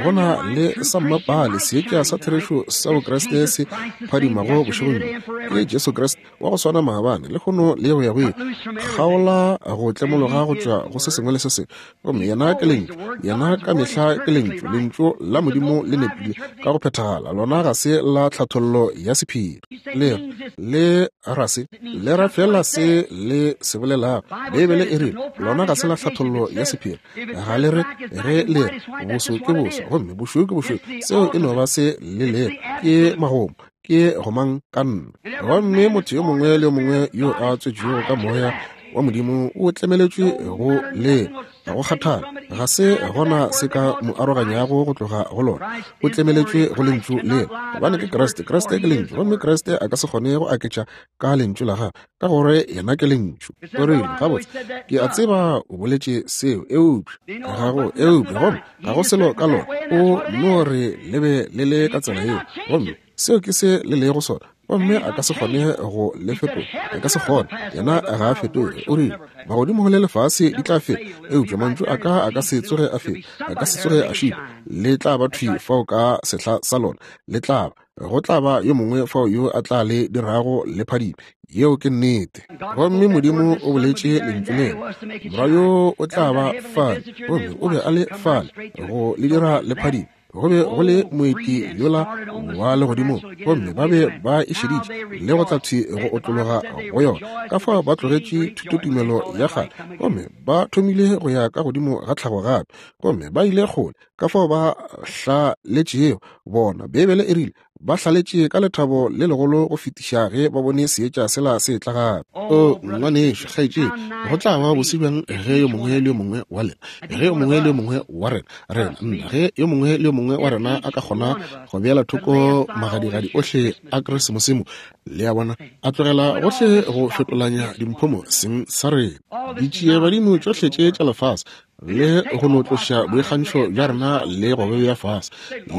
go na le sa mmapale seetša sa therešo sa Bokriste se phadimago bošegong bjo, ke Jesu Kriste wa go swana maabane, lehono le go ya go ile. Kgaola go tlemologa go tšwa go se sengwe le se sengwe, gomme yena ke Lentšu. Yena ka mehla ke Lentšu. Lentšu la Modimo le nepile ka go phethagala. Lona ga se la tlhathollo ya sephiri. Le le ra se, le ra feela se le se bolelago. Beibele e rile, Lona ga se la tlhathollo ya sephiri. Ga le re ge le re boso ke boso gomme bošweu ke bošweu. Seo e no ba se le lego. Ke magomo. Ke gomang ka nna. Gomme motho yo mongwe le yo mongwe yo a tswetšwego ka Moya wa Modimo o tlemeletšwe go le ga go kgathale, ga se gona se ka mo aroganyago go tloga go lona. O tlemeletšwe go Lentšu lela, gobane ke Kriste. Kriste ke Lentšu, gomme Kriste a ka se kgone go aketša ka Lentšu la gagwe, ka gore yena ke Lentšu. O rile, Gabotse, ke a tseba o boletše seo, eupša ga go, eupša gomme ga go selo ka lona. O no re le be le le ka tsela yeo, gomme seo ke se le lego sona, gomme a ka se kgone go le fetola. A ka se kgone. Yena ga a fetoge. O rile, Magodimo le lefase di tla feta, eupša mantšu a ka a ka se tsoge a feta, a ka se tsoge a šitwa. Le tla ba thwi fao ka sehla sa lona. Le tla ba. Go tla ba yo mongwe fao yo a tla le dirago le phadime. Yeo ke nnete. Gomme Modimo o boletše Lentšu lela, Morwa yo o tla ba fale, gomme o be a le fale go le dira le phadime. Go be go le moeti yola wa legodimong, gomme ba be ba e šeditše le go tla thwi go otlologa go yona. Ka fao ba tlogetše thutotumelo ya kgale gomme ba thomile go ya ka godimo ga tlhago gape, gomme ba ile kgole ka fao ba hlaletšego bona. Beibele e rile ba hlaletše ka lethabo le legolo go fetiša ge ba bone seetša sela se etla gape. O ngwanešu, kgaetšedi, go tla ba bose bjang ge yo mongwe le yo mongwe wa lena, ge yo mongwe le yo mongwe wa rena, rena, nna, ge yo mongwe le yo mongwe wa rena a ka kgona go beela thoko magadigadi ohle a Keresemose mo, le a bona, a tlogela gohle go fetolanya dimpho mo seng sa rena, ditšiebadimo tšohle tše tša lefase, le go no tloša boikgantšho bja rena le go bea fase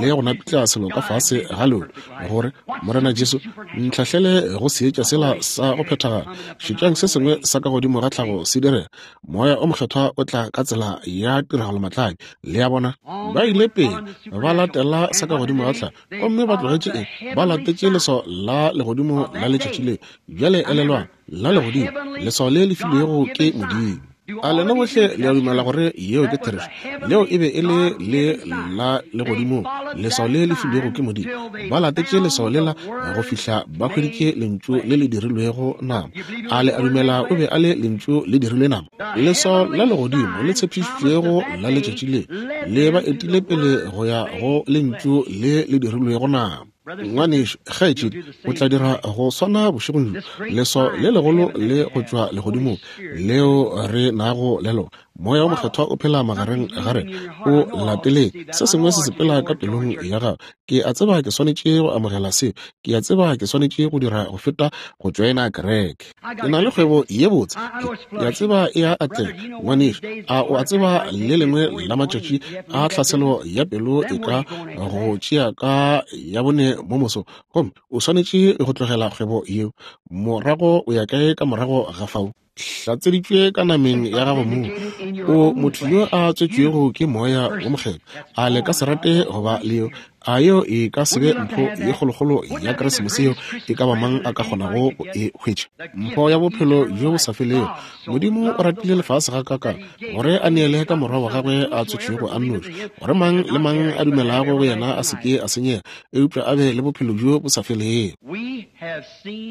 le go napitla selo ka fase ga lona, gore Morena Jesu ntlhahlele go seetša sela sa go phethagala. Šetšang se sengwe sa ka godimo ga tlhago se direga. Moya o Mokgethwa o tla ka tsela ya tiragalomatlabi. Le a bona? Ba ile pele ba latela sa ka godimo ga tlhago, gomme ba tlogetše eng? Ba latetše leswao la legodimo la letšatši leo. Bjale elelwang, la legodimo, leswao le le filwego ke Modimo. A lena bohle le a dumela gore yeo ke therešo? Leo e be e le le la legodimong, leswao le le filwego ke Modimo. Ba latetše leswao lela go fihla ba hweditše Lentšu le le dirilwego nama. A le a dumela o be a le Lentšu le dirilwe nama? Leswao la legodimo le tshepišitšwego la letšatši le le ba etile pele go ya go Lentšu le le dirilwego nama. Ngwanešu, kgaetšedi, o tla dira go swana bošegong bjo. Leswao le legolo le go tšwa legodimong leo re nago le lona, Moya wo Mokgethwa o phela magareng ga rena. O lateleng. Se sengwe se sepela ka pelong ya gago. Ke a tseba ke swanetše go amogela seo. Ke a tseba ke swanetše go dira go feta go tšoena kereke. Ke na le kgwebo ye botse. Ke a tseba e a atlega. Ngwanešu, a o a tseba le lengwe la matšatši a tlhaselo ya pelo e ka go tšea ka ya bone mo mosong, gomme o swanetše go tlogela kgwebo yeo? Morago o ya kae ka morago ga fao? Hlatseditšwe ka nameng ya gago mong, o motho yo a tswetšwego ke Moya wo Mokgethwa. A le ka se rate go ba le yo? A yeo e ka se be mpho ye kgolokgolo ya Keresemose yeo e ka ba mang a ka kgonago go e hwetša? Mpho ya bophelo bjo bo sa felego. Modimo o ratile lefase gakaakang gore a neele ka Morwa wa gagwe a tswetšwego a nnoši, gore mang le mang a dumelago go yena a se ke a senyega, eupša a be le bophelo bjo bo sa felego.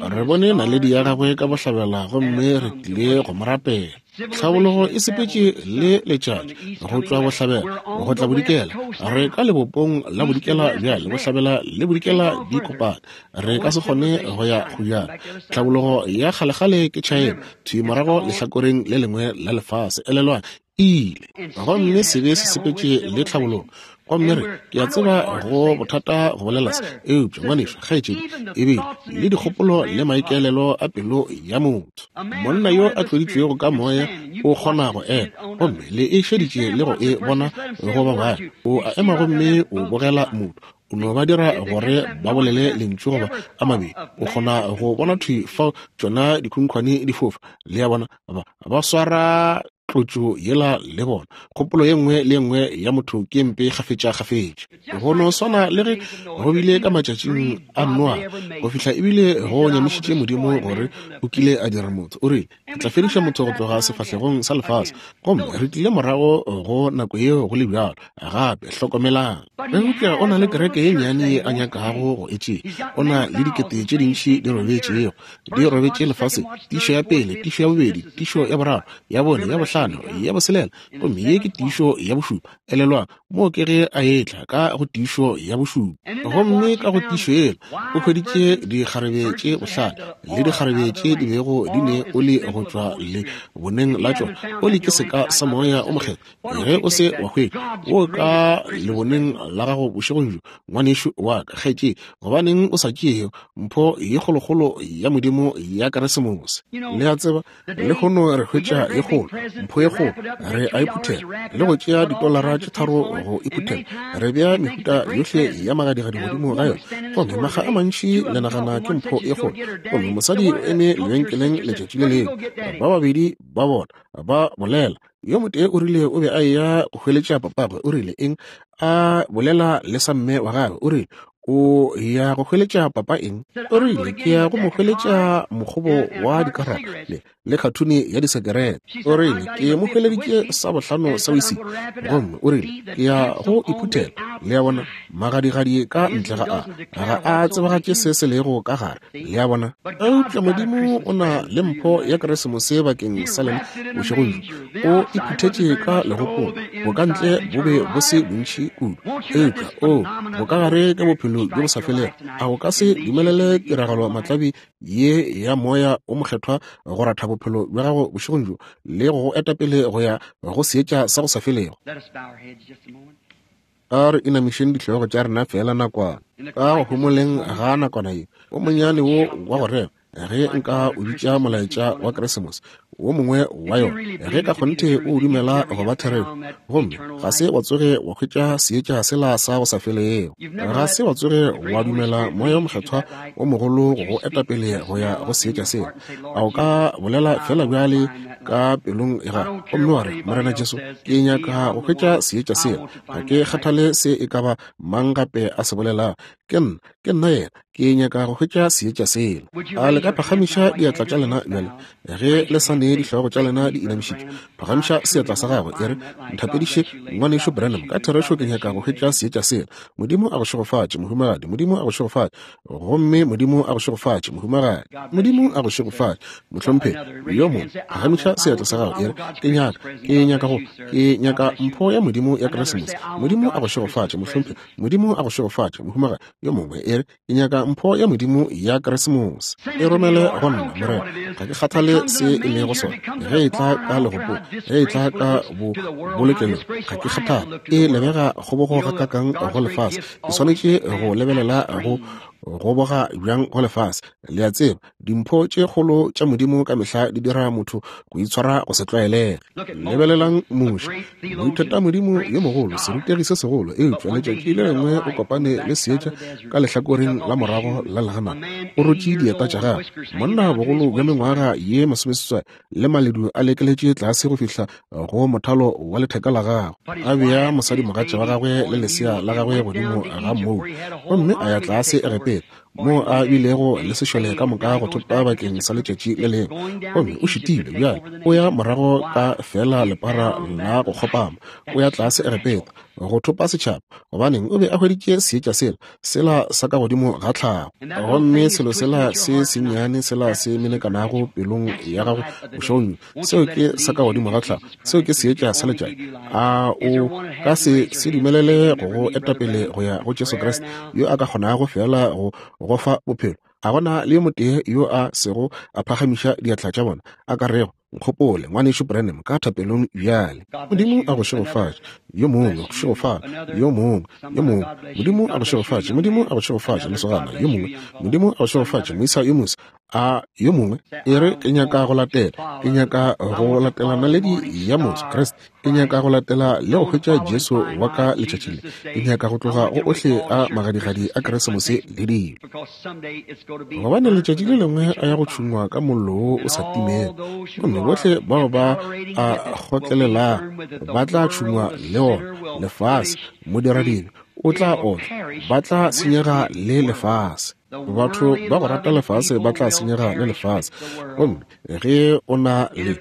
Re bone naledi ya gagwe ka bohlabela gomme re tlile go mo rapela. Tlhabologo e sepetše le letšatši go tšwa bohlabela go tla bodikela. Re ka lebopong la bodikela bjale, bohlabela le bodikela di kopane. Re ka se kgone go ya go bjalo. Tlhabologo ya kgalekgale ke China, thwi morago lehlakoreng le lengwe la lefase. Elelwang, ile gomme sebe se sepetše le tlhabologo. Gomme re, ke a tseba go bothata go bolela se, eupša ngwanešu, kgaetšedi, ebile le dikgopolo le maikaelelo a pelo ya motho, monna yo a tloditšwego ka moya o kgona go ema, gomme le e šeditše le go e bona go ba bangwe. O a ema gomme o bogela motho, o no ba dira gore ba bolele lentšu goba a mabedi, o kgona go bona thwi fao tšona dikhunkhwane di fofa. Le a bona, ba swara tlotšo yela le bona. Kgopolo ye nngwe le ye nngwe ya motho ke mpe kgafetša-kgafetša. Go no swana le ge go bile ka matšatšing a Noa, go fihla ebile go nyamišitše Modimo gore o kile a dira motho. O rile, Ke tla fediša motho go tloga sefahlegong sa lefase. Gomme re tlile morago go nako yeo go le bjalo gape. Hlokomelang. Eupša o na le kereke ye nnyane ye a nyakago go e tšea. O na le dikete tše dintši di robetšego, di robetše lefaseng. Tišo ya pele, tišo ya bobedi, tišo ya boraro, ya bone, ya bohlano, ya boselela, gomme ye ke tiišo ya bošupa. Elelwang, moo ke ge a etla ka go tiišo ya bošupa. Gomme ka go tiišo yela o hweditše dikgarebe tše bohlale le dikgarebe tše di bego di ne oli go tšwa le boneng la tšona. Oli ke seka sa Moya o Mokgethwa. Ge o se wa hwetša wo ka leboneng la gago bošegong bjo, ngwanešu wa ka, kgaetšedi, gobaneng o sa tšee mpho ye kgolokgolo ya Modimo ya Keresemose? Le a tseba, Lehono re hwetša ye kgolo, mpho ye kgolo, re a e phuthela le go tšea ditolara tše tharo go e phuthela. Re bea mehuta yohle ya magadigadi godimo ga yona, gomme makga a mantši le nagana ke mpho ye kgolo. Gomme mosadi o eme lebenkeleng letšatši le lengwe, ba babedi ba bona ba bolela. Yo motee o rile o be a eya go hweletša papagwe, o rile eng, a bolela le sa mme wa gagwe, o rile, O ya go hweletša papa eng? O rile, Ke ya go mo hweletša mokgobo wa dikarata le, le khathuni ya disekerete. O rile, Ke mo hweleditše sa bohlano sa whisky, gomme o rile, Ke ya go e phuthela. Le a bona, magadigadi ka ntle ga a, ga a tsebagatše se se lego ka gare. Le a bona? Eupša Modimo o na le mpho ya Keresemose bakeng sa lena bošegong bjo. O e phuthetše ka legopong. Bokantle bo be bo se bontši kudu, eupša o bokagare ke bophelo bjo bo sa felego. A o ka se dumelele tiragalo matlabi ye ya Moya o Mokgethwa go ratha bophelo bja gago bošegong bjo le go go eta pele go ya go seetša sa go sa felego? A re inamišeng dihlogo tša rena feela nakwana. Ka go homoleng ga nakwana ye, o monnyane wo wa go rera, ge nka o bitša molaetša wa Keresemose, wo mongwe wa yona, ge ka kgonthe o dumela go ba therešo, gomme ga se wa tsoge wa hwetša seetša sela sa go sa felego, ga se wa tsoge wa dumela Moya wo Mokgethwa wo mogolo go go eta pele go ya go seetša sela, a o ka bolela feela bjale ka pelong ya gago gomme wa re, Morena Jesu, ke nyaka go hwetša seetša sela. Ga ke kgathale se e ka ba mang gape a se bolelago. Ke nna, ke nna yena. Ke nyaka go hwetša seetša sela. A le ka phagamiša diatla tša lena bjale, ge le sa ne dihlogo tša lena di inamišitšwe? Phagamiša seatla sa gago, e re, Nthapediše, Ngwanešu Branham, ka therešo ke nyaka go hwetša seetša sela. Modimo a go šegofatše, mohumagadi. Modimo a go šegofatše. Gomme Modimo a go šegofatše, mohumagadi. Modimo a go šegofatše, mohlomphegi. Yo mongwe, phagamiša seatla sa gago, e re, Ke nyaka, ke nyaka go, ke nyaka mpho ya Modimo ya Keresemose. Modimo a go šegofatše, mohlomphegi. Modimo a go šegofatše, mohumagadi. Yo mongwe, e re, Ke nyaka mpho ya Modimo ya Keresemose. E romele go nna, Morena. Ga ke kgathale se e lego sona. Ge e tla ka legopong, ge e tla ka bo bolokelong, ga ke kgathale. E lebega kgobogo gakakang go lefase. Ke swanetše go lebelela go goboga bjang go lefase. Le a tseba, Dimpho tše kgolo tša Modimo ka mehla di dira motho go itshwara go se tlwaelege. Lebelelang Moshe, moithutamodimo yo mogolo, serutegi se segolo, eupša letšatši le lengwe o kopane le seetša ka lehlakoreng la morago la leganata. O rotše dieta tša gagwe. Monna bogolo bja mengwaga ye masomeseswai le maledu a lekeletše tlase go fihla go mothalo wa letheka la gagwe, a bea mosadimogatša wa gagwe le lesea la gagwe godimo ga mmou, gomme a ya tlase Egepeta, moo a bilego le sešole ka moka go thopa bakeng sa letšatši le lengwe. Gomme o šitilwe bjale, o ya morago ka feela lepara la go kgopama, o ya tlase Egepeta, go thopa setšhaba. Gobaneng? O be a hweditše seetša sela, sela sa ka godimo ga tlhago. Gomme selo sela se sennyane sela se menekanago pelong ya gago bošegong bjo, seo ke sa ka godimo ga tlhago, seo ke seetša sa letšatši. A o ka se se dumelele go go etapele go ya go Jesu Kriste, yo a ka kgonago feela go go fa bophelo? A gona le yo motee yo a sego a phagamiša diatla tša bona, a ka rego, Nkgopole, Ngwanešu Branham, ka thapelong bjale. Modimo a go šegofatše. Yo mongwe, go šegofala. Yo mongwe, yo mongwe. Modimo a go šegofatše. Modimo a go šegofatše, lesogana. Yo mongwe. Modimo a go šegofatše, moisa yo mosa. A yo mongwe, e re, ke nyaka go latela. Ke nyaka go latela naledi ya moso, Kriste. Ke nyaka go latela le go hwetša Jesu wa ka letšatši le. Ke nyaka go tloga go ohle a magadigadi a Keresemose le dilo. Gobane letšatši le lengwe a ya go tšhungwa ka mollo wo o sa timego, gomme bohle bao ba a kgotlelelago ba tla tšhungwa le ona. Lefase, modiradibe o tla otlwa, ba tla senyega le lefase. Batho ba go rata lefase ba tla senyega le lefase. Gomme ge o na le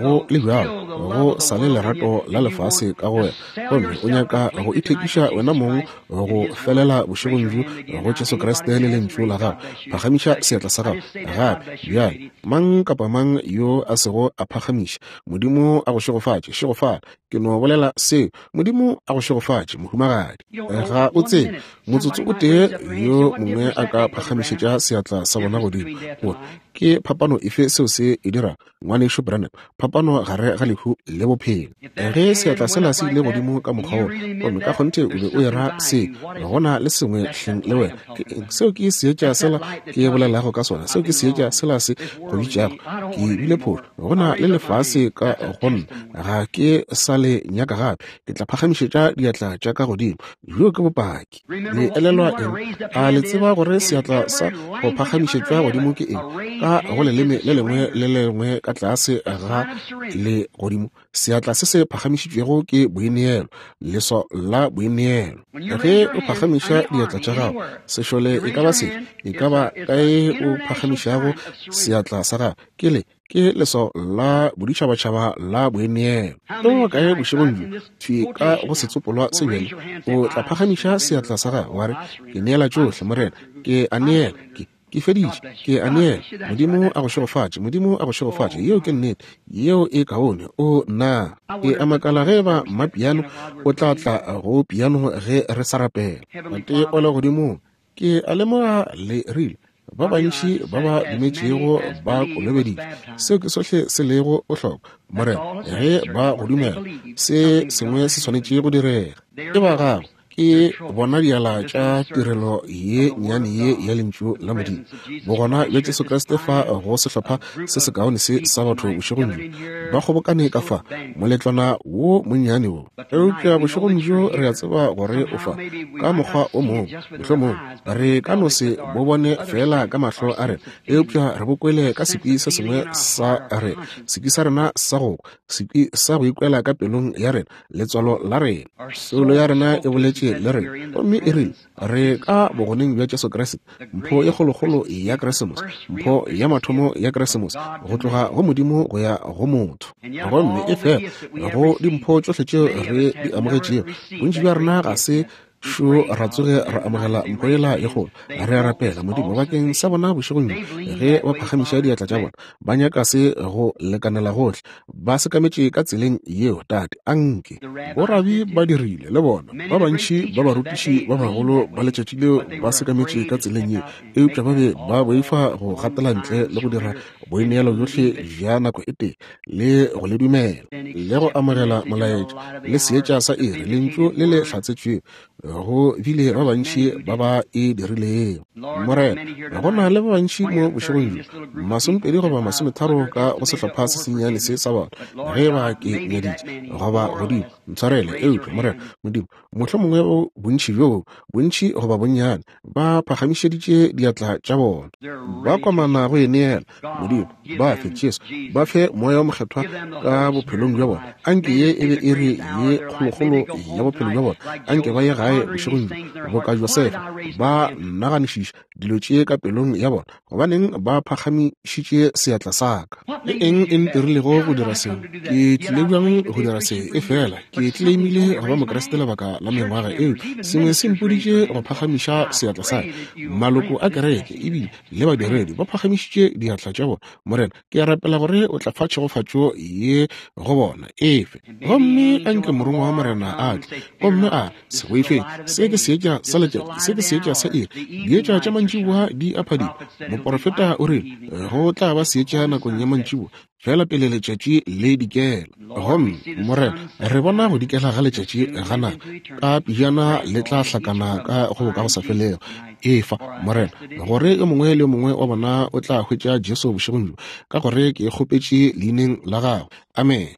go le bjalo go sa le lerato la lefase ka go wena, gomme o nyaka go ithekiša wena mong go felela bošegong bjo go Jesu Kriste le Lentšu la Gagwe, phagamiša seatla sa gago gape bjale. Mang kapa mang yo a sego a phagamiša, Modimo a go šegofatše. Šegofala. Ke no bolela seo. Modimo a go šegofatše, mohumagadi. Ga o tsebe, motsotso o tee yo mongwe a ka phagamišetša seatla sa bona godimo, gore ke phapano efe seo se e dirago, Ngwanešu Branham, phapano gare ga lehu le bophelo. Ge seatla sela se ile godimo ka mokgwa wo, gomme ka kgonthe o be o era se, go na le sengwe hleng le wena. Ke eng? Seo ke seetša sela ke bolelago ka sona. Seo ke seetša sela se go bitšago. Ke bile phošo. Go na le lefase ka go nna. Ga ke sa le nyaka gape. Ke tla phagamišetša diatla tša ka godimo. Bjo ke bopaki. Le elelwa eng? A le tseba gore seatla sa go phagamišetšwa godimo ke eng? Ka go leleme le lengwe le le lengwe ka tlase ga le godimo, seatla se se phagamišitšwego ke boineelo, leswao la boineelo. Ge o phagamiša diatla tša gago, sešole e ka ba sefe, e ka ba kae o phagamišago seatla sa gago, ke le ke leswao la boditšhabatšhaba la boineelo. Ke go kae bošegong bjo, thwi ka go setsopolwa se bjale, o tla phagamiša seatla sa gago wa re, Ke neela tšohle, Morena. Ke a neela. Ke, ke feditše. Ke a neela. Modimo a go šegofatše. Modimo a go šegofatše. Yeo ke nnete. Yeo e kaone. O, nna. Ke a makala ge eba mmapiano o tla tla go piano ge re sa rapela. Tate wa Legodimong, Ke a lemoga le rile, Ba bantši ba ba dumetšego ba kolobeditšwe. Seo ke sohle se lego bohlokwa, Morena, ge ba go dumela. Se sengwe se swanetše go direga. Ke ba Gago. Ke bona diala tša tirelo ye nnyane ye ya Lentšu la Modimo. Bogona bja Jesu Kriste fa go sehlopha se sekaone se sa batho bošegong bjo, ba kgobokane ka fa, moletlwana wo monnyane wo. Eupša bošegong bjo re a tseba gore o fa, ka mokgwa o mongwe, mohlomongwe re ka no se bo bone feela ka mahlo a rena, eupša re bo kwele ka sekwi se sengwe sa rena, sekwi sa rena sa go kwa, sekwi sa go ikwela ka pelong ya rena, letswalo la rena. Soulo ya rena e boletše bonagaditše le rena. Gomme e rile, Re ka bogoneng bja Jesu Kriste, mpho ye kgolokgolo ya Keresemose, mpho ya mathomo ya Keresemose, go tloga go Modimo go ya go motho. Gomme efela go dimpho tšohle tšeo re di amogetšego, bontši bja rena ga se šo ra tsoge ra amogela mpho yela ye kgolo. Re a rapela, Modimo, bakeng sa bona bošegong bjo, ge ba phagamiša diatla tša bona, ba nyaka se go lekanela gohle, ba sekametše ka tseleng yeo, Tate. Anke borabi ba dirile le bona, ba bantši ba barutiši ba bagolo ba letšatši leo ba sekametše ka tseleng yeo, eupša ba be ba boifa go gatela ntle le go dira boineelo bjohle bja nako e tee, le go le dumela, le go amogela molaetša le seetša sa iri, lentšu le le hlatsetšwego. Go bile ba bantši ba ba e dirilego, Morena. Go na le ba bantši mo bošegong bjo, 20 goba 30 ka go sehlopha se sennyane se sa batho, ge ba ke nyaditše goba godimo, ntshwarele. Eupša, Morena Modimo, mohlomongwe go bontši bjo, bontši goba bonnyane, ba phagamišeditše diatla tša bona, ba komana go e neela. Modimo, ba fe Jesu, ba fe Moya wo Mokgethwa ka bophelong bja bona. Anke ye e be iri ye kgolokgolo ya bophelo bja bona. Anke ba ye gae bošegong bjo, boka Josefa, ba naganišiša dilo tše ka pelong ya bona. Gobaneng ba phagamišitše seatla sa ka? Ke eng e ntirilego go dira seo? Ke tlile bjang go dira se? Efela ke tleleimile go ba Mokriste lebaka la mengwaga, eupša sengwe se mpoditše go phagamiša seatla sa ka. Maloko a kereke ebile le badiredi ba phagamišitše diatla tša bona. Morena, ke a rapela gore o tla fa tšhegofatšo ye go bona. Efe. Gomme anke morongwa wa Morena a tle gomme a re, Se boifeng, se ke seetša sa letšatši, se ke seetša sa iri, dietša tša mantšiboa di a phadima. Moporofeta o rile go tla ba seetša nakong ya mantšiboa, feela pele letšatši le dikela. Gomme, Morena, re bona go dikela ga letšatši ga nako, ka pejana le tla hlakana ka go bokagosafelego. Efa, Morena, gore yo mongwe le yo mongwe wa bona o tla hwetša Jesu bošegong bjo, ka gore ke kgopetše Leineng la Gagwe. Amene.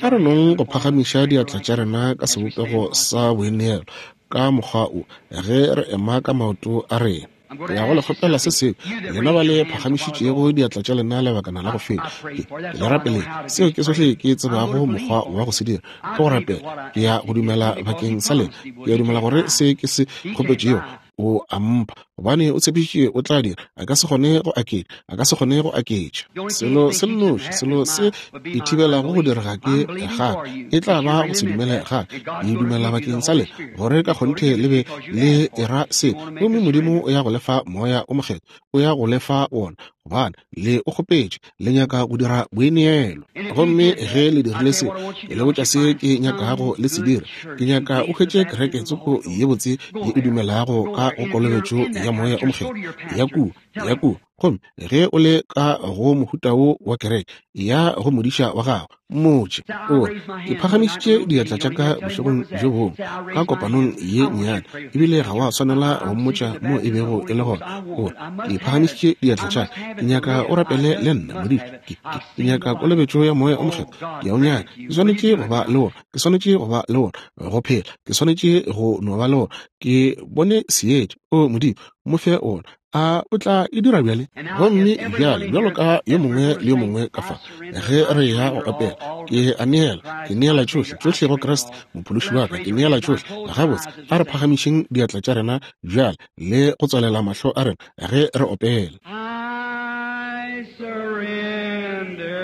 A re nong go phagamiša diatla tša rena ka sebopego sa boineelo ka mokgwa o, ge re ema ka maoto a rena. Ke ya go le kgopela se sengwe, lena ba le phagamišitšego diatla tša lena lebakana la go feta. Ke, ke le rapeleng. Seo ke sohle ke tsebago mokgwa wa go se dira, ke go rapela. Ke ya go dumela bakeng sa lena. Ke a dumela gore se ke se kgopetšego o a mpha, gobane o tshepišitše o tla dira. A ka se kgone go aketša, a ka se kgone go aketša. Selo se nnoši, selo se e thibelago go direga ke ga e tla ba go se dumele ga ke dumela bakeng sa lena, gore ka kgonthe le be le era se, gomme Modimo o ya go le fa Moya o Mokgethwa, o ya go le fa wona, gobane le o kgopetše, le nyaka go dira boineelo. Gomme ge le dirile se, ke le botša se ke nyakago le se dira. Ke nyaka o hwetše kereke tsoko ye botse ye e dumelago ka go kolobetšo ya Moya o Mokgethwa, ya kua, ya kua. Gomme ge o le ka go mohuta wo wa kereke, ya go modiša wa gago, mmotše, o re, Ke phagamišitše diatla tša ka bošegong bjo bongwe ka kopanong ye nnyane. Ebile ga wa swanela go mmotša mo e bego e le gona. O re, Ke phagamišitše diatla tša ka. Ke nyaka o rapele le nna, modiša. Ke, ke, ke nyaka kolobetšo ya Moya o Mokgethwa. Ke a o nyaka. Ke swanetše go ba le wona. Ke swanetše go ba le wona, go phela. Ke swanetše go no ba le wona. Ke bone seetša. O Modimo, mo fe wona. A o tla e dira bjale? Gomme bjale, bjalo ka yo mongwe le yo mongwe ka fa, ge re ya go opela, ke a neela, ke neela tšohle, tšohle go Kriste, Mophološi wa ka, ke neela tšohle. Gabotse, a re phagamišeng diatla tša rena bjale le go tswalela mahlo a rena ge re opela. I surrender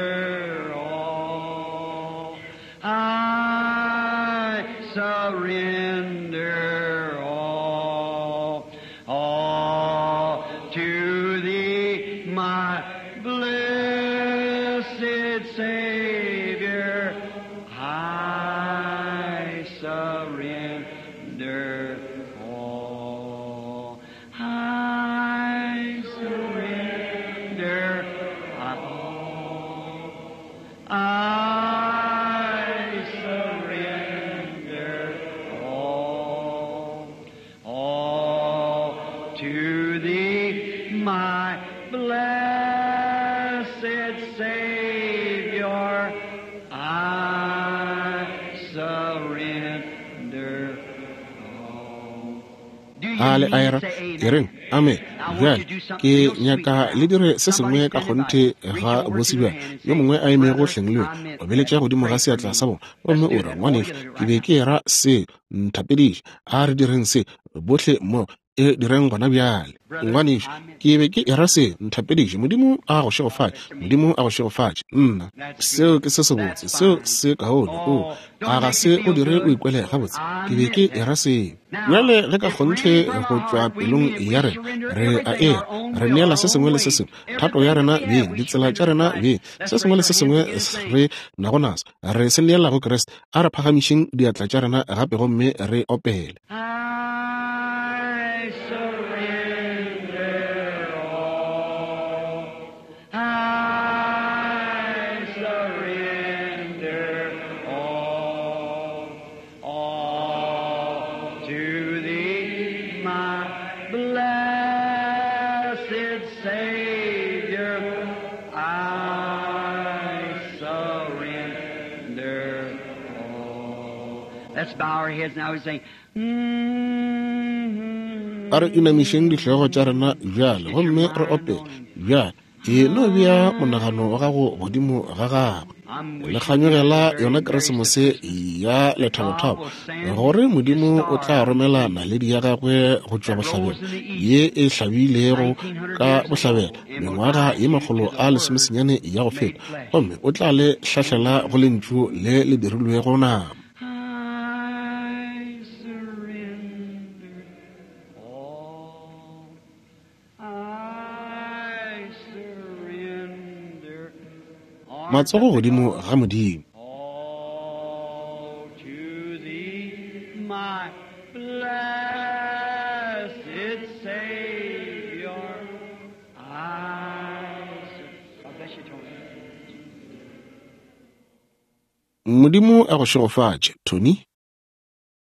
all. I surrender all. All to thee, my blessed Savior, I surrender all. I surrender all. I surrender all. All to thee, my blessed Savior, I surrender all. A le a era? E reng, Amene. Bjale ke nyaka le dire se sengwe ka kgonthe ga bose bjale. Yo mongwe a emego hleng le wena, obeletša godimo ga seatla sa bona, gomme o re, Ngwanešu, ke be ke era se. Nthapediše. A re direng se bohle mmogo. E direng gona bjale. Ngwanešu, ke be ke era se. Nthapediše. Modimo a go šegofatše. Modimo a go šegofatše. Nna. Seo ke se sebotse. Seo se kaone. O, a ga se go dire o ikwele gabotse? Ke be ke era se. Bjale ge ka kgonthe go tšwa pelong ya rena re a era, re neela se sengwe le se sengwe, thato ya rena beng, ditsela tša rena beng, se sengwe le se sengwe re nago naso, re se neela go Kriste. A re phagamišeng diatla tša rena gape gomme re opele. I surrender all. I surrender all. All to thee, my blessed Savior. I surrender all. Let's bow our heads now and say, A re inamišeng dihlogo tša rena bjale gomme re opele bjale. E no bea monagano wa gago godimo ga gagwe. Le kganyogela yona Keresemose ya lethabothabo, gore Modimo o tla romela naledi ya gagwe go tšwa bohlabela, ye e hlabilego ka bohlabela mengwaga ye 190 ya go feta, gomme o tla le hlahlela go Lentšu le le dirilwego nama. I surrender all. I surrender all. Matsogo godimo ga Modimo. All to thee, my blessed Savior. I sur- God bless you, Tony. Modimo a go šegofatše, Tony.